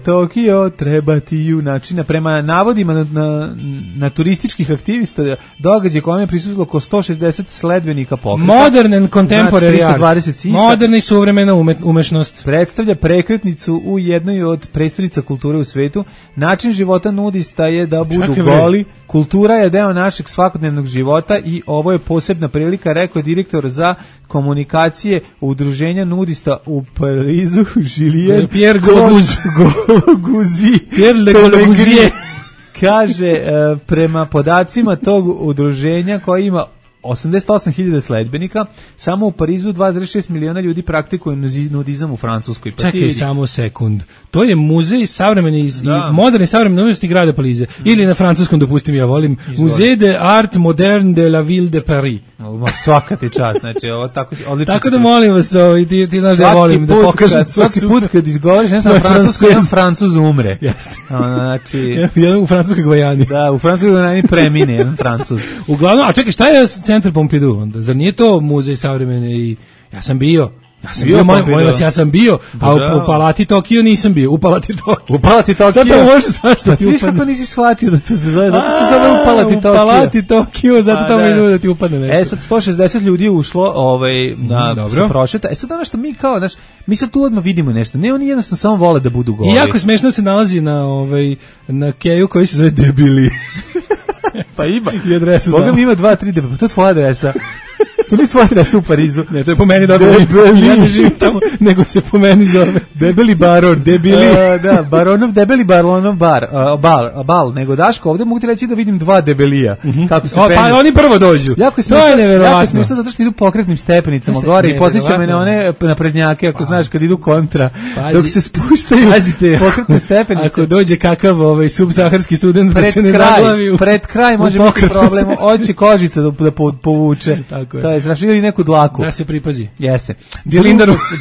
Tokio, treba ti junačina. Prema navodima na turističkih aktivista, događaj kojem je prisutilo oko 160 sledbenika pokreta. Modern and contemporary art. Moderna i suvremena umešnost. Predstavlja prekretnicu u jednoj od prestolnica kulture u svetu. Način života nudista je da budu goli. Kultura je deo našeg svakodnevnog života i ovo je posebna prilika, rekao je direktor za komunikacije udruženja nudista u Parizu, Julien Pierre Gologuzije. Kaže, prema podacima tog udruženja koji ima 88.000 sledbenika, samo u Parizu 2,6 miliona ljudi praktikuju nudizam u Francuskoj. Pa čekaj samo sekund. To je muzej savremene i moderni savremene umetnosti grada Pariza. Ili na francuskom, dopustim, ja volim. Musée de art moderne de la ville de Paris. Svaka ti čast, znači ovo tako odlično. Tako da molim vas, ti znaš da volim da pokažem. Svaki put kad izgovoriš nešto na francuskom, jedan Francuz umre. Jeste. Znači, jedan u francuskoj Gvajani. Da, u francuskoj Gvajani premine jedan Francuz. Uglavnom, a čekaj, šta je Centar Pompidou onda? Zar nije to muzej savremene i ja sam bio, a u Palati Tokio nisam bio. U Palati Tokio. Sad to može zašto ti upadne. Ti kako nisi shvatio da to se zove, zato se zove u Palati Tokio. U Palati Tokio, zato tamo je da ti upadne nešto. Sad 160 ljudi je ušlo na prošeta. Sad ono što mi kao, znaš, mi sad tu odmah vidimo nešto. Ne, oni jednostavno samo vole da budu goli. I jako smešno se nalazi na keju koji se zove Debili. Pa ima. I adresu znam. Boga mi ima 2-3 debili. Pa to je tvoja adresa. To mi tvoja adresa u Parizu. Ne, to je po meni dobro. Ja ne živim tamo, nego se po meni zove. Debeli baron. Da, debeli baronov bal. Nego Daško, ovde mogu ti reći da vidim 2 debelija. Kako se penju. Pa oni prvo dođu. To je neverovatno. Jako smiješno zato što idu pokretnim stepenicama gore i podsjeća me na one naprednjake, ako znaš, kad idu kontra. Dok se spuštaju pokretne stepenice. Ako dođe kakav subsaharski student da se ne zaglavi. Pred kraj može biti problem. Hoće kožica da povuče. To je strašno, ili neku dlaku. Da se pripazi. Jeste.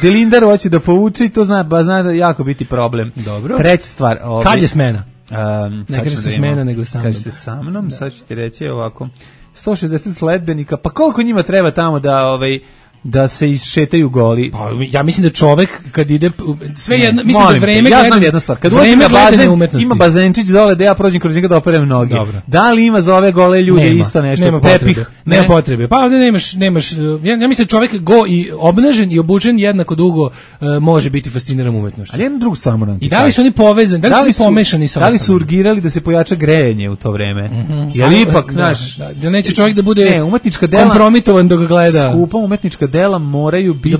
Dilindaru hoće da povuče i to zna da jako biti problem. Dobro. Treća stvar. Kad je smena? Ne kaže se smena, nego sa mnom. Kaže se sa mnom, sad ću ti reći ovako. 160 sledbenika, pa koliko njima treba tamo da se isšetaju goli? Pa, ja mislim da čovek kad ide sve jedno, mislim da vreme ja znam jednu stvar. Kad ulazim na bazen, ima bazenčić dole da ja prođem kroz njega da operem noge. Dobro. Da li ima za ove gole ljude isto nešto? Nema potrebe. Pa ovdje nemaš ja mislim da čovek go i obnažen i obučen jednako dugo može biti fasciniran umetnošću. Ali jednu drugu stvar moram. I da li su oni povezani? Da li su pomešani sa? Da li su urgirali da se pojača grejanje u to vreme? Jel ipak naš da neće čovjek da bude umetnička dela kompromitovan dok ga gleda. Skupa umetnička dela moraju biti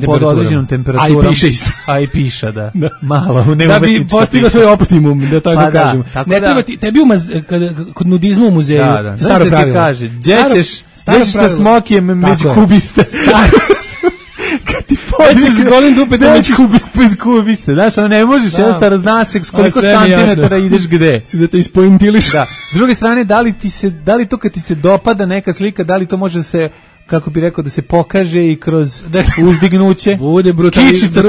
pod određenom temperaturom. A i piše isto. A i piše, da. Malo, da bi postigao svoj optimum, da tako kažem. Ne treba ti, tebi kod nudizma u muzeju, staro pravilo. Kaže, gdje ćeš sa smokijem među kubiste. Kad ti pođeš golim dupe da među kubiste. Znaš, ono ne možeš, jednostavno zna se koliko santimetara ideš gde. Da te ispointiliš. Da. S druge strane, da li to kad ti se dopada neka slika, da li to može se, kako bi rekao, da se pokaže i kroz uzdignuće. Bude brutalizam.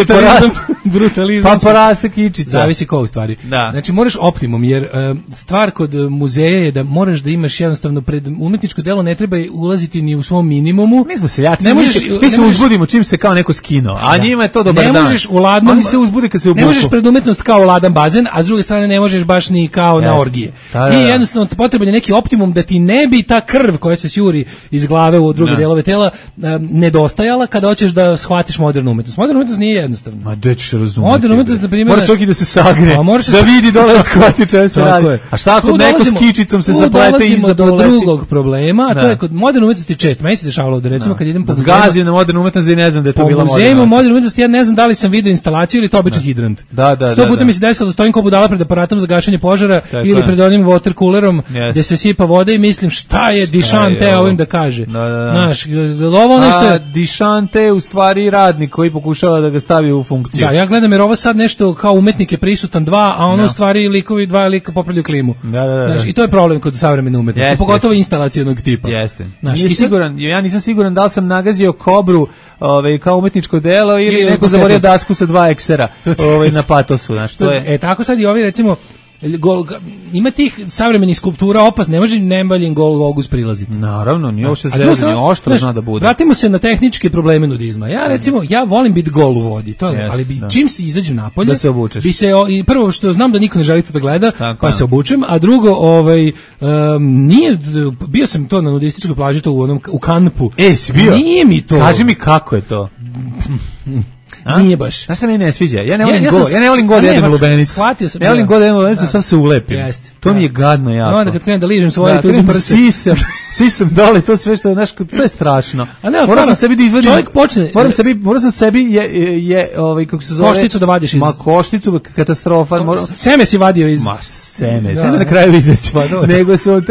Pa poraste kičica. Zavisi ko u stvari. Da. Znači moraš optimum, jer stvar kod muzeja je da moraš da imaš jednostavno pred umetničko delo ne treba ulaziti ni u svom minimumu. Mi smo seljaci, mi se uzbudimo čim se kao neko skino, a njima je to dobar dan. Ne možeš u ladnom, oni se uzbude kad se obuku. Ne možeš pred umetnost kao ladan bazen, a s druge strane ne možeš baš ni kao na orgije. I jednostavno potreban je neki optimum da ti ne bi ta krv koja se sjuri iz glave u druge delove tela nedostajala kada hoćeš da shvatiš modernu umetnost. Moderna umetnost nije jednostavna. Ma gde ćeš razumjeti? Moderna umetnost, na primjer, mora čovjek i da se sagne, da vidi dole shvati čemu se radi. A šta ako neko s kičicom se zaplete i do drugog problema, a to je kod moderne umetnosti često. Meni se dešavalo da recimo kad idem po zgazim na modernu umetnost i ne znam da je to bila moderna. Po muzejima moderne umetnosti ja ne znam da li sam vidio instalaciju ili to običan hidrant. Da. 100 puta mi se desilo da stojim kao budala pred aparatom za gašenje požara ili pred onim water coolerom gde se sipa voda i mislim šta je Dišante ovim da kaže. Znaš, ovo nešto je Dišante u stvari radnik koji pokušava da ga stavi u funkciju. Da, ja gledam jer ovo sad nešto kao umetnik je prisutan 2, a ono u stvari likovi 2 lika popravljaju klimu. Znaš, i to je problem kod savremene umetnosti, pogotovo instalacionog tipa. Jeste. Ja nisam siguran da li sam nagazio kobru kao umetničko delo ili neko zaborio dasku sa 2 eksera na patosu. Znaš, to je. Tako sad i ovi recimo ima tih savremenih skulptura opasne, ne može nembaljen gol ogus prilaziti. Naravno, nije ovo što zezanje, oštro zna da bude. Vratimo se na tehničke probleme nudizma. Ja recimo, ja volim biti gol u vodi, to je, ali čim se izađem napolje, da se obučeš. Prvo što znam da niko ne želi to da gleda, pa se obučem, a drugo, nije, bio sam to na nudističkoj plaži, to u Kanpu. Si bio? Nije mi to. Kaži mi kako je to. Nije baš. Znaš se mi ne sviđa. Ja ne volim god jedem lubenicu. Ne volim god jedem lubenicu, sam se ulepim. To mi je gadno jako. Onda kad krenem da ližem svoje tuđe prse. Sisam dole, to sve što, znaš, to je strašno. Moram sam sebi da izvadim. Čovjek počne. Moram sam sebi kako se zove. Košticu da vadiš iz. Ma košticu, katastrofa. Seme si vadio iz. Ma seme na kraju izaći. Nego sam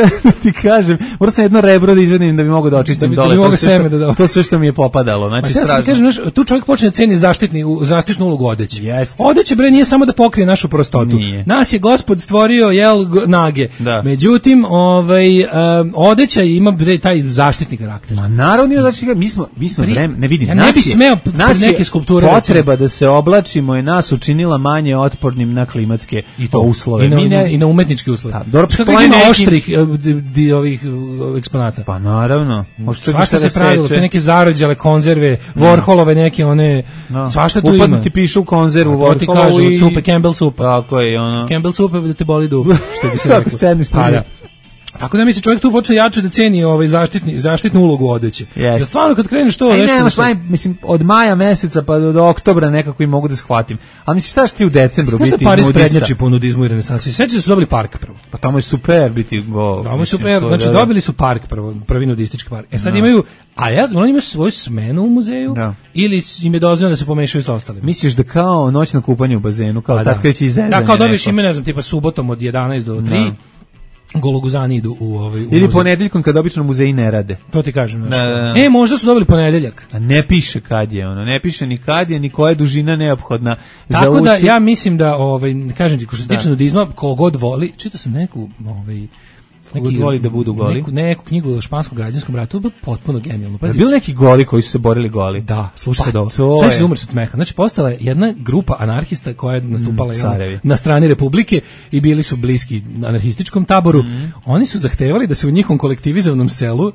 ti kažem, moram sam jedno rebro da izvadim da bi mogao da očistim dole. To sve što mi je popadalo. Znači strašno. Tu čovjek počne da ceni zaštitnu ulogu odeće. Odeće bre nije samo da pokrije našu prostotu. Nas je Gospod stvorio nage. Međutim, odeća ima bre taj zaštitni karakter. Ma naravno, znači mi smo vreme, ne vidim. Ja ne bi smeo neke skulpture. Potreba da se oblačimo je nas učinila manje otpornim na klimatske uslove. I na umetničke uslove. Što ima oštrih ovih eksponata? Pa naravno. Svašta se pravilo, te neke zarođale konzerve, Warholove neke one. Svašta tu ima. Upadno ti piše u konzervu Warholovu. To ti kaže od supe, Campbell supa. Tako je, ono. Campbell supa da te boli dub, što bi se reklo. Kako sedniš na Tako da mi se čovjek tu počne jače da ceni zaštitnu ulogu odeće. Jer stvarno kad kreneš to nešto... mislim, od maja meseca pa do oktobra nekako i mogu da shvatim. Ali misliš šta ti u decembru biti nudista? Znaš da Pariz prednjači po nudizmu i renesansi? Sećaš da su dobili park prvo? Pa tamo je super biti go. Tamo je super, znači dobili su park prvi nudistički park. Sad imaju, oni imaju svoju smenu u muzeju ili im je dozvoljeno da se pomešaju sa ostalim? Misliš da kao noćno kupanje u bazenu, kao tad kreće izezanje? Da, kao dobiješ ime, ne znam, tipa subotom od 11 do 3, gologuzani idu u ili ponedeljkom kad obično muzeji ne rade. To ti kažem. Možda su dobili ponedeljak. A ne piše kad je ono, ne piše ni kad je, ni koja je dužina neophodna za tako da ja mislim da, kažem ti, ko što se tiče nudizma, kogod voli, čitao sam neku, neki voli da budu goli. Neku knjigu o španskom građanskom ratu, bilo potpuno genijalno. Je bilo neki goli koji su se borili goli? Da, slušaj sad ovo. Sve se umreš od smeha. Znači, postala je jedna grupa anarhista koja je nastupala na strani Republike i bili su bliski anarhističkom taboru. Oni su zahtevali da se u njihovom kolektivizovanom selu,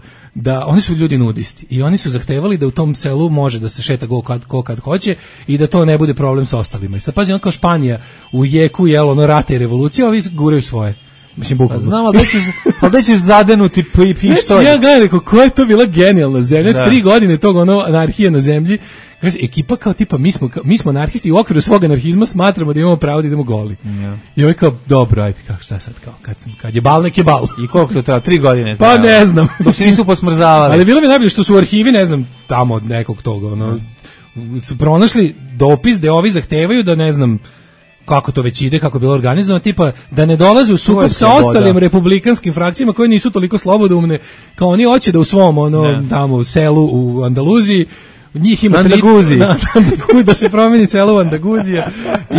oni su ljudi nudisti i oni su zahtevali da u tom selu može da se šeta ko kad hoće i da to ne bude problem sa ostalima. I sad pazi, kao Španija u jeku rata i revolucije, ovi guraju svoje. Mislim, bukvalno. Znam, ali da ćeš zadenuti pištolj. Znači, ja gledam, rekao, koja je to bila genijalna zemlja? Znači, 3 godine tog anarhije na zemlji. Kaže, ekipa kao tipa, mi smo anarhisti i u okviru svog anarhizma smatramo da imamo pravo da idemo goli. I ovaj kao, dobro, ajde, šta sad, kao, kad je bal, nek je bal. I koliko to treba? 3 godine? Pa ne znam. Dok se nisu posmrzavali. Ali bilo mi najbolje što su u arhivi, ne znam, tamo od nekog toga, su pronašli dopis da ovi zahtevaju da, ne znam, kako to već ide, kako je bilo organizovano, tipa da ne dolaze u sukob sa ostalim republikanskim frakcijama koje nisu toliko slobodoumne, kao oni hoće da u svom tamo selu u Andaluziji njih ima da se promeni selo u Andaguzija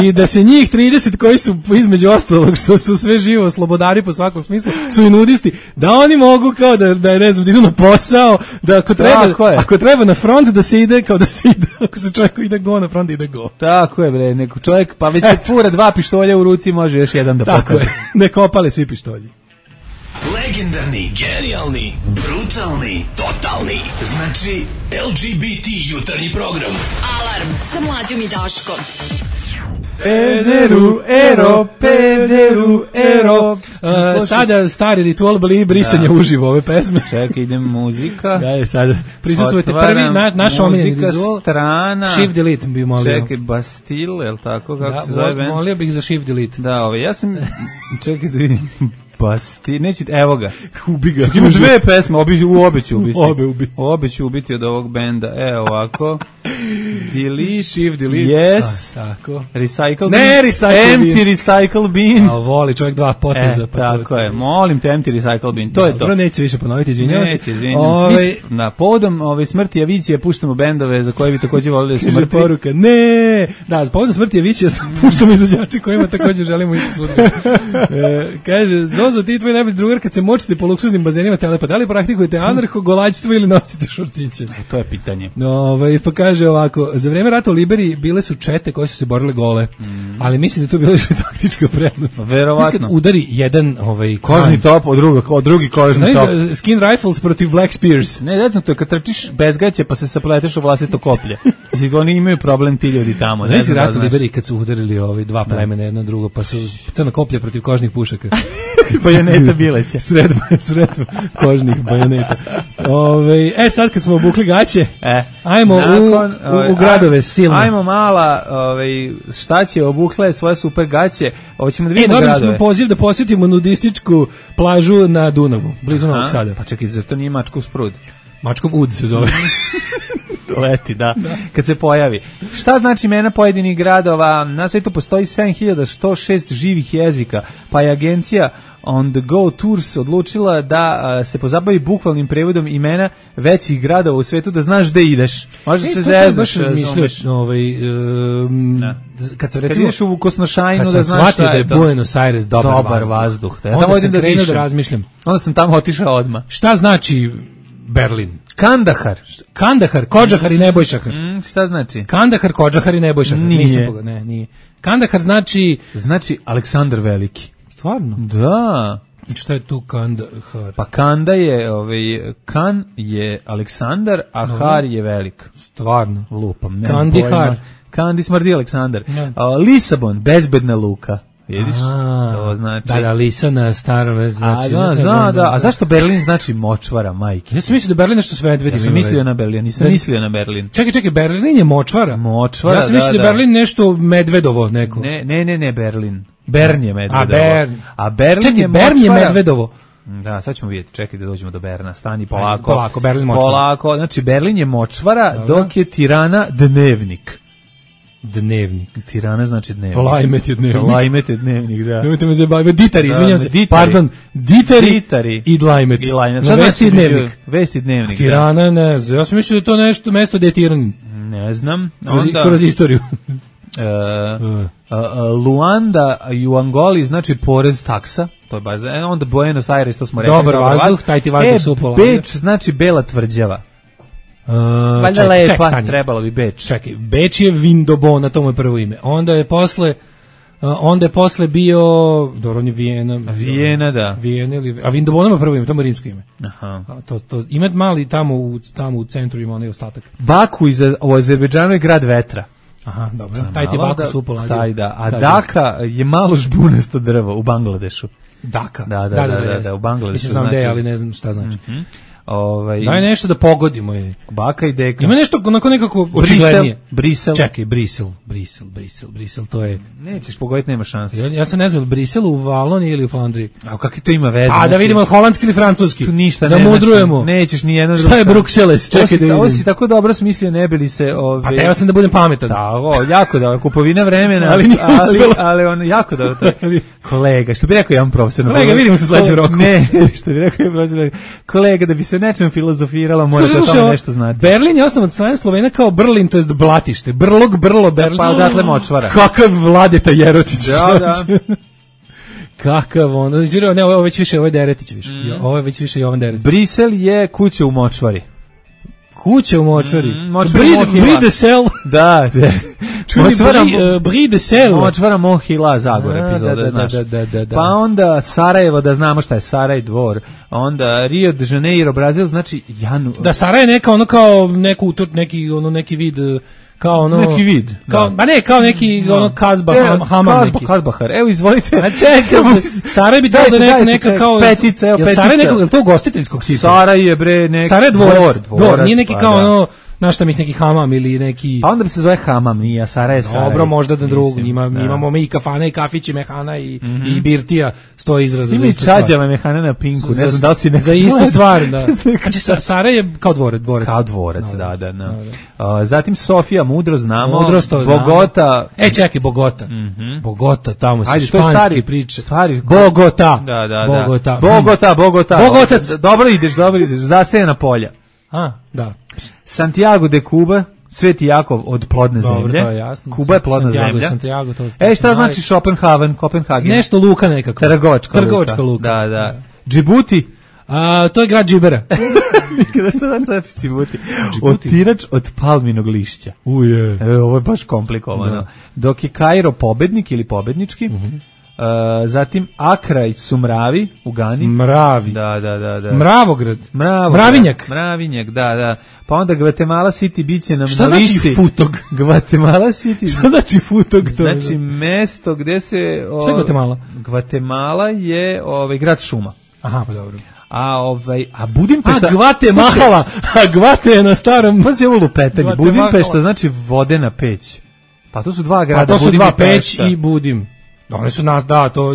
i da se njih 30 koji su između ostalog što su sve živo slobodari po svakom smislu su i nudisti, da oni mogu kao da ne znam, da idu na posao, da ako treba na front da se ide, kao da se ide, ako se čovjek ide go na front, ide go. Tako je bre, neko čovjek pa već kad fura 2 pištolja u ruci može još jedan da pokaže. Tako je, neko opale svi pištolji. Legendarni, genijalni, brutalni, totalni. Znači, LGBT jutarnji program. Alarm sa Mlađom i Daškom. Pederu, ero. Sada stari ritual bili brisanje uživo ove pesme. Čekaj, idem muzika. Da je sad. Prisustvujete prvi naš omiljeni ritual. Strana. Shift delete bi molio. Čekaj, Bastille, je li tako? Kako se zove? Molio bih za shift delete. Da, ja sam, čekaj da vidim. Evo ga. Ubi ga. Ima 2 pesme, obe ću ubiti. Obe ću ubiti od ovog benda. Evo ovako. Delete. Shift delete. Yes. Tako. Recycle. Ne, recycle bin. Empty recycle bin. A voli čovjek 2 poteza. Tako je. Molim te, empty recycle bin. To je to. Dobro, neće više ponoviti, izvinjavam se. Neće, izvinjavam se. Na povodom smrti Avićija puštamo bendove za koje bi također volili da su mrtvi. Poruka, ne. Da, s povodom smrti Avićija puštamo izvođače kojima također želimo ići sudbinu. Kaže, Zozo, ti i tvoj najbolji drugar kad se močite po luksuznim bazenima telepa, da li praktikujete anarcho-golađstvo ili nosite šorciće? To je pitanje. Pa kaže ovako, za vreme rata u Liberiji bile su čete koje su se borile gole, ali mislim da to bila još taktička prednost. Verovatno. Kad udari jedan kožni top od drugi kožni top. Skin rifles protiv Black Spears. Ne znam, to je kad trčiš bez gaće pa se sapleteš u vlastito koplje. Mislim, oni imaju problem ti ljudi tamo. Ne znam rat u Liberiji kad su udarili 2 plemena jedno drugo, pa su crna koplja protiv kožnih pušaka. Bajoneta bileća. Sredba kožnih bajoneta. Sad kad smo obukli gaće, ajmo u gradove silne. Ajmo mala, šta će, obukle svoje super gaće, ćemo da vidimo gradove. Dobili smo poziv da posjetimo nudističku plažu na Dunavu, blizu Novog Sada. Pa čekaj, zato nije Mačkov sprud. Mačkov ud se zove. Leti, da, kad se pojavi. Šta znači imena pojedinih gradova? Na svetu postoji 7106 živih jezika, pa je agencija On the Go Tours odlučila da se pozabavi bukvalnim prevodom imena većih gradova u svetu, da znaš gde ideš. Može se zeznaš. Kad sam ideš u Kosnošajnu da znaš šta je to. Kad sam shvatio da je Buenos Aires dobar vazduh. Onda sam krenuo da razmišljam. Onda sam tamo otišao odmah. Šta znači Berlin? Kandahar, Kodžahar i Nebojšahar. Šta znači? Kandahar, Kodžahar i Nebojšahar. Nije. Kandahar znači Aleksandar Veliki. Stvarno? Da. Šta je tu Kandahar? Pa Kanda je, Kan je Aleksandar, a Har je velik. Stvarno? Lupam. Kandihar. Kandi smrdi Aleksandar. Lisabon, bezbedna luka. Vidiš? To znači... Da, Lisa na starom... Znači, A zašto Berlin znači močvara, majke? Ja sam mislio da Berlin nešto s medvedima. Ja sam mislio na Berlin, nisam mislio na Berlin. Čekaj, Berlin je močvara? Močvara, ja sam mislio da Berlin nešto medvedovo neko. Ne, Berlin. Bern je medvedovo. A Berlin čekaj, je močvara. Bern je medvedovo. Da, sad ćemo vidjeti, čekaj da dođemo do Berna, stani polako. Polako, Berlin močvara. Polako, znači Berlin je močvara, dok je Tirana dnevnik. Dnevnik. Tirana znači dnevnik. Lajmet je dnevnik. Lajmet je dnevnik, da. Nemojte me zabaviti. Ditari, izvinjam se. Pardon, Ditari i Lajmet. Šta vesti dnevnik? Vesti dnevnik, Tirana, ne znam. Ja sam mislio da je to nešto mesto gde je Tiran. Ne znam. Kroz istoriju. Luanda i u Angoli znači porez taksa. To je baš, onda Buenos Aires, to smo rekli. Dobar vazduh, taj ti vazduh su upolagao. Beč znači bela tvrđava. Valjda lepa, trebalo bi Beč. Čekaj, Beč je Vindobona, to mu je prvo ime. Onda je posle bio, dobro, on je Vijena, da. A Vindobona mu je prvo ime, to mu je rimsko ime. Aha. To ima mali tamo u centru ima onaj ostatak. Baku u Azerbejdžanu je grad vetra. Aha, dobro. Taj ti Baku su upoladio. Taj da. A Daka je malo žbunasto drvo u Bangladešu. Daka. Da, u Bangladešu. Mislim znam gde, ali ne znam šta znači. Daj nešto da pogodimo je. Baka i deka. Ima nešto onako nekako očiglednije. Brisel. Čekaj, Brisel, to je... Nećeš pogoditi, nema šanse. Ja se ne znam, Brisel u Valoniji ili u Flandriji? A kakvi to ima veze? A da vidimo holandski ili francuski. Tu ništa da mudrujemo. Nećeš ni jedno drugo. Šta je Bruxelles? Čekaj da vidim. Ovo si tako dobro smislio, ne bili se... A teo sam da budem pametan. Da, jako dobro, kupovina vremena, ali on jako dobro. Kolega, što bi rekao jedan profesor. Kolega, vidimo se u sledećem roku. Ne, što bi rekao jedan profesor. Kolega, da bi se nečem filozofiralo, mora da tome nešto znati. Berlin je osnovan od strane Slovena kao Brlin, to jest blatište. Brlo, Berlin. Pa odatle močvara. Kakav Vladeta Jerotić. Da. Kakav on. Ne, ovo je već više, ovo je Deretić više. Ovo je već više Jovan Deretić. Brisel je kuća u močvari. Kuća u močvari. Brie de Sel. Da. Brie de Sel. Močvara Mohila, Zagor epizoda, znaš. Da. Pa onda Sarajevo, da znamo šta je Saraj dvor. Onda Rio de Janeiro, Brazil, znači Da, Saraj je neka ono kao neki vid kao ono neki vid. Kao kao neki ono Kazba Hamam neki. Kazbahar. Evo izvolite. A čekaj, Saraj bi trebalo da neka kao petica, evo petica. Saraj je to ugostiteljskog tipa. Saraj je bre neki Saraj dvor, nije neki kao ono na šta misli neki hamam ili neki... A onda bi se zove hamam, nije, Saraj je Saraj. Dobro, možda da drugo, imamo mi i kafane i kafići, mehana i birtija, stoji izraz za istu stvar. Ima i čađava mehana na Pinku, ne znam da li si za istu stvar, da. Znači, Saraj je kao dvorac. Kao dvorac, da. Zatim Sofija, Mudro znamo. Mudrost to znamo. Bogota. Čekaj, Bogota. Bogota, tamo se španski priče. Bogota. Bogota. Dobro ideš, zasejena polja. Da. Santiago de Cuba, Sveti Jakov od plodne zemlje. Dobro, to je jasno. Kuba je plodna zemlja. Santiago, to šta znači Kopenhagen? Nešto luka nekako. Trgovačka luka. Da. Džibuti? To je grad Džibera. Šta znači Džibuti? Otirač od palminog lišća. Ovo je baš komplikovano. Dok je Kairo pobednik ili pobednički, zatim Akra i Sumravi u Gani. Mravi. Da. Mravograd. Mravinjak, da. Pa onda Guatemala City biće nam šta na listi. Šta znači Futog? Guatemala City. Šta znači Futog? Znači mesto gde se... Šta je Guatemala? Guatemala je grad šuma. Aha, pa dobro. A Budimpešta... Guatemala! Gvate je na starom... Pa se ovo lupetanje. Budimpešta znači vodena peć. Pa to su dva grada. Pa to su dva peć i Budim. One su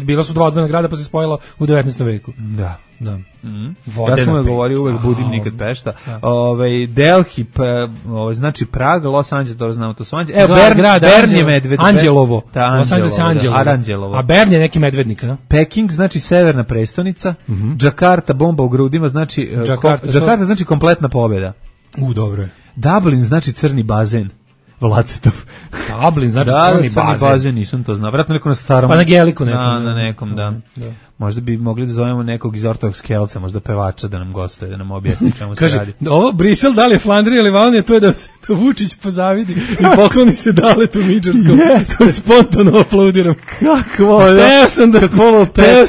bila su dva odvojena grada pa se spojila u 19. veku. Da. Vodena ja sam govorio uvek Budim nikad Pešta. Delhi, znači Prag, Los Angeles, to znamo, to su Anđelovo. Bern je medved. Anđelovo. Los Angeles je Anđelovo. A Bern je neki medvednik, da? Peking znači severna prestonica. Jakarta, bomba u grudima, znači Jakarta znači kompletna pobjeda. Dobro je. Dublin znači crni bazen. Vlacetov. Dublin, znači crni bazen. Nisam to znao. Vratno neko na starom. Pa na Geliku nekom. Na nekom, da. Možda bi mogli da zovemo nekog iz Ortodoks Kelca, možda pevača da nam gostuje, da nam objasni čemu se radi. Ovo Brisel, da li je Flandrija ili Valonija, to je da se Vučić pozavidi i pokloni se Daletu Midžarskom. To spontano aplaudiram. Kako? Teo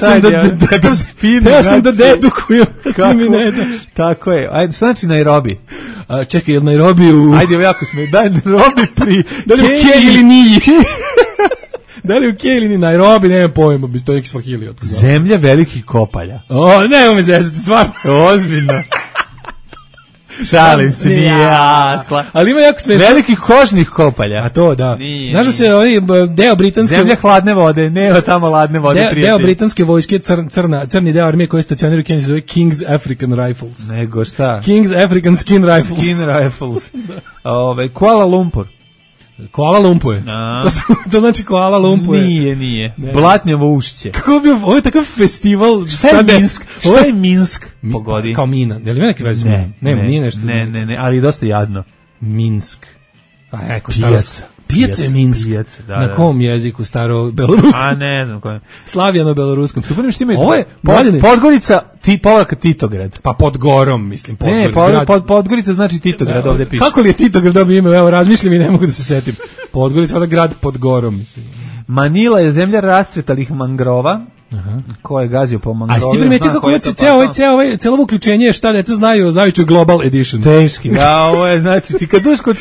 sam da dedukujem, kako mi ne daš. Tako je. Ajde, što znači Nairobi? Čekaj, je li Nairobi u... Ajde, jako smo. Daj Nairobi pri... Da li u Kej ili Niji? Da li u Kej ili Nairobi, nema pojma, bi to neki Swahili. Zemlja velikih kopalja. Nema me zezati, stvarno. Ozbiljno. Šalim se, nije jasla. Ali ima jako smešno. Velikih kožnih kopalja. A to, da. Znaš da se deo britanske... Zemlja hladne vode, nema tamo hladne vode, prijatelji. Deo britanske vojske, crni deo armije koji stacionira u Keniji, zove King's African Rifles. Nego šta? King's African Skin Rifles. Skin Rifles. Kuala Lumpur. Kuala Lumpur. To znači Kuala Lumpur. Nije. Blatnjavo ušće. Kako bi ovo je takav festival? Šta je Minsk? Šta je Minsk? Pogodi. Kao mina. Je li ima neki vez? Nema, nije nešto. Ne, ali dosta jadno. Minsk. Pijaca. Pijaca je Minsk. Na kom jeziku staro-beloruskom? A ne znam kojem. Slavijano-beloruskom. Super što ima. Ovo je Podgorica, povratka Titograd. Pa Podgorom, mislim. Ne, Podgorica znači Titograd, ovde piše. Kako li je Titograd dobio ime? Evo, razmišljam i ne mogu da se setim. Podgorica, ovdje grad Podgorom, mislim. Manila je zemlja rascvetalih mangrova. Ko je gazio po mangrovima? A jesi ti primetio kako celo uključenje je šta deca znaju o Zaviću Global Edition? Teški. Da, ovo je, znači, čikaduško.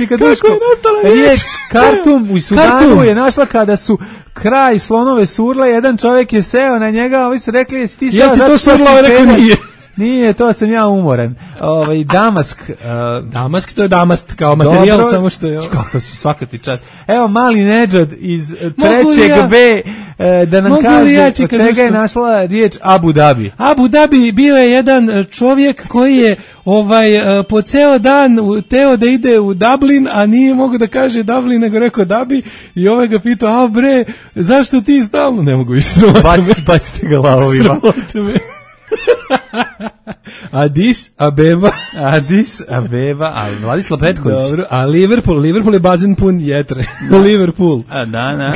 Riječ Kartum u Sudanu je našla kada su kraj slonove surle, jedan čovjek je seo na njega, ovi su rekli, jesi ti seo zato što si rekao nije. Nije, to sam ja umoran. Damask. Damask, to je damast, kao materijal, dobro, samo što je... Kako si, svaka ti čast. Evo, mali Nedžad iz 3. B, da nam kaže od čega je našla riječ Abu Dhabi. Abu Dhabi bio je jedan čovjek koji je po ceo dan teo da ide u Dublin, a nije mogu da kaže Dublin, nego rekao Dhabi, i ovaj ga pitao, bre, zašto ti stalno? Ne mogu isrovati. Bacite ga lavovima. Srovate me. Addis Abeba, a Vladislav Petković. Dobro, a Liverpool je bazen pun jetre. Liverpool. A da.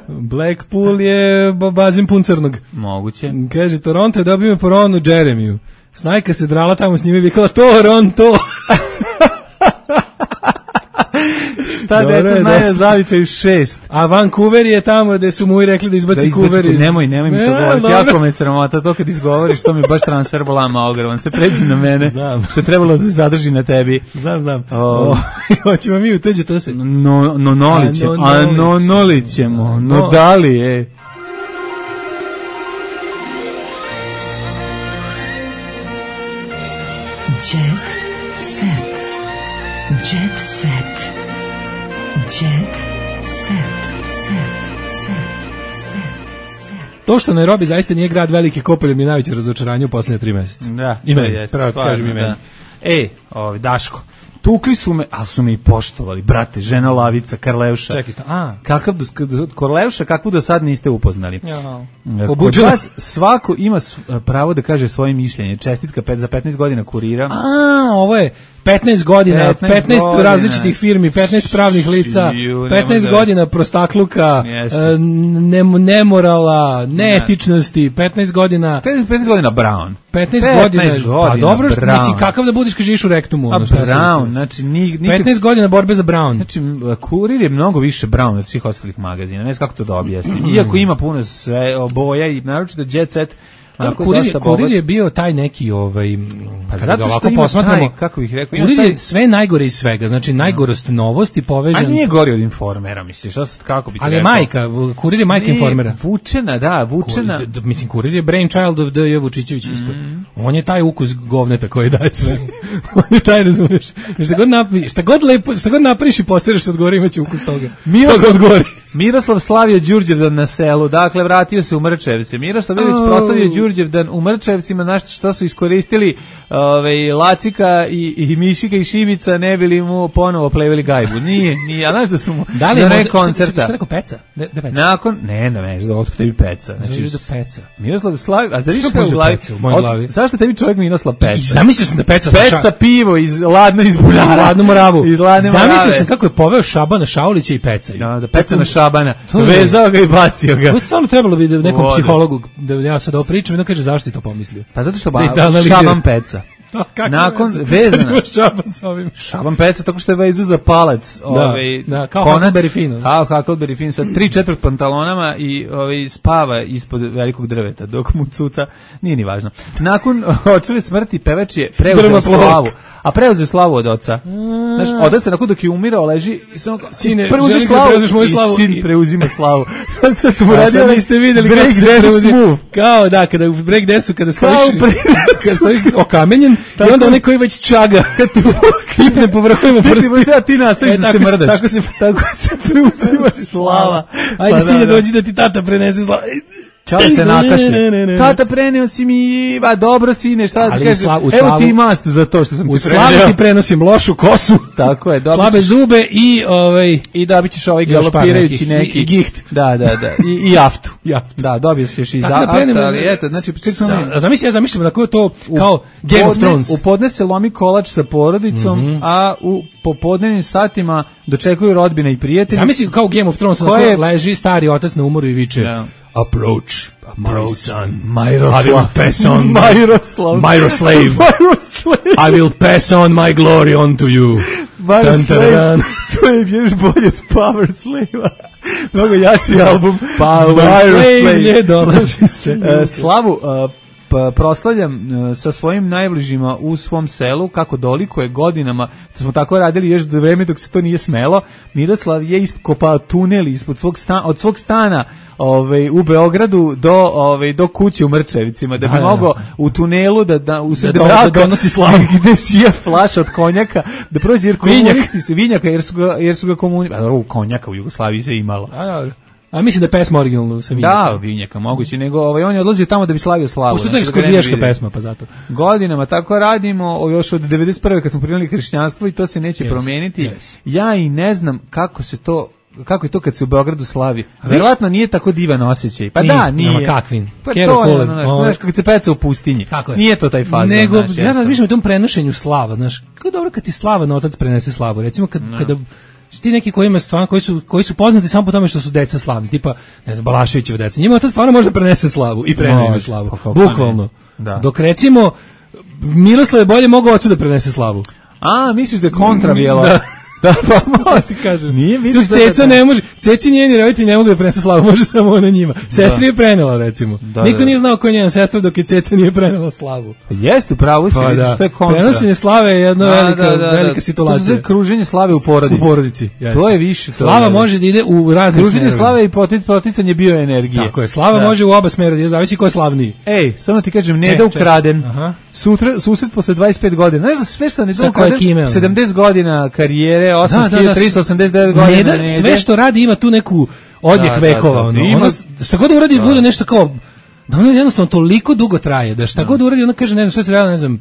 Blackpool je bazen pun crnog. Moguće. Kaže, Toronto je dobio po Ronu Jeremiju. Snajka se drala tamo s njime i vikala Toronto. Šta deca znaju Zavičaju 6. A Vancouver je tamo gde su mu i rekli da izbaci Coover iz... Nemoj mi to govoriti, jako me sramota to kad izgovoriš, to mi baš transfer bolama ogroman, se pređi na mene, znam. Što je trebalo da se zadrži na tebi. Znam. Hoćemo mi u tuđe, to se... Nolićemo, no da li je... Jet set. Jet set. Jet set. To što Nairobi zaista nije grad velike kopalje mi je najveće razočaranje u posljednje 3 mjeseca. Da, i meni, pravo kažem i meni. Daško, tukli su me, ali su me i poštovali, brate, žena Lavica, Karleuša. Čekaj, Karleuša, kakvu do sad niste upoznali. Kod vas svako ima pravo da kaže svoje mišljenje. Čestitka za 15 godina kurira. Ovo je 15 godina, 15 različitih firmi, 15 pravnih lica, 15 godina prostakluka, nemorala, neetičnosti, 15 godina... 15 godina Brown. 15 godina, pa dobro, mislim, kakav da budiš kad živiš u rektumu? Brown, znači... 15 godina borbe za Brown. Znači, kurir je mnogo više Brown od svih ostalih magazina, ne znam kako to da objasnim. Iako ima puno sve boja i naročito Jet Set, Kurir je bio taj neki kada ga ovako posmatramo, kako bih rekao, Kurir je sve najgore iz svega, znači najgorost novosti povežan. A nije gori od Informera, misliš, kako bi ti ali rekao? Ali majka, Kurir je majka Informera. Vučena. Mislim, Kurir je brainchild of D.J. Vučićević isto. On je taj ukus govneta koji daje sve. On je taj, razumiješ. Šta god napriš i poseraš se odgovori, imaće ukus toga. Miroslav slavio Đurđevdan na selu, dakle vratio se u Mrčevce. Miroslav Ilić proslavio Đurđevdan u Mrčevcima, na što su iskoristili Lacika i Mišika i Šibica, ne bili mu ponovo pleveli gajbu. Nije, a znaš da su mu za nek koncerta. Šta rekao Peca? Nakon, ne, otkud tebi Peca. Znači, Peca. Miroslav slavio, a da viš kao u glavi? Zašto tebi čovjek Miroslav Peca? Zamislio sam da Peca pivo iz Ladnu Moravu. Zamislio sam kako je poveo Šabana Šaulića i Peca. Da, Peca na Šabana, vezao ga i bacio ga. To stvarno trebalo bi nekom psihologu da ja sad ovo pričam i da kaže zašto si to pomislio. Pa zato što Šaban Peca. Nakon vezana Šaban Peca tako što je vezu za palac, kao Huckleberry Finn. Kao Huckleberry Finn sa 3/4 pantalonama i spava ispod velikog drveta dok mu cuca, nije ni važno. Nakon očeve smrti pevač je preuzeo slavu, a preuzeo slavu od oca. Znaš, otac se nakon dok je umirao leži i samo sine, preuzmi slavu, moju slavu i sin preuzima slavu. Sad smo a radili, sad niste videli kako se preuzima. Kao da, kada u break dansu, kada stojiš okamenjen i onda onaj koji već čaga, kad ti kipne po vrhovima prsta. Ti nastaviš da se mrdaš. Tako se preuzima slava. Ajde, sine, dođi da ti tata prenese slavu. Čali se nakašlje. Tata, preneo si mi, dobro sine, šta da kažem, evo ti mast za to što sam ti preneo. U slavu ti prenosim lošu kosu, tako je, slabe zube i dobit ćeš ovaj galopirajući neki. I giht. Da. I jaftu. Da, dobio si još i za ali eto, znači, zamišljam da je to kao Game of Thrones. U podne se lomi kolač sa porodicom, a u popodnevnim satima dočekuju rodbina i prijatelji. Zamislim kao Game of Thrones, leži stari otac na umoru i viče. Approach, my son. Miroslav. I will pass on Miroslav. I will pass on my glory on to you. Miroslav. To je još bolje od Power Slave-a. Mnogo jači album. Power Slave dolazi se. Slavu proslavljam sa svojim najbližima u svom selu, kako dolikuje godinama, da smo tako radili još do vreme dok se to nije smelo. Miroslav je iskopao tunel ispod od svog stana u Beogradu do kuće u Mrčevicima, da bi mogao u tunelu da usred braka donosi slavu, gde sije flaša od konjaka, da prođe, jer komunisti su vinjaka, jer su ga konjaka u Jugoslaviji se imalo. A mislim da je pesma originalno sa vinjaka. Da, vinjaka, moguće, nego on je odlazio tamo da bi slavio slavu. Pošto to je ekskluzivaška pesma, pa zato. Godinama tako radimo, još od 91. kad smo primili hrišćanstvo i to se neće promijeniti. Ja i ne znam kako je to kad se u Beogradu slavi. Verovatno nije tako divan osjećaj. Pa nije, nije. Nama kakvin. Pa to je, znaš, kad se peca u pustinji. Nije to taj fazon. Nego, ja razmišljam o tom prenošenju slava, znaš, kako dobro kad ti slava na otac prenese slavu. Recimo kada ti neki koji ima stvarno, koji su poznati samo po tome što su deca slavni, tipa, ne znam, Balaševićeva deca. Njima otac stvarno može prenese slavu i prenese slavu. Bukvalno. Dok recimo Miroslav je bolje mogao ocu da prenese slavu. A, misliš da je kontra bijelo? Da, pa može kažem. Nije, misliš da Ceca ne može. Ceci njeni roditelji ne mogu da prenesu slavu, može samo ona njima. Sestra je prenela, recimo. Niko nije znao ko je njena sestra dok je Ceca nije prenela slavu. Jeste, pravo si, vidiš što je kontra. Prenošenje slave je jedna velika situacija. To je kruženje slave u porodici. U porodici, jeste. To je više. Slava može da ide u razne smjerove. Kruženje slave i poticanje bioenergije. Tako je, slava može u oba smjera, zavisi ko je slavniji. Ej, samo ti kažem, Neda ukraden. Susret posle 25 godina. Znaš da sve što Neda ukraden, 70 godina karijere, 389 godina. Neda, sve što radi ima tu neku odjek vekova. Šta god uradi bude nešto kao, da ono jednostavno toliko dugo traje, da šta god uradi ona kaže, ne znam, sve se radilo, ne znam,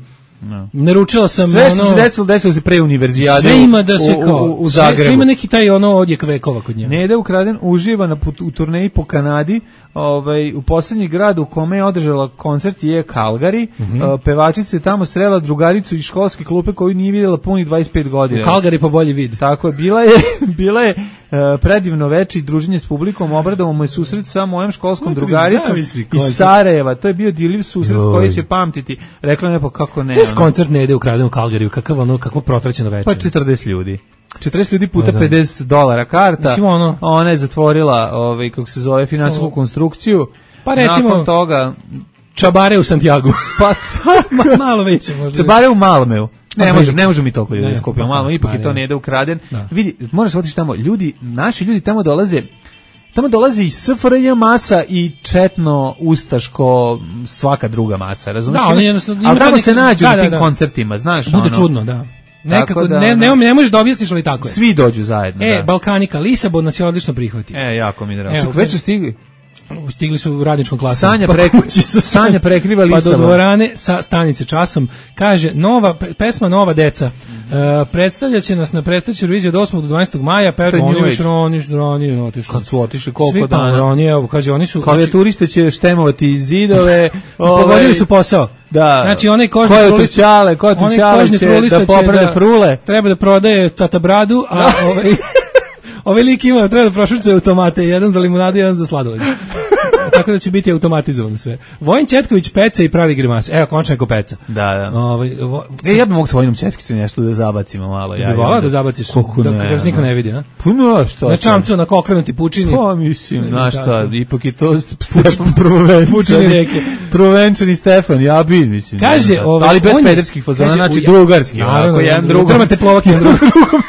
naručila sam sve što se desilo se pre univerzijade. Sve ima da se kao u Zagrebu. Sve ima neki taj odjek vekova kod nje. Neda ukraden uživa u turneji po Kanadi. U poslednji grad u kome je održala koncert je Calgary. Pevačica je tamo srela drugaricu iz školske klupe koju nije vidjela puni 25 godina. U Calgary po bolji vid. Tako je, bila je predivno veče i druženje s publikom. Obradovao mu je susret sa mojom školskom drugaricom iz Sarajeva. To je bio dirljiv susret koji će pamtiti. Rekla mi je, pa kako ne. Koncert Nede ukraden u Calgaryju, kakvo protraćeno večer. Pa 40 ljudi. 40 ljudi puta $50 karta. Mislim ona je zatvorila kako se zove finansijsku konstrukciju. Pa recimo nakon toga čabare u Santiago. Pa malo veće možda. Čabare u Malmeu. Ne može mi toliko ljudi skupiti u Malmeu, ipak je to Neda ukraden. Vidi, moraš otići tamo, naši ljudi tamo dolaze. Tamo dolazi i SFRJ masa i četno, ustaško, svaka druga masa, razumiješ? Ali tamo se nađu na tim koncertima, znaš? Bude čudno, da. Nekako, ne možeš da objasniš, ali tako je. Svi dođu zajedno. Balkanika, Lisabon nas je odlično prihvatio. Jako mi drago. Već su stigli? Stigli su u radničkom klasu. Sanja prekriva Lisabon. Pa do dvorane sa stanice časom. Kaže, pesma Nova deca. Predstavljaće nas na predstavljaću reviziju od 8. do 12. maja. Oni otišli. Kad su otišli, koliko dana? Oni su... Klavijaturiste će štemovati zidove. Pogodili su posao. Da. Znači, onaj kožni trulić će da poprave frule. Treba da prodaje tata bradu, a ovaj lik ima, treba da prošvrcaju tomate, jedan za limunadu, jedan za sladoled. tako da će biti automatizovano sve. Vojin Četković peca i pravi grimase. Evo, končno neko peca. Da. Ja bih mogu s Vojinom Četkicom nešto da zabacimo malo. Ja bi volao da zabaciš, da se niko ne vidi, a? Puno, što? Na čamcu, na okrenuti pučini. Pa mislim, znaš šta, ipak je to Stefan prvovenčani Stefan, ja bi, mislim. Kaže, ali bez pederskih fazona, znači drugarski. Naravno, drmate plovak jedan drugom.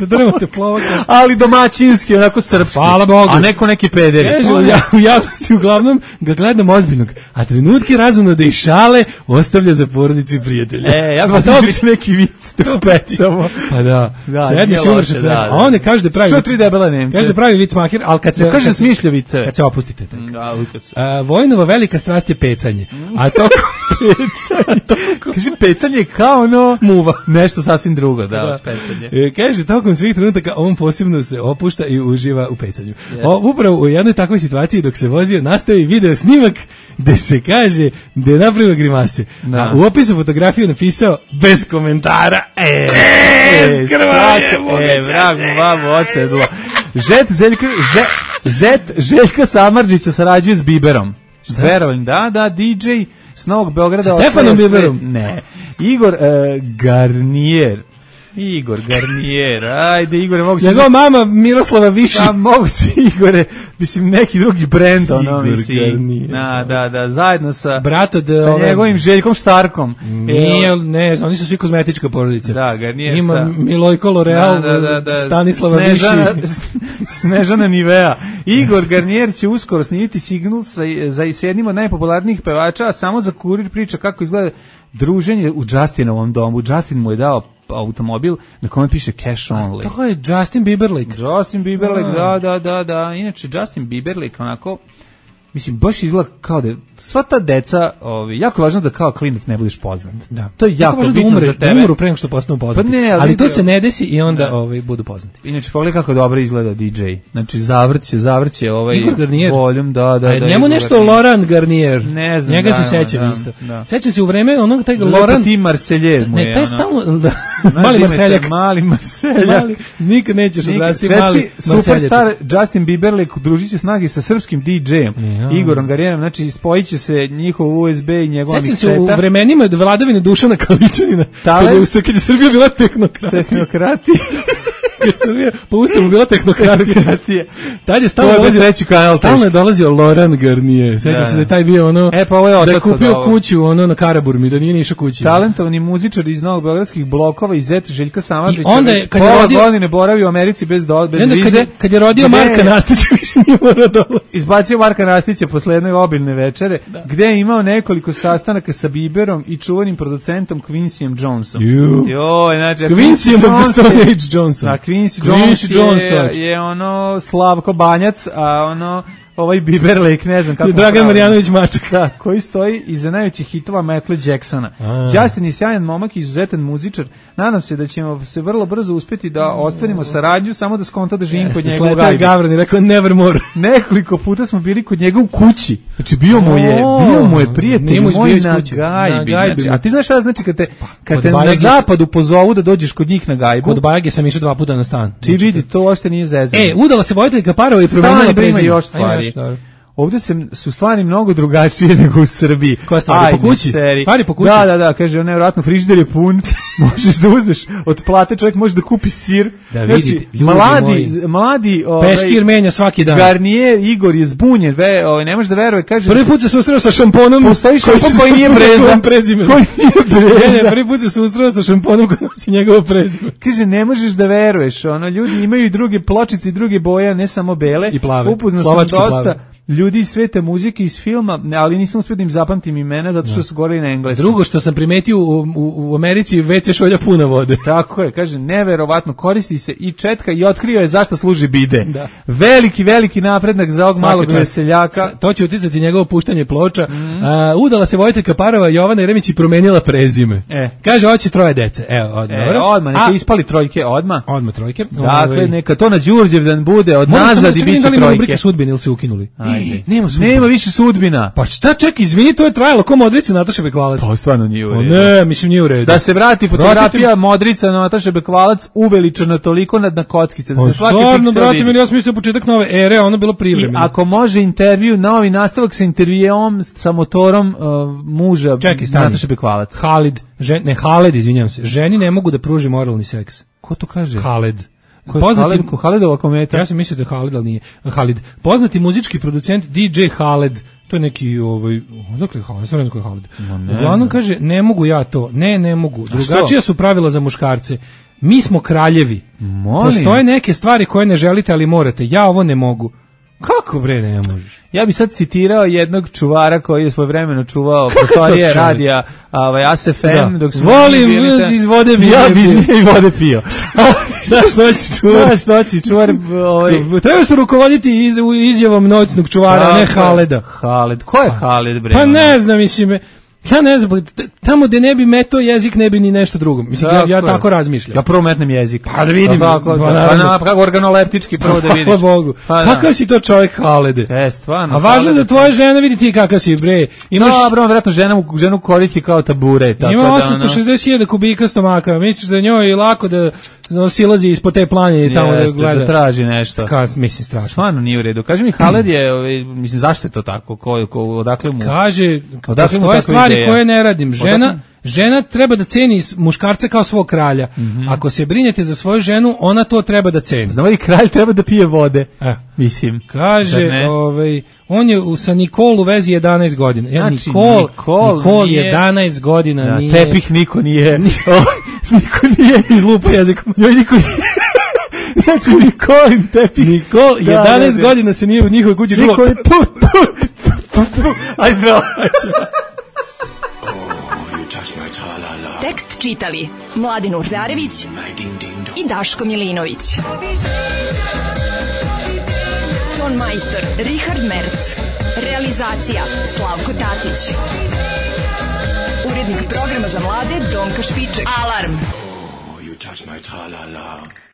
Drmate plovak. Ali domaćinski, onako srpski. Hvala Bogu. A neko neki pederi. Kaže, u javnosti uglavnom ga gledam ozbiljnog, a trenutke razumno da i šale ostavlja za porodicu i prijatelje. Ja bih to biće neki vic to pecamo. Pa da. Sedneš i umreš od smeka. A on ne kaže da pravi. Što 3 debela Nemca? Kaže da pravi vic maher, al kad se kaže smišlja vice. Kad se opustite tako. Vojnova velika strast je pecanje. A to pecanje. Kaže pecanje kao ono muva. Nešto sasvim drugo, da, pecanje. Kaže tokom svih trenutaka on posebno se opušta i uživa u pecanju. Upravo u jednoj takvoj situaciji dok se vozio nastavi video snimak gde se kaže da je napravio grimase. A u opisu fotografiju napisao bez komentara. Vrag mu babu ocedlo. Željka Samardžića sarađuje s Biberom. Verujem, da, DJ s Novog Beograda. Stefanom Biberom? Ne. Igor Garnier, ajde Igore, mogu se... Njegova mama Miroslava Viši. Da, mogu se Igore, mislim neki drugi brend, ono, Igor mislim. Garnier. Da, zajedno sa njegovim Željkom Štarkom. Ne, oni su svi kozmetička porodica. Da, Garnier ima sa... Milojko L'Oreal, Stanislava Viši. Snežana Nivea. Igor Garnier će uskoro snimiti signal za jednim od najpopularnijih pevača, a samo za Kurir priča kako izgleda druženje u Justinovom domu. Justin mu je dao automobil na kome piše cash only. To je Justin Bieberlik. Da. Inače, Justin Bieberlik, onako, mislim, baš izgleda kao da sva ta deca, jako je važno da kao klinac ne budeš poznat. Da. To je jako bitno za tebe. Da umru pre nego što postanu poznati. Pa ne, ali to se ne desi i onda budu poznati. Inače, pogledaj kako dobro izgleda DJ. Znači, zavrće voljum. Da. Njemu nešto Laurent Garnier. Ne znam. Njega se sećam isto. Sećam se u vreme onog taj Laurent. Ti Marselje mu je. Ne, taj stalno... Mali Marseljak. Mali Marseljak. Nikad nećeš odrasti mali Marseljak. Superstar Justin Bieberlik udružit će snage sa srpskim DJ-em. Igorom Garnierom, znači spojit će se njihov USB i njegova mikseta. Sjećam se u vremenima vladavine Dušana Kaličanina, kad je Srbija bila tehnokrati. Kad Srbija po ustavu bila tehnokratija. Tad je stalno je dolazio Laurent Garnier. Sećam se da je taj bio ono, da je kupio kuću ono na Karaburmi, da nije ni išao kući. Talentovani muzičar iz Novog beogradskih blokova i zet Željka Samardžića. Onda kad je rodio godine boravio u Americi bez vize. Kad je rodio Marka Nastića, više nije morao dolaziti. Izbacio Marka Nastića posle jedne obilne večere, gde je imao nekoliko sastanaka sa Bieberom i čuvanim producentom Quincyjem Jonesom. Quincy of the Stone Age Johnson. Quincy Jones je ono Slavko Banjac, a ono ovaj Bieberlik, ne znam kako. Dragan Marjanović Mačak. Da, koji stoji iza najvećih hitova Michaela Jacksona. Justin je sjajan momak i izuzetan muzičar. Nadam se da ćemo se vrlo brzo uspjeti da ostvarimo saradnju, samo da skonta da živim kod njega u Gajbi. Gavran je rekao nevermore. Nekoliko puta smo bili kod njega u kući. Znači bio mu je prijatelj moj na Gajbi. Znači, a ti znaš šta znači kad te na zapadu pozovu da dođeš kod njih na Gajbu? Kod Bajage sam išao 2 puta na stan. Ti vidi, to uopšte nije zezanje. Udala se Vojteljka Parova i promenila prezime. Ovdje su stvari mnogo drugačije nego u Srbiji. Koja stvari? Po kući? Stvari po kući? Da, kaže, nevjerojatno, frižider je pun, možeš da uzmeš od plate, čovjek može da kupi sir. Da vidite, mladi Peškir menja svaki dan. Garnier, Igor je zbunjen, ne može da veruje, kaže... Prvi put se susreo sa šamponom... Postoji šampon koji nije breza. Prvi put se susreo sa šamponom koji nosi njegovo prezime. Kaže, ne možeš da veruješ, ljudi imaju i druge pločice i druge boje, ne samo bele. I plave. Upoznao sam dosta ljudi iz sveta muzike, iz filma, ali nisam uspio da im zapamtim imena zato što su govorili na engleskom. Drugo što sam primetio u Americi, WC šolja puna vode. Tako je, kaže, neverovatno, koristi se i četka i otkrio je zašto služi bide. Da. Veliki napredak za ovog malog veseljaka. To će uticati njegovo puštanje ploča. Udala se Vojteljka Parova, Jovana Jeremić i promenila prezime. Kaže, hoće 3 dece. Odmah, neka ispali trojke, odmah. Odmah trojke. Dakle, neka to na Đurđevdan bude, od nazad i bit će trojke. Sudbine ili se ukinuli? Ajde. Nema više sudbina. Pa šta, ček, izvini, to je trajalo ko Modrica Nataša Bekvalac. Pa stvarno nije u redu. Ne, mislim nije u redu. Da se vrati fotografija Modrica Nataša Bekvalac uveličana toliko na kockice, da se svaki stvarno, piksel brate, vidi. ja sam mislio početak nove ere, ono bilo privremeno. I ako može intervju, novi nastavak sa intervjuom sa motorom muža Nataša Bekvalac. Haled, izvinjam se. Ženi ne mogu da pruži moralni seks. Ko to kaže? Haled. Haledova kometa. Ja sam mislio da je Haled, ali nije. Halid. Poznati muzički producent DJ Haled. To je neki odakle je Haled? Sve ne znam ko je Haled. Uglavnom kaže, ne mogu ja to. Ne mogu. Drugačija su pravila za muškarce. Mi smo kraljevi. Postoje neke stvari koje ne želite, ali morate. Ja ovo ne mogu. Kako bre ne možeš? Ja bi sad citirao jednog čuvara koji je svojevremeno čuvao prostorije radija ASFM dok smo volim iz vode pio. Ja bi iz vode pio. Znaš noći čuvar? Treba se rukovoditi izjavom noćnog čuvara, ne Haleda. Haled. Ko je Haled bre? Pa ne znam, mislim. Ja ne znam, tamo gde ne bi metao jezik, ne bi ni nešto drugo. Mislim, ja tako razmišljam. Ja prvo metnem jezik. Pa da vidim. Kako organoleptički prvo da vidiš. Hvala Bogu. Kakav si to čovjek, Halede? Stvarno. A važno da tvoja žena vidi ti kakav si, bre. Dobro, vjerojatno ženu koristi kao tabure. Ima 860.000 kubika stomaka. Misliš da njoj je lako da silazi ispod te planine i tamo da gleda. Da traži nešto. Mislim, strašno. Stvarno nije u redu. Kaži mi, Haled je, mislim, zašto je to tako? Odakle mu? Kaže, postoje stvari koje ne radim. Žena treba da ceni muškarca kao svog kralja. Ako se brinete za svoju ženu, ona to treba da ceni. Znamo i kralj treba da pije vode. Mislim. Kaže, on je sa Nikol u vezi 11 godina. Znači, Nikol 11 godina nije. Tepih niko nije. Niko nije izlupa jezikom. Niko nije. Znači, Nikolin tepih. Nikol 11 godina se nije u njihovoj kući čulo. Aj zdravo. Tekst čitali Mladin Urdarević i Daško Milinović. Ton majstor Richard Merc. Realizacija Slavko Tatić. Urednik programa za mlade Donka Špiček. Alarm! You touch my tra-la-la.